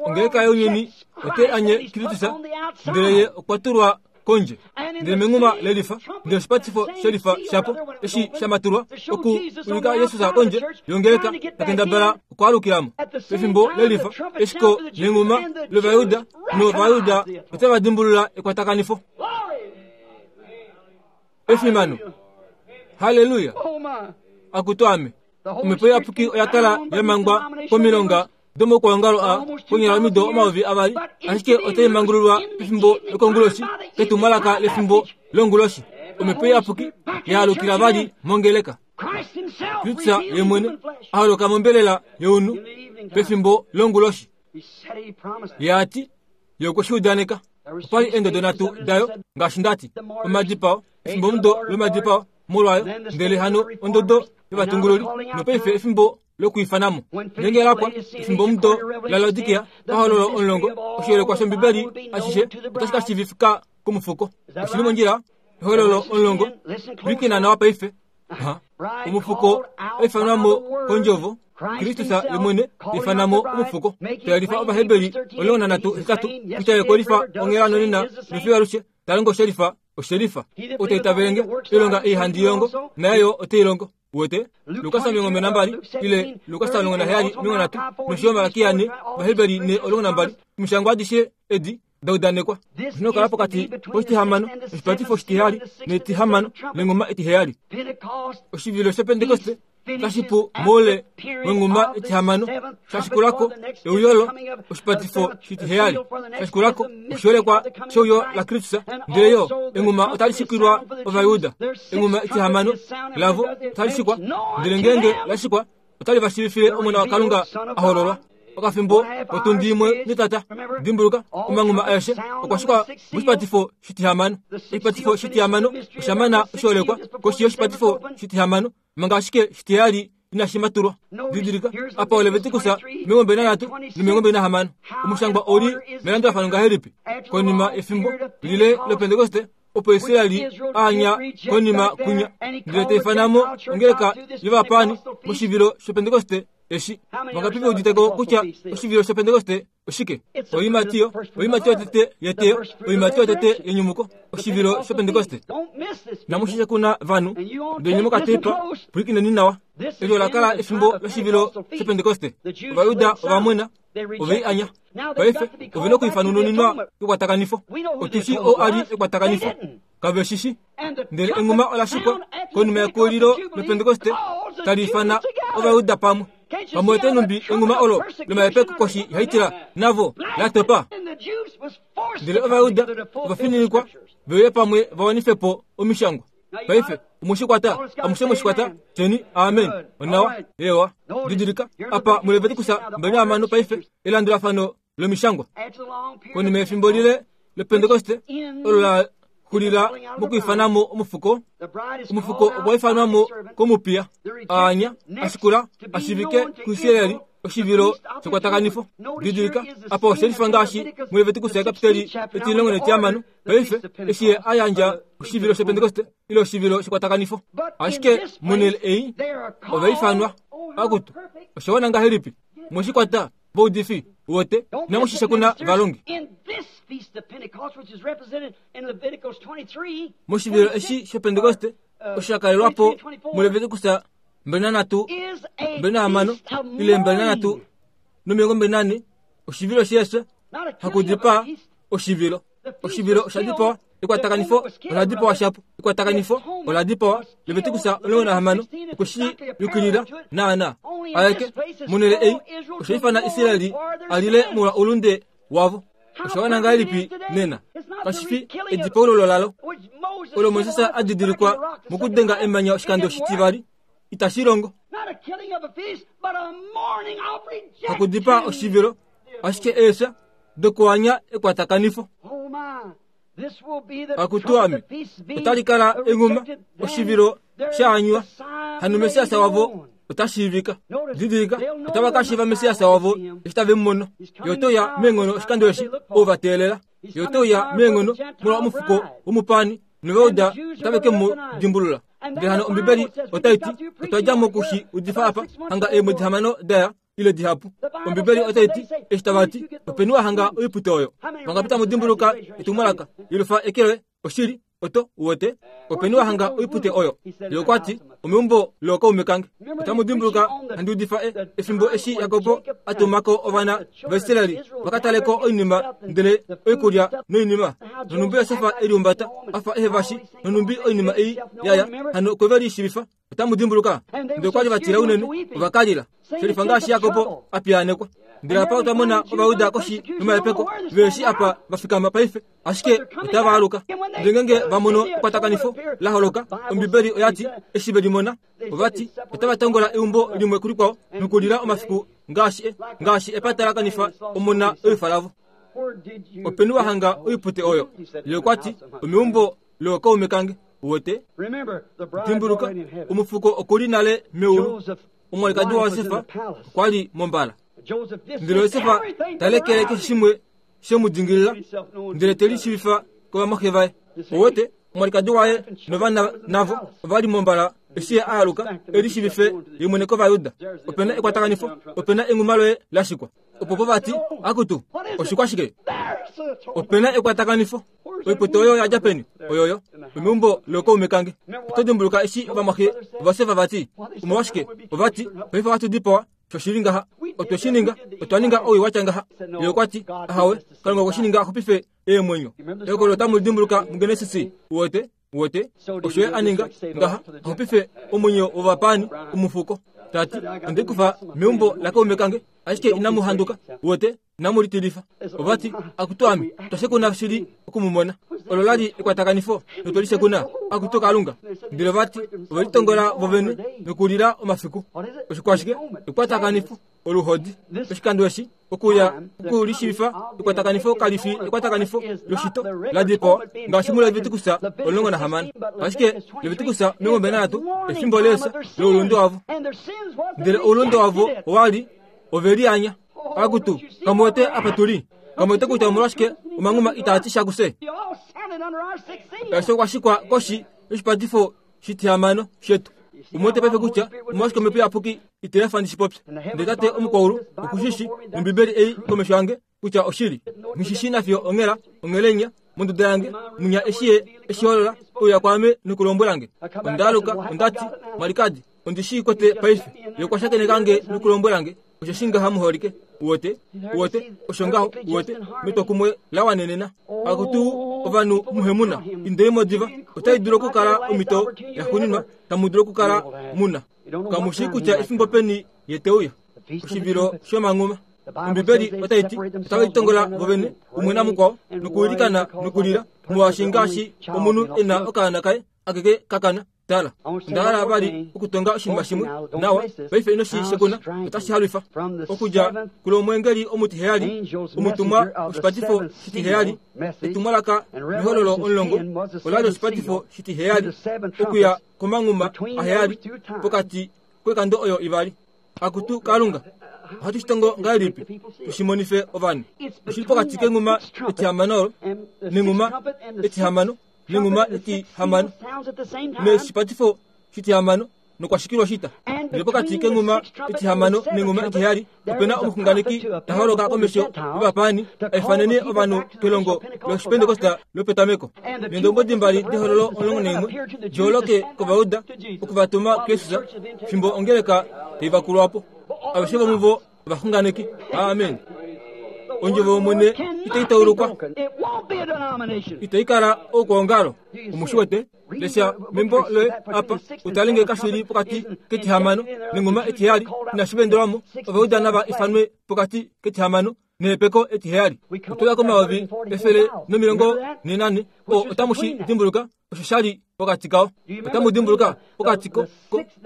Ongeleka younyuni ote anye Kristus, ndele ye okwa tulwa kondje. Ndele menghuma lelifa, ndele oshipatifo shelifa shapo, eshi sha matulwa, oku ulika Jesus kondje yongeleka, ta kendabala okwaalukila mo. Pefimbo lelifa, eshiko nenghuma lOvayuda, nOvayuda otava dimbulula ekwatakanifo. Efimano! Haleluya! Akutu ame! Omhepo Iyapuki oya kala ya mangwa komilonga domaukwaongalo a konyala omido 2000, ashike otai mangululwa pefimbo lokonguloshi ketumwalaka lefimbo longuloshi. Omhepo Iyapuki ya alukila vali mongeleka. Kristus ye mwene a holoka mombelela younhu pefimbo longuloshi. Ye a ti, Ye okwe shi udaneka. Opa li eendodo nhatu dayo, ngaashi nda ti, omadipao, efimbomudo lomadipao molwayo, ndele hano ondodo yovatungululi, nopaife efimbo lokwiifana mo. Ngeenge la pwa, efimbomudo laLaodikea, pahololo 10, oshiyelekwa shOmbibeli ashishe otashi ka shiivifika komufuko. Oshi li mondjila? Ehololo 10, pwilikina nawa paife. Omufuko aifanwa mo kondjovo, Kristus ye mwene ifana mo omufuko. Tayelifa Ovaheberi 13 8 kutya ye kolifa onghela nonena nofiyo alushe, ta longo shelifa oshelifa. Ou ta itavele nge, oilonga ei handi i longo, naye yo ote i longo. Uwete? Lukas 22 ile Lukas 17 30 nosho yo Malakia 4, Ovaheberi 4 12, Omishangwa adishe edi da udanekwa oshi kala pokati koshitihamano noshipatifo oshitiheyali netihamano lenguma etiheyali. Oshivilo shOpentekoste otashi pu moule wenguma etihamano, sha shikula ko euyo lo oshipatifo shitiheyali, sha shikula ko oshiholekwa sheuyo laKristus, ndele yo enguma otali shikilwa Ovajuda. Enguma etihamano lavo otali shikwa, ndele ngeenge la shikwa otali va shiivifile Omona waKalunga a hololwa. Okafimbo kotundi imwe netata, dimbuluka, omanghuma aeshe okwa shikwa moshipatifo shitihamano. Oshipatifo shitihamano osha mana oshiholekwa koshi yoshipatifo shitihamano, manga ashike shitiheyali inashi matulwa. Didilika, apa oLeviticus 23 no26. Omushangwa ou li melandulafano ngahelipi? Konima yefimbo lile lOpentekoste, opo Israeli a anya konima kwinya, ndele ta ifana mo ongeleka yovapaani moshivilo shOpentekoste eshi. Vangapi ve udite ko kutya oshivilo shOpentekoste oshike? Oiimati yo, oiimati yotete yeteyo, oiimati yotete yenyumuko, oshivilo shOpentekoste. Namushishe kuna vanhu, ndele mokateipa, pwilikineni nawa. Eli ola kala efimbo loshivilo shOpentekoste. Ovajuda ova mwena, ove i anya. Paife ove na okwiifanununinwa kekwatakanifo. Otu shii ou a li ekwatakanifo. Kave shi shi. Ndele enghuma ola shikwa konima yekuulilo lOpentekoste tali ifana Ovajuda pamwe. Pamwe ote numbi enghuma olo lomahepeko koshi yaHitler navo la topa. Ndele Ovajuda ova fininikwa ve uye pamwe va wanife po Omishangwa. Paife, omwe shi kwata? Amushe mwe shi kwata? Tyeni, Amen. Onawa. Eewa. Didilika, apa muLeviticus 26 paife, elandulafano lomishangwa. Konima yefimbo lile lOpentekoste, olo la xulila mokwiifana mo omufuko, omufuko okwa ifanwa mo komupiya, a anya, a shikula, a shiivike kuIsraeli, oshivilo shekwatakanifo. Didilika, apa oshe lifa ngaashi muLeviticus yakapiteli etilongo netihamano, Paife, eshi ye a yandja oshivilo shOpentekoste ile oshivilo shekwatakanifo, ashike monhele ei ova ifanwa akutu osha wana ngahelipi? Mwe shi kwata, vaudifi, wote, inamu shi shekuna valongi. Moshivilo eshi shOpentekoste osho sha kalelwa po muLeviticus 23, 26 ile 23 no24, oshivilo sheefya, hakudipaa oshivilo. Oshivilo osha dipawa, ekwatakanifo ola dipawa shapo, ekwatakanifo ola dipawa. Levitikus 16 okwe shi yukilila naanaa. Aeke, monhele ei, osha ifana Israeli a lile molwa oulunde wavo. Osha wana ngahelipi nena? Kashi fi edipaululo lalo olo Moses a didilikwa mokudenga emanya oshikando shitivali. Itashi longo. Hakudipaa oshivilo, ashike eefya dokuanya ekwatakanifo. Akutu ame, otali kala enghuma, oshivilo sha anywa, hano Messias wavo ota shiivika. Didilika, otava ka shiiva Messias wavo eshi tave mu mono. Ye ote uya meenghono oshikando eshi, ou va teelela. Ye ote uya meenghono molwa omufuko womupaani, novauda otave ke mu dimbulula. Ndele hano Ombibeli otai ti, otwa dja moku shi udifa apa, hanga eemwedi hamano da ya, ile dihapu. Ombibeli otai ti, eshi tava ti, Openi wa hanga oipute oyo? Vangapi tamu dimbuluka etumwalaka, Yelufa eke loye? Oshili. Oto uwete? Openi wa hanga oipute oyo? Ye okwa ti, Omeumbo lookaume kange. Otamu dimbuluka handi udifa e, efimbo eshi Jakob a tuma ko ovana vaIsraeli va ka tale ko oinima ndele oikulya noinima, nonhumbi Josef e liumbata a fa ehe va shi, nonhumbi oinima ei ya ya hano okwe ve lishiivifa. Otamu dimbuluka? Ndele okwa li va tila unene, ova ka lila. Shelifa ngaashi Jakob a piyaanekwa. Ndele apa otwa mona Ovayuda koshi yomahepeko, ve shi apa va fikama paife. Ashike otava aluka. Ndele ngeenge va mono ekwatakanifo la holoka, Ombibeli oya ti, eshi ve li mona, ova ti, otava tongola eumbo limwe kulikwao nokulila omafiku ngaashi e, ngaashi epata la kanifa omona ewifa lavo. Openi wa hanga oipute oyo? Ye okwa ti, Omeumbo lookaume kange. Uwete? Dimbuluka, omufuko oku li nale meulu. Omwalikadi waJosef okwa li mombala. Ndele Josef ta lekele keshe shimwe she mu dingilila ndele te lishiivifa kovamwaxe vaye. Uwete, omwalikadi waye novana navo ova li mombala eshi ye a aluka e lishiivife ye mwene kOvayuda. Ope na ekwatakanifo, ope na enghuma loye la shikwa. Opo po vati, akutu, oshikwa shike? Ope na ekwatakanifo. Oiputo oyo oya dja peni? Oyoyo, omeumbo lookaume kange. Oto dimbuluka eshi ovamwaxe vaJosef vati, Omolwashike? Ova ti, Paife ohatu dipawa. Sho shi li ngaha, otwe shi ninga, otwa ninga owii wa tya ngaha. Ye okwa ti, Ahawe, Kalunga okwe shi ninga a xupife eemwenyo. Ehokololo otamu li dimbuluka muGenesis, uwete, uwete, osho ye a ninga ngaha, a xupife omwenyo wovapaani, omufuko. Ta ti, Onde kufa meumbo lakaume kange, ashike inamu handuka, uwete, inamu litilifa. Ova ti, Akutu ame, twa shekuna shili oku mu mona. Olo la li ekwatakanifo notwe li shekuna, akutu Kalunga. Ndele ova ti, ove litongola vovene nokulila omafiku. Oshikwashike? Ekwatakanifo, oluhodi. Oshikando eshi, okuya oku lishiivifa ekwatakanifo kali fi ekwatakanifo loshito la dipawa ngaashi muLeviticus 16, ashike Leviticus 23 efimbo leefya loulunde wavo. Ndele oulunde wavo owa li ove lianya. Akutu, kamu wete apa tu li? Kamu wete kutya omolwashike omanghuma itaa ti sha kufye? Osho kwa shikwa koshi yoshipatifo shitihamano shetu. Omu wete paife kutya omolwashike Omhepo Iyapuki ite efa ndi shi popye. Ndele Tate omukwaulu oku shi shi, nOmbibeli ei komesho yange, kutya oshili. Nghi shi shii nafiyo onghela, onghelenya, monduda yange, munya eshi ye e shi holola, uya kwaame nokulombwela nge. Onda aluka, onda ti, Mwalikadi, ondi shii kwete paife. Ye okwa shakeneka nge nokulombwela nge, Osheshi ngaha muholike. Uwete? Uwete? Osho ngaho, uwete, metwokumwe la wanenena. Akutu ovanhu muhemuna, indei mo diva. Otai dulu okukala omhito yaxuuninwa tamu dulu okukala mu na. Kamu shii kutya efimbo peni ye te uya. Oshivilo shomanghuma. Ombibeli otai ti, Otave litongola vovene umwe namukwao nokuilikana nokulila, molwaashi ngaashi omunhu e na okaana kaye akeke ka kana. Tala, onda hala vali okutonga oshinima shimwe nawa. Paife ino shi shekuna, otashi halwifa. Okudja kulomweengeli omutiheyali, omutumwa woshipatifo shitiheyali, etumwalaka mehololo omulongo ola li oshipatifo shitiheyali, okuya komanghuma aheyali pokati koikando oyo ivali. Akutu Kalunga, ohatu shi tongo ngahelipi tu shi monife ovanhu? Oshi li pokati kenghuma etihamano olo nenghuma etihamano nenghuma etihamano neshipatifo shitihamano nokwa shikilwa oshita. Ndele pokati kenghuma etihamano nenghuma etiheyali ope na omuxunganeki ta holoka komesho yovapaani a ifanene ovanhu kelongo lOshipentekoste lopetameko. Neendombwedi mbali dehololo 11 di holoke kOvayuda oku va tuma kuJesus fimbo ongeleka tai vakulwa po. Aveshe vomuvo ovaxunganeki. Amen. Ondjovo yOmwene itai taulukwa, itai kala oukwaongalo. Omu shi wete? Lesha membo loye apa utale nge kashi li pokati ketihamano nengoma etiheyali inashi vendelwa mo. Ovayuda nava ifanwe pokati ketihamano nehepeko etiheyali. Otoya ko 1444 o otamu shi dimbuluka osho sha li pokati kao. Otamu dimbuluka pokati ko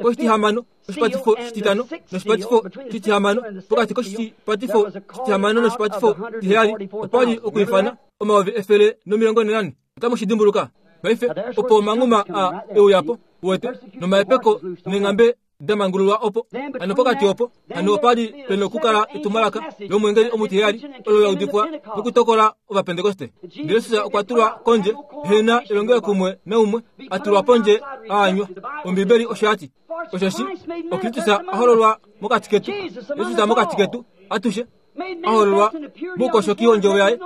koshitihamano oshipatifo shititano noshipatifo shitihamano pokati koshipatifo shitihamano noshipatifo shitiheyali opa li okwiifana 1444. Otamu shi dimbuluka? Paife opo omanghuma a e uya po, uwete, nomahepeko neenghambe da mangululwa opo. Hano pokati opo, hano opa li pe nokukala etumwalaka lomwengeli omutiheyali olo la udifwa nokutokola Ovapentekoste. Ndele Jesus okwa tulwa kondje, he na elongelokumwe naumwe, a tulwa pondje a anywa. Ombibeli osho ya ti. Osheshi oKristus a hololwa mokati ketu, Jesus mokati ketu atushe, a hololwa moukoshoki wondjovo yaye,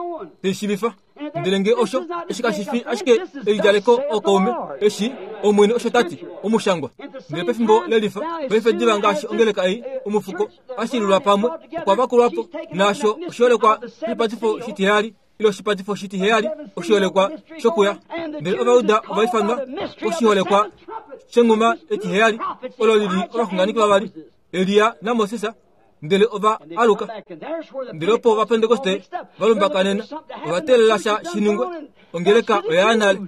te shi shiivifa. Ndele nge osho, eshi kashi fi ashike elidjaleko ookaume, eshi, Omwene osho ta ti, omushangwa. Ndele pefimbo lelifa, paife diva ngaashi ongeleka ei, omufuko, a shilulwa pamwe, okwa vakulwa po, naasho oshiholekwa shipatifo shitiheyali, ile oshipatifo shitiheyali, oshiholekwa shokuya. Ndele Ovayuda ova ifanwa koshiholekwa shenghuma etiheyali, olo li li ovaxunganeki vavali, Elia naMoses, ndele ova aluka. Ndele opo Ovapentekoste va lumbakanena, ova teelela sha shi ningwe, ongeleka oya ya nale.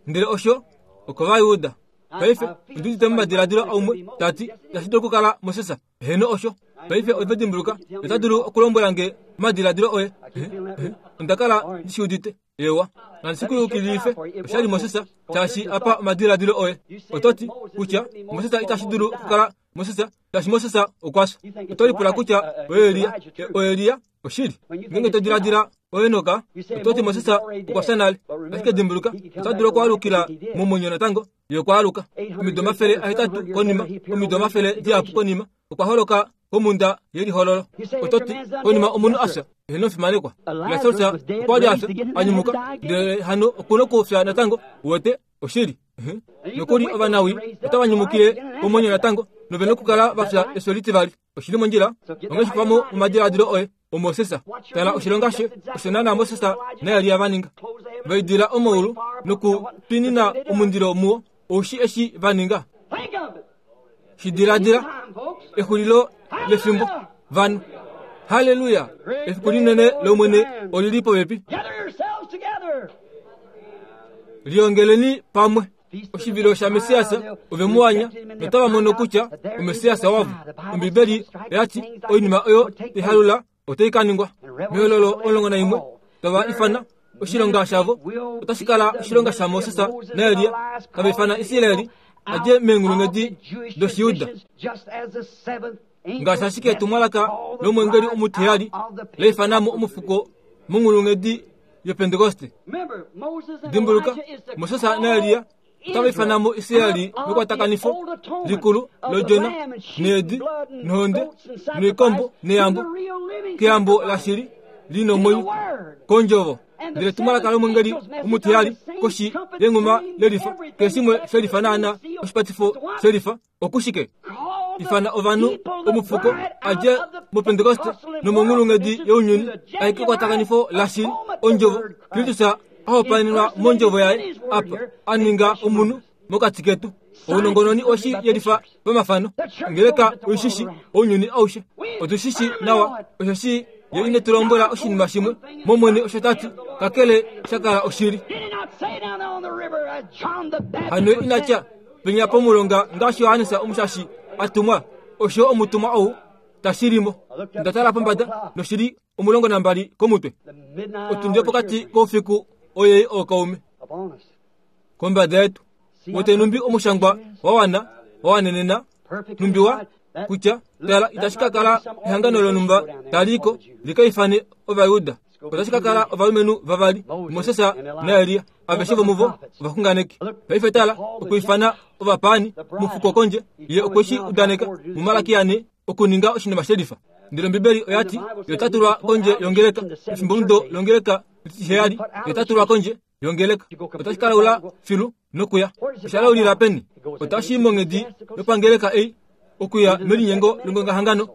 Ndele osho okOvayuda. Paife, ondi udite momadiladilo aumwe ta ti, Itashi dulu okukala Moses. Heeno, osho. Paife ove dimbuluka, ota dulu okulombwela nge omadiladilo oye. Onda kala ndi shi udite. Ewa, nandi shi ku yukililife, osha li Moses, shaashi apa omadiladilo oye. Oto ti kutya Moses itashi dulu okukala Moses, shaashi Moses okwa fya. Oto lipula kutya oElia, oElia oshili. Ngeenge to diladila oEnoka, oto ti Moses okwa fya nale. Ashike dimbuluka, ota dulu okwaalukila momwenyo natango, ye okwa aluka. Omido 800 konima, omido omafele dihapu konima, okwa holoka komhunda yelihololo. Oto ti, konima omunhu a fya, eheno omufimanekwa. Lasarus okwa li a fya, a nyumuka, ndele hano oku nokufya natango. Uwete? Oshili. Nokuli ovanawi otava nyumukile komwenyo natango, nove nokukala va fya efyo litivali. Oshili mondjila. Onghee shi pamo momadiladilo oye, oMoses. Tala oshilonga she, osho naanaa Moses naElia va ninga. Va idila omaulu nokutwinina omundilo muo. Ou shi eshi va ninga? Shi diladila, exulilo lefimbo, vanhu. Halleluya! Efiku linene lOmwene oli li popepi. Liongeleni pamwe. Oshivilo shaMessias ove mu anya notava mono kutya oMessias wavo. Ombibeli oya ti oinima oyo ihalula otai ka ningwa. Mehololo 11 tava ifana oshilonga shavo otashi kala oshilonga shaMoses naElia, tava ifana Israeli a dje meenghulunghedi dOshijuda. Ngaashi ashike etumwalaka lomwengeli omutiheyali la ifana mo omufuko monghulunghedi yOpentekoste. Dimbuluka, Moses naElia otava ifana mo Israeli mekwatakanifo likulu lodjona needi nohonde noikombo neyambo keyambo lashili li nomwenyo kondjovo. Ndele etumwalaka lomwengeli omutiheyali koshi yenghuma lelifa, keshe shimwe shelifa naana oshipatifo shelifa. Okushike? Ifana ovanhu omufuko a dje mOpentekoste nomonghulunghedi younyuni a ye kekwatakanifo lashili, Ondjovo, Kristus a hopaenenwa mOndjovo yaye apa, a ninga omunhu mokati ketu. Ounongononi oshi yelifa pamafano. Ongeleka oi shi shi ounyuni aushe. Otu shi shi nawa, osheshi Ye ine tu lombwela oshinima shimwe mOmwene osho ta ti, kakele sha kala oshili. Hano ina tya, Penya pomulonga ngaashi Johannes Omushashi a tumwa, osho omutumwa ou ta shili mo. Nda tala pombada noshili 12 komutwe. Otundi yopokati koufiku oyei ookaume kombada yetu. Wete numbi omushangwa wa wana wa wanenena numbi wa kutya tala itashi ka kala ehangano lonhumba tali ko li ka ifane Ovayuda. Otashi ka kala ovalumenhu vavali, Moses naElia. Aveshe vomuvo ovaxunganeki. Paife tala, okwiifana ovapaani mufuko kondje, ye okwe shi udaneka muMalaki ane okuninga oshinima shelifa. Ndele Ombibeli oya ti, Ye ota tulwa kondje yongeleka, efimbomudo longeleka etiheyali, ye ota tulwa kondje yongeleka. Otashi ka laula filu nokuya. Osha laulila peni? Otashi i monghedi yopangeleka ei, okuya melinyengo longongahangano,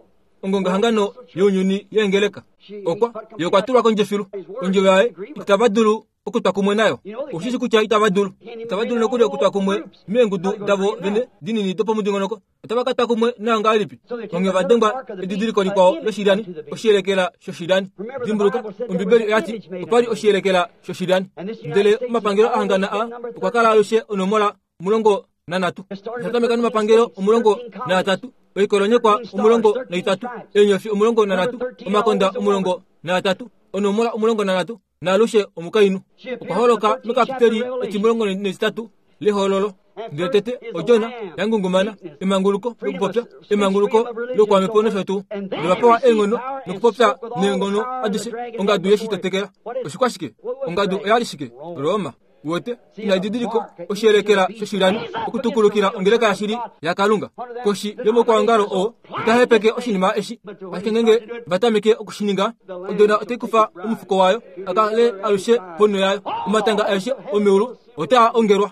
ongongahangano younyuni yeengeleka. Okwa, ye okwa tulwa kondje filu. Ondjovo yaye itava dulu okutwa kumwe nayo. Oshishi kutya itava dulu. Itava dulu nokuli okutwa kumwe meengudu davo vene dinini dopomudingonoko. Otava ka twa kumwe nayo ngahelipi? Onghee ova dengwa edidiliko likwao loshilyani, oshiyelekela shoshilyani. Dimbuluka, Ombibeli oya ti opa li oshiyelekela shoshilyani. Ndele omapangelo a hangana a okwa kala alushe onomola 13. Osha tameka nomapangelo 13, oikolonyekwa 13, eenyofi 13, omakonda 13, onomola 13, naalushe omukainhu okwa holoka mekapiteli etimulongo netitatu lehololo. Ndele tete odjona ya ngungumana, emanguluko lokupopya, emanguluko lokwamhepo nosho tuu. Ndele va pewa eenghono nokupopya neenghono adishe ongadu ye shi tetekela. Oshikwashike? Ongadu oya li shike? Roma. Uwete, ina edidiliko oshiyelekela shoshilyani okutukulukila ongeleka yashili yaKalunga. Koshi yomukwaongalo oo ota hepeke oshinima eshi, ashike ngeenge va tameke oku shi ninga, odona otai kufa omufuko wayo a kale alushe ponho yayo. Omatanga aeshe omeulu otaa ongelwa.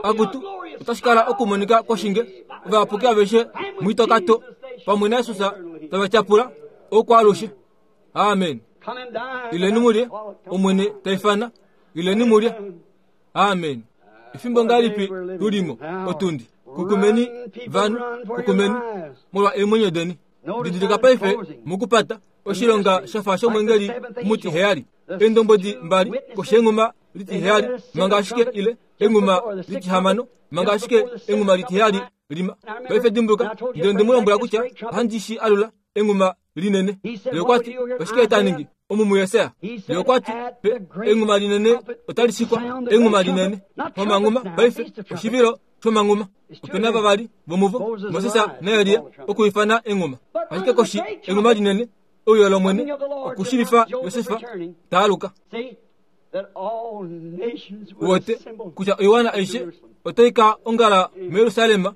Akutu, otashi kala okumonika kwoshinge, ovayapuki aveshe muitokato pamwe naJesus tava tyapula oukwaalushe. Amen. Ileni mulye, Omwene ta ifana. Ileni mulye. Amen. Efimbo ngahelipi tu li mo, otundi? Kukumeni, vanhu, kukumeni, molwa eemwenyo deni. Didilika paife mokupata oshilonga sha fa shomwengeli omutiheyali. Eendombwedi mbali koshenghuma litiheyali manga ashike ile enghuma litihamano manga ashike enghuma litiheyali lima. Paife dimbuluka, ndele onde mu lombwela kutya ohandi shi alula enghuma linene. Ye okwa ti, Oshike ta ningi? Omu muYesaja. Ye okwa ti, Pe, enghuma linene otali shikwa, enghuma linene. Omanghuma, paife, oshivilo shomanghuma. Ope na vavali vomuvo, Moses naElia, okuifana enghuma. Ashike koshi enghuma linene, euyo lOmwene, okushivifa Josef ta aluka. Uwete kutya oiwana aishe otai ka ongala muJerusalem.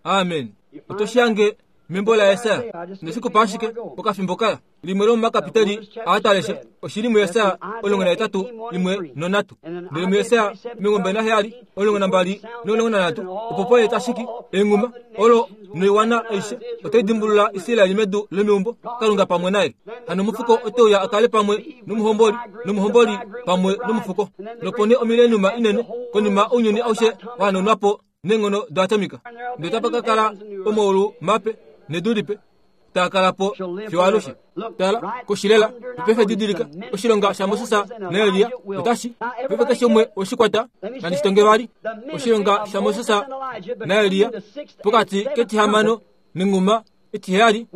Amen. Oto shange membo laJesaja nesiku pa ashike okafimbo kala limwe lomomakapiteli aa ta lesha oshili muJesaja 18 imwe nonhatu ndele muJesaja 27 12 no13 opo pwa li tashiki enghuma olo noiwana aishe otai dimbulula Israel medu lomeumbo Kalunga pamwe naye. Hano omufuko ote uya a kale pamwe nomuhomboli, nomuhomboli pamwe nomufuko. Nopo nee omileniuma inene konima ounyuni aushe wa hanaunwa po neenghono doatomika. Ndele otapa ka kala omaulu mape nedu lipe taa kala po fiyo alushe. Tala, koshilela, paife didilika, oshilonga shaMoses naElia otashi, paife keshe umwe oshi kwata, nandi shi tonge vali, oshilonga shaMoses naElia pokati ketihamano nenghuma etiheyali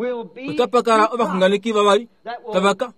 otapa kala ovaxunganeki vavali tava ka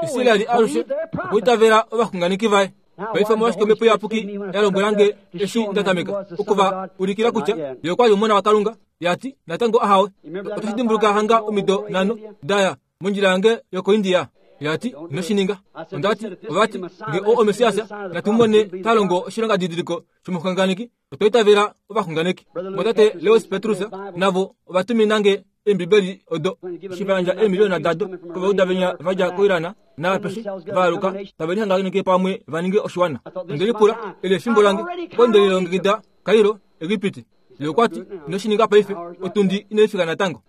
Israel alushe okwiitavela ovaxunganeki vaye. Paife omolwashike Omhepo Iyapuki ya lombwela nge eshi nda tameka oku va ulikila kutya Ye okwa li Omona waKalunga? Ya ti, Natango ahawe. Oto shi dimbuluka hanga omido nhano da ya mondjila yange yokoIndia? Ya ti, Ino shi ninga. Onda ti, Ova ti, nge oo oMessias, natu mu mone ta longo oshilongadidiliko shomuxunganeki. Otwa itavela ovaxunganeki. Mwatate Lewis Petrus navo ova tumina nge Eembibeli odo eshi va yandja eemiliyona dado kovauda venya va dja koIran naapeshe va aluka tave lihanganeke pamwe va ninge oshiwana. Onde lipula, Eli efimbo lange? Opo nde lilongekida Cairo, Egipiti. Ye okwa ti, Ino shi ninga paife, otundi inai fika natango.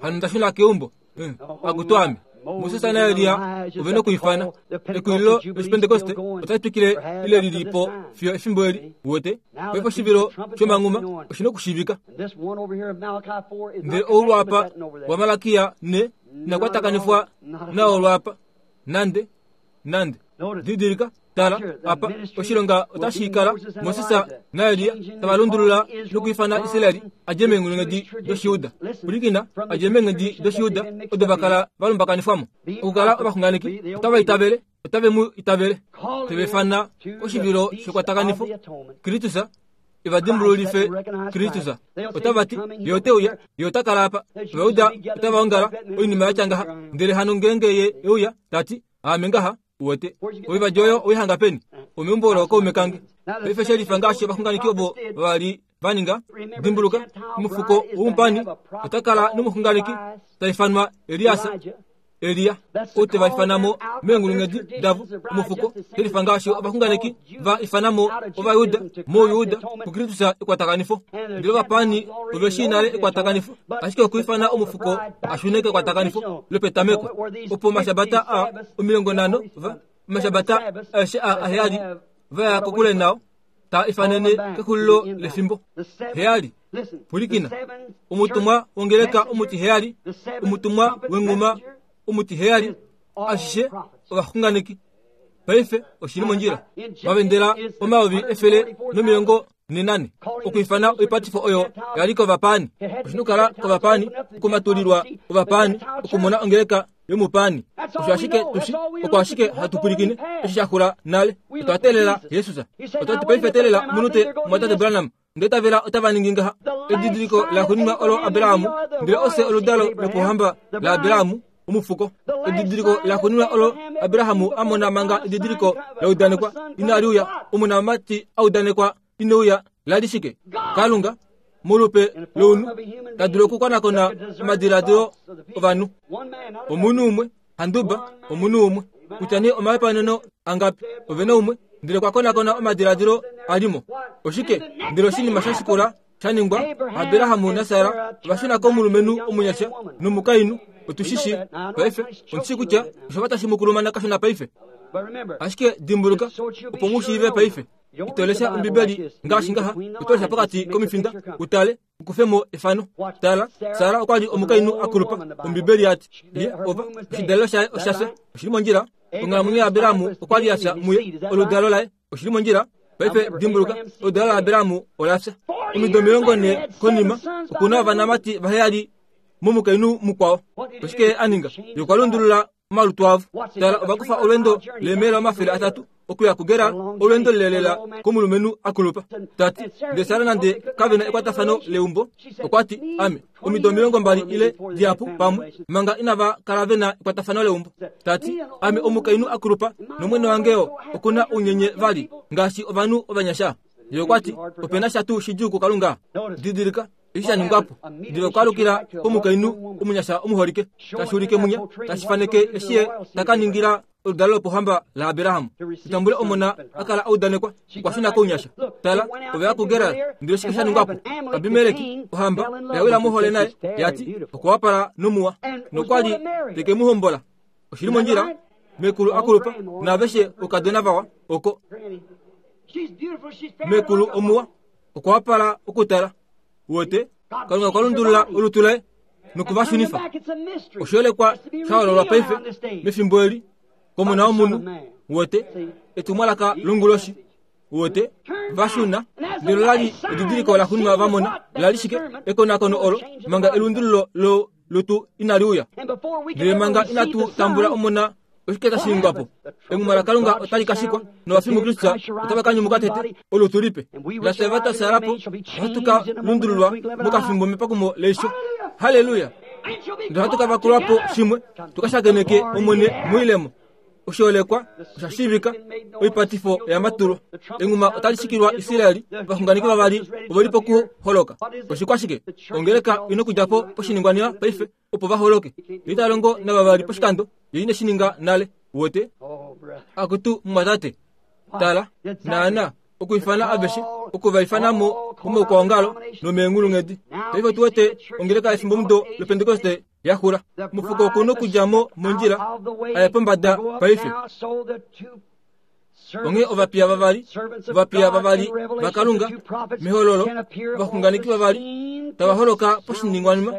Hano nda shuna keumbo. Akutu ame! Moses naElia ove nokuifana. Ekulilo lOshipentekoste otali twikile ile li li po fiyo efimbo eli. Uwete? Paife oshivilo shomanghuma oshi nokushiivika. Ndele ou lwaapa waMalakia ne ina kwatakanifwa nao lwaapa nande nande. Didilika, tala apa, oshilonga otashi kala Moses naElia tava lundulula nokuifana Israel a dje meenghulunghedi dOshijuda. Pwilikina, a dje meenghedi dOshijuda odo va kala va lumbakanifwa mo. Okukala ovaxunganeki otava itavele, otave mu itavele. Teve ifana oshivilo shekwatakanifo, Kristus e va dimbululife Kristus. Otava ti, Ye ote uya, Ye ota kala apa. Ovauda otava ongala, oinima ya tya ngaha. Ndele hano ngeenge Ye e uya, ta ti, Aame ngaha, uwete. Oivadi oyo oi hanga peni? Omeumbo lookaume kange. Paife shelifa ngaashi ovaxunganeki ovo va li va ninga. Dimbuluka, omufuko womupani ota kala nomuxunganeki ta ifanwa Elias. Elia, ou te va ifana mo meenghulunghedi davo, omufuko, shelifa ngaashi ovaxunganeki va ifana mo Ovajuda mOuyuda kuKristus ekwatakanifo. Ndele ovapaani ove shii nale ekwatakanifo, ashike okwiifana omufuko a shune kekwatakanifo lopetameko, opo omashabata a 50 va, omashabata aeshe a aheyali va ya kokule nao, taa ifanene kexulilo lefimbo. Heyali. Pwilikina. Omutumwa wongeleka omutiheyali, omutumwa wenghuma omutiheyali, ashishe ovaxunganeki. Paife oshi li mondjila. Va vendela 1440 okwiifana oipatifo oyo ya li kovapaani. Oshi nokukala kovapaani, okumatulilwa ovapaani, okumona ongeleka yomupaani. Osho ashike tu shi, oko ashike hatu pwilikine, eshi sha xula nale. Otwa teelela Jesus. Otwa ti paife teelela omunute, Mumwatate Branham. Ndele tavela otava ningi ngaha. Edidiliko laxuuninwa olo Abraham, ndele ofye oludalo lopohamba laAbraham. Omufuko. Edidiliko laxuuninwa olo Abraham a mona manga edidiliko la udanekwa inali uya, omonamati a udanekwa ine uya, la li shike? Kalunga, molupe lounhu, ta dulu okukonakona omadiladilo ovanhu. Omunhu umwe, handuba, omunhu umwe, kutya nee omahepauneno angapi, ove na umwe, ndele okwa konakona omadiladilo a li mo. Oshike? Ndele oshinima sha shikula sha ningwa, Abraham naSara ova shuna komulumenhu omunyasha nomukainhu. Otu shi shii paife. Ondi shii kutya osha fa tashi mu kulumana kashona paife. Ashike dimbuluka, opo mu shiive paife, ito lesha Ombibeli ngaashi ngaha, oto lesha pokati komifinda u tale, u kufe mo efano. Tala, Sara okwa li omukainhu a kulupa, Ombibeli ya ti. Ye, ova, oshidalelo shaye osha fya. Oshi li mondjila? Onghalamwenyo yaAbraham okwa li ya fya muye, oludalo laye. Oshi li mondjila? Paife dimbuluka, oludalo laAbraham ola fya. Omido 40 konima, oku na ovanamati vaheyali momukainhu mukwao. Oshike ye a ninga? Ye okwa lundulula omalutu avo. Tala, ova kufa olwendo leemaila 300 okuya kuGerar, olwendo lelelela komulumenhu a kulupa. Ta ti, ndele Sara nande kave na ekwatafano leumbo, okwa ti, Ame, omido 20 ile dihapu pamwe, manga inava kala ve na ekwatafano leumbo. Ta ti, Ame omukainhu a kulupa, nomwene wange yo oku na ounyenye vali, ngaashi ovanhu ovanyasha. Ye okwa ti, Ope na sha tuu shidjuu kuKalunga? Didilika, eshi sha ningwa po. Ndele okwa alukila komukainhu omunyasha omuholike, tashi ulike munya, tashi faneke eshi ye ta ka ningila oludalo lopohamba laAbraham. Tambule omona a kala a udanekwa, okwa shuna kounyasha. Tala, ove ya kuGerar, ndele oshike sha ningwa po? Abimeleki, ohamba, oya wila mohole naye, ya ti, Okwa wapala nomuwa, nokwa li te ke mu hombola. Oshi li mondjila? Mekulu a kulupa, naaveshe oukadona vawa, oko. Mekulu omuwa, okwa wapala okutala. Uwete? Kalunga okwa lundulula olutu laye noku va shunifa. Oshoolekwa sha hololwa paife mefimbo eli komona womunhu. Uwete? Etumwalaka longuloshi. Uwete? Va shuna. Ndele ola li edidiliko laxuuninwa va mona. La li shike? Ekonakono olo, manga elundululo lo lutu inali uya. Ndele manga inatu tambula omona, oshike tashi ningwa po? Enghuma laKalunga otali ka shikwa, novafi muKristus otava ka nyumuka tete, olutu lipe. Nafye ava twa fyaala po, ohatu ka lundululwa mokafimbo mepakumo leisho. Halleluya! Ndele ohatu ka vakulwa po shimwe, tu ka shakeneke Omwene moilemo. Oshoolekwa osha shiivika, oipatifo oya matulwa. Enghuma otali shikilwa Israel, ovaxunganeki vavali ove li pokuholoka. Oshikwashike? Ongeleka ina okudja po poshiningwanima paife opo va holoke. Ye ita longo navavali poshikando, ye ine shi ninga nale. Uwete? Akutu mumwatate, tala, naana, okuifana aveshe, oku va ifana mo momaukwaongalo nomeenghulunghedi. Paife otu wete ongeleka yefimbomudo lOpentekoste ya xula. Omufuko oku nokudja mo mondjila a ye pombada paife. Onghee ovapiya vavali, ovapiya vavali vaKalunga mehololo, ovaxunganeki vavali tava holoka poshiningwanima,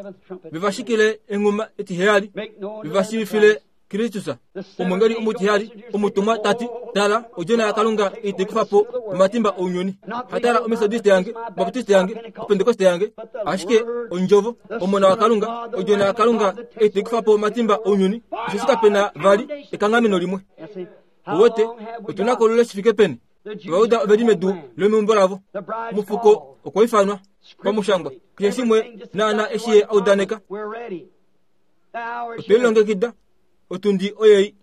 ve va shikile enghuma etiheyali, ve va shiivifile Kristus. Omwengeli omutiheyali, omutumwa ta ti, Tala, Odjona yaKalunga ite kufa po omatimba ounyuni. Hatala Ometodiste yange, Obaptiste yange, Opentekoste yange, ashike Ondjovo, Omona waKalunga, Odjona yaKalunga ite kufa po omatimba ounyuni, osheshi kape na vali ekanghameno limwe. Uwete, otu na ko olule shi fike peni? Ovajuda ove li medu lomeumbo lavo. Omufuko okwa ifanwa, pamushangwa, keshe shimwe naana eshi ye a udaneka. Otwe lilongekida. Otundi oyei.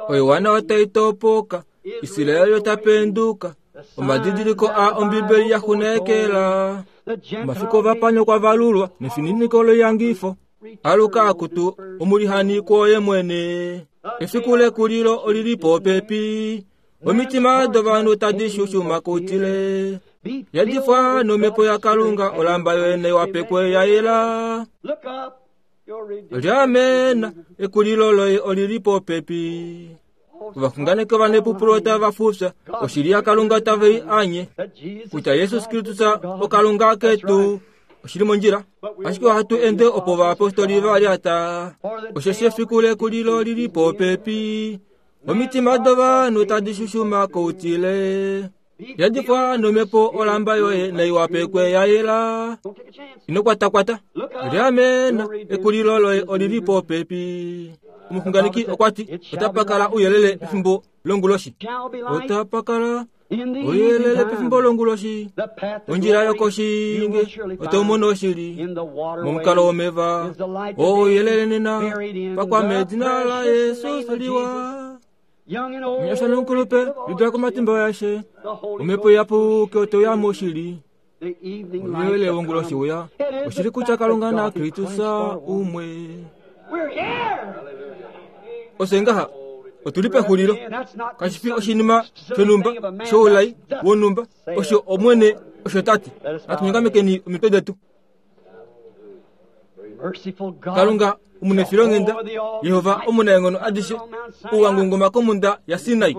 Oiwana otai topoka, Israel ota penduka. Omadidiliko a Ombibeli ya xunekela. Omafiku ovapani okwa valulwa nefininiko loiyangifo. Aluka akutu omulihani kwoye mwene. Efiku lekulilo oli li popepi. Omitima dovanhu tadi shushuma kutile. Yadifwa nomhepo yaKalunga, olamba yoyene wapekwe ya yela. Liamena, ekulilo loye oli li popepi. Ovaxunganeki ovanepupulo otava fufya oshili yaKalunga tave i anye kutya Jesus Kristus oKalunga ketu. Oshili mondjila, ashike ohatu ende opo ovayapostoli va lyata. Osheshi efiku lekulilo li li popepi. Omitima dovanhu tadi shushuma koutile. Yadifwa nomhepo olamba yoye nai wapekwe ya yela. Ino kwatakwata. Liamena, ekulilo loye oli li popepi. Omuxunganeki okwa ti, Otapa kala ouyelele pefimbo longuloshi. Otapa kala. Ouyelele pefimbo longuloshi, ondjila yokoshinge, oto mono oshili momukalo womeva. Ouyelele nena, pakwa medina laJesus liwa. Omunyasha nomukulupe, lidula komatimba yashe. Omhepo iyapuki oto ya moshili. Ouyelele wonguloshi uya, oshili kutya Kalunga naKristus umwe. Osho ngaha otu li pexulilo. Kashi fi oshinima shonhumba shoulai wonhumba, osho Omwene osho ta ti. Natu nyongamekeni omitwe detu. Kalunga omunefilonghenda, Jehova omunaenghono adishe, ou wa ngunguma komhunda yaSinai,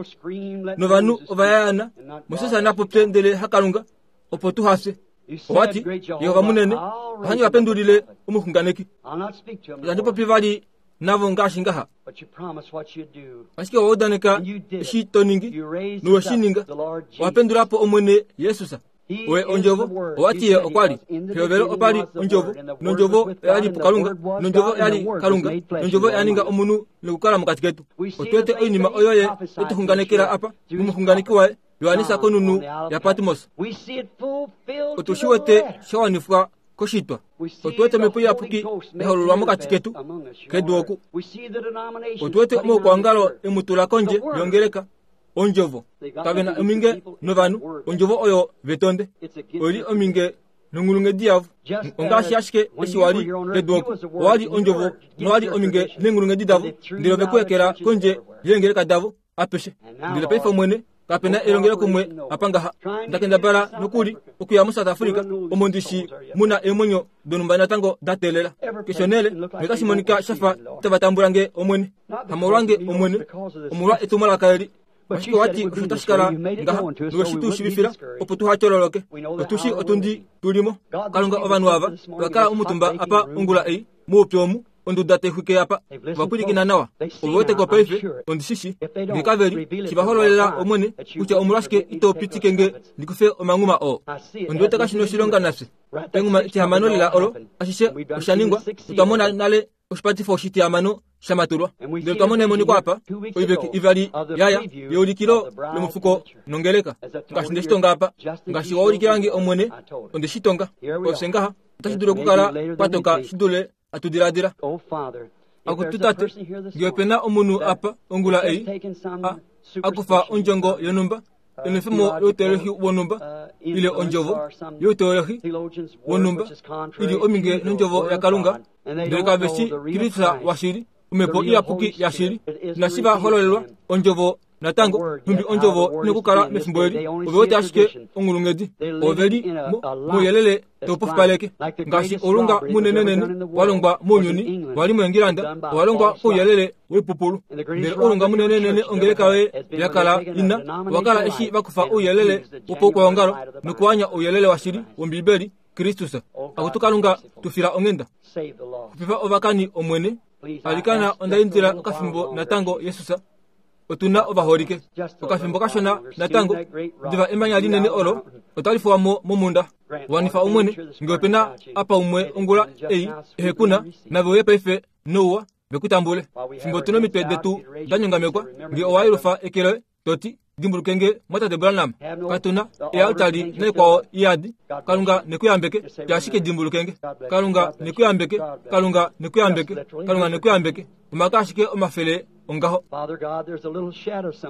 novanhu ova yaana, Moses na popye ndele haKalunga, opo tu hafye. Owa ti, Jehova munene, ohandi va pendulile omuxunganeki. Itandi popi vali navo ngaashi ngaha. Ashike owa udaneka eshi to ningi, nowe shi ninga. Owa pendula po Omwene Jesus. Oye Ondjovo. Owa ti Ye okwa li. Pehovelo opa li Ondjovo, nOndjovo oya li puKalunga, nOndjovo oya li Kalunga, nOndjovo oya ninga omunhu nokukala mokati ketu. Otu wete oinima oyo Ye e tu xunganekela apa momuxunganeki waye, Johannes konhunhu yaPatmos. Otu shi wete sha wanifwa koshitwa. Otu wete Omhepo Iyapuki ya hololwa mokati ketu kedu oku. Otu wete omaukwaongalo e mu tula kondje yongeleka, Ondjovo. Kave na ominge novanhu, Ondjovo oyo ve tonde. Oi li ominge nonghulunghedi yavo. Ongaashi ashike eshi wa li kedu oku, owa li Ondjovo nowa li ominge neenghulunghedi davo, ndele ove ku ekela kondje yeengeleka davo. apeshe. Ndele paife Omwene, kape na elongelokumwe apa ngaha. Nda kendabala nokuli okuya muSouth Africa, omo ndi shi mu na eemwenyo donhumba natango da teelela. Keshe onhele, notashi monika sha fa itava tambula nge, Omwene. Hamolwange, Omwene, omolwa etumwalaka eli. Ashike owa ti osho tashi kala ngaha, nowe shi tu shiivifila, opo tuha tyololoke. Otu shi otundi tu li mo. Kalunga, ovanhu ava ova kala omutumba apa ongula ei, moupyu omu, Onduda tai xwike apa. Ova pwilikina nawa. Ove wete ko paife, ondi shi shii. Nge kave li, shi va hololela, Omwene, kutya omolwashike ito pitike nge ndi kufe omanghuma oo. Ondi wete kashi noshilonga nafye. Enghuma etihamano lela olo, ashishe osha ningwa, notwa mona nale oshipatifo oshitihamano sha matulwa. Ndele otwa mona emoniko apa, oiveki ivali ya ya, yeulikilo lomufuko nongeleka. Ngaashi nde shi tonga apa, ngaashi wa ulikila nge, Omwene, onde shi tonga. Ofye ngaha, otashi dulu okukala kwa toka shi dule atu diladila. Akutu Tate, nge ope na omunhu apa ongula ei a, a kufa ondjongo yonhumba, enwefemo louteolohi wonhumba, ile ondjovo youteolohi wonhumba, i li ominge nondjovo yaKalunga, ndele kave shi Kristus washili, Omhepo Iyapuki yashili, inashi va hololelwa ondjovo Natango, nhumbi ondjovo ina okukala mefimbo eli, ove wete ashike onghulunghedi. Ove li mo, mouyelele tau pofipaleke. Ngaashi oulunga munenenene wa longwa mounyuni, wa li moEngilanda, owa longwa kouyelele woipupulu. Ndele oulunga munenenene ongeleka yoye ya kala ina, owa kala eshi va kufa ouyelele wopaukwaongalo nokuanya ouyelele washili wOmbibeli, Kristus. Akutu Kalunga, tu fila onghenda. Xupifa ovakani, Omwene. Alikana, onda indila okafimbo natango, Jesus. Otu na ovaholike. Okafimbo kashona natango, diva emanya linene olo otali fuwa mo momunda. Wanifa Omwene, nge ope na apa umwe ongula ei ehe ku na, nave uye paife nouwa ve ku tambule. Fimbo tu nomitwe detu da nyongamekwa, nge owa yelufa eke loye, to ti, Dimbuluke nge, Mwatate Branham. Katu na ealtari naikwao iyadi. Kalunga ne ku yambeke. Tya ashike dimbuluke nge. Kalunga ne ku yambeke. Kalunga ne ku yambeke. Kalunga ne ku yambeke. Omake ashike omafele ongaho.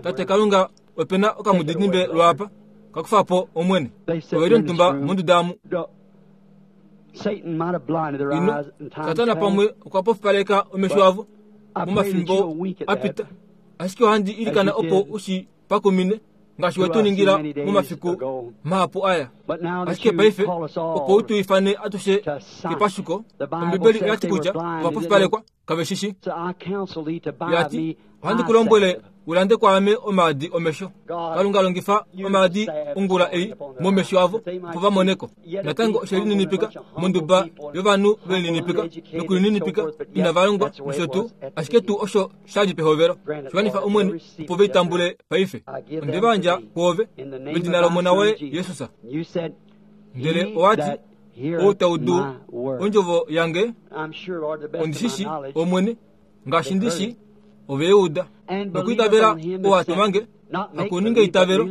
Tate Kalunga, ope na okamudidimbe lwaapa. Ka kufa po, Omwene. Ove li omutumba monduda omu. Ino, Satana pamwe okwa pofipaleka omesho avo momafimbo a pita. Ashike ohandi ilikana opo u shi pakumine ngaashi we tu ningila momafiku mahapu aya. Ashike paife opo u tu ifane atushe kepashuko, Ombibeli oya ti kutya ova pofipalekwa, kave shi shi. Ya ti, Ohandi ku lombwele u lande kwaame omaadi omesho. Kalunga longifa omaadi ongula ei momesho avo opo va mone ko. Natango oshe lininipika monduba yovanhu ve lininipika nokulininipika inava longwa nosho tuu, ashike tuu osho sha li pehovelo. Shiwanifa Omwene opo ve i tambule paife. Onde va yandja kwoove medina lOmona woye Jesus. Ndele owa ti, Ou ta udu ondjovo yange, ondi shi shii, Omwene, ngaashi ndi shi, ove i uda. Nokwiitavela ou a tuma nge. Hakuninga eitavelo,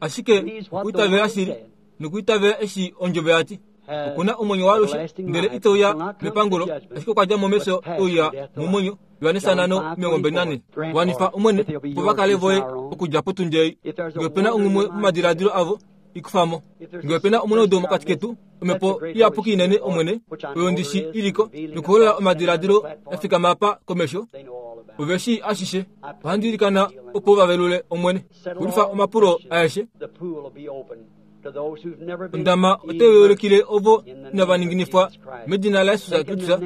ashike okuitavela shili nokuitavela eshi ondjovo yati. Okuna omwenyo waalushe, ndele ite uya mepangulo, ashike okwa dja mo mefyo e uya momwenyo. Johannes 5:24. Wanifa Omwene opo va kale voye okudja potundi ei. Nge ope na onghumwe momadiladilo avo, i kufa mo. Nge ope na omunaudu mokati ketu, Omhepo Iyapuki inene, Omwene, oyo ndi shi i li ko, nokuholola omadiladilo ya fikama apa komesho, ove shii ashishe. Ohandi ilikana opo va velule, Omwene. Xulifa omapulo aeshe. Ondama otai ulikile ovo inava ninginifwa medina laJesus Kristus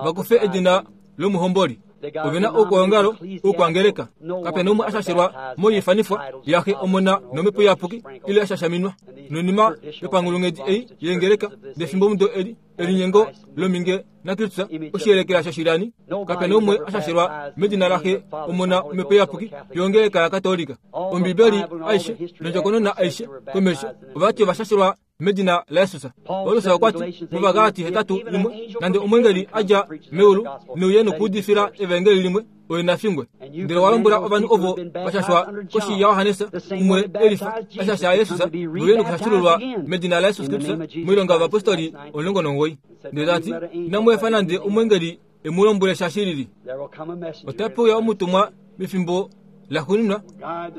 va kufe edina lomuhomboli. Ove na oukwaongalo oukwangeleka. Kape na umwe a shashelwa moiifanifwa yaXe, Omona nOmhepo Iyapuki ile a shashaminwa noinima yopanghulunghedi ei yeengeleka defimbomudo eli, elinyengo lominge naKristus, oshiyelekela shoshilyani. Kape na umwe a shashelwa medina laXe, Omona, Omhepo Iyapuki yongeleka yaKatolika. Ombibeli aishe nondjokonona aishe komesho ovati ova shashelwa medina laJesus. Paulus okwa ti mOvagalati 8:1, Nande omweengeli a dja meulu neuye nokuudifila evaengeli limwe, oye na fingwe. Ndele wa lombwela ovanhu ovo va shashwa koshi yaJohannes, umwe e lifa a shasha Jesus, veuye nokushashululwa medina laJesus Kristus moilonga yovapostoli 19. Ndele ta ti, Inamu efa nande omweengeli e mu lombwele sha shi lili. Otape uya omutumwa mefimbo laxuuninwa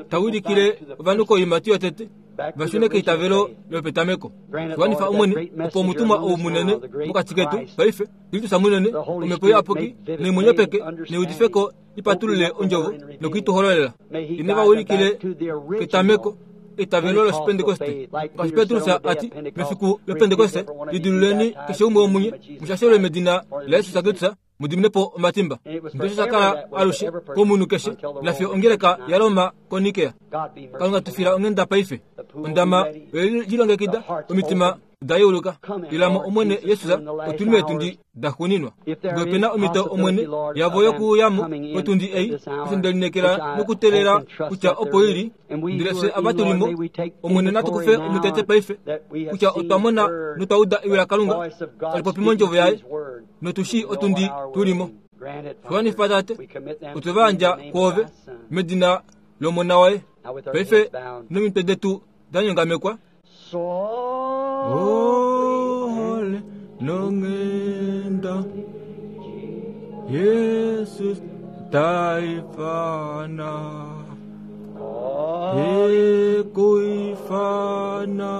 ta wilikile ovanhu koiimati yotete va shune keitavelo lopetameko. Wanifa Omwene, opo omutumwa ou munene mokati ketu paife, Kristus munene, Omhepo Iyapuki neemwenyo peke neudifeko i patulule ondjovo noku i tu hololela. Ine va wilikile ketameko eitavelo lOshipentekoste. Ngaashi Petrus a ti, mefiku lOpentekoste, lidiluleni keshe umwe womunye, mu shashelwe medina laJesus Kristus, mu dimine po omatimba. Ndele osho sha kala alushe komunhu keshe, nafiyo ongeleka yaRoma koNikea. Kalunga tu fila onghenda paife. Ondama oye lilongekida, omitima da yeuluka. Ila mo Omwene Jesus, otu li meetundi daxuuninwa. Nge ope na omhito, Omwene, yavo yokuuya mo potundi ei, osho nde lineekela nokuteelela kutya opo i li, ndele fye ava tu li mo, Omwene, natu kufe omutete paife, kutya otwa mona notwa uda ewi laKalunga tali popi mOndjovo Yaye, notu shii otundi tu li mo. Wanifa, Tate, otwe va yandja kwoove, medina lOmona waye. Paife nomitwe detu da nyongamekwa, Ohole nonghenda Jesus ta ifana Ekuifana.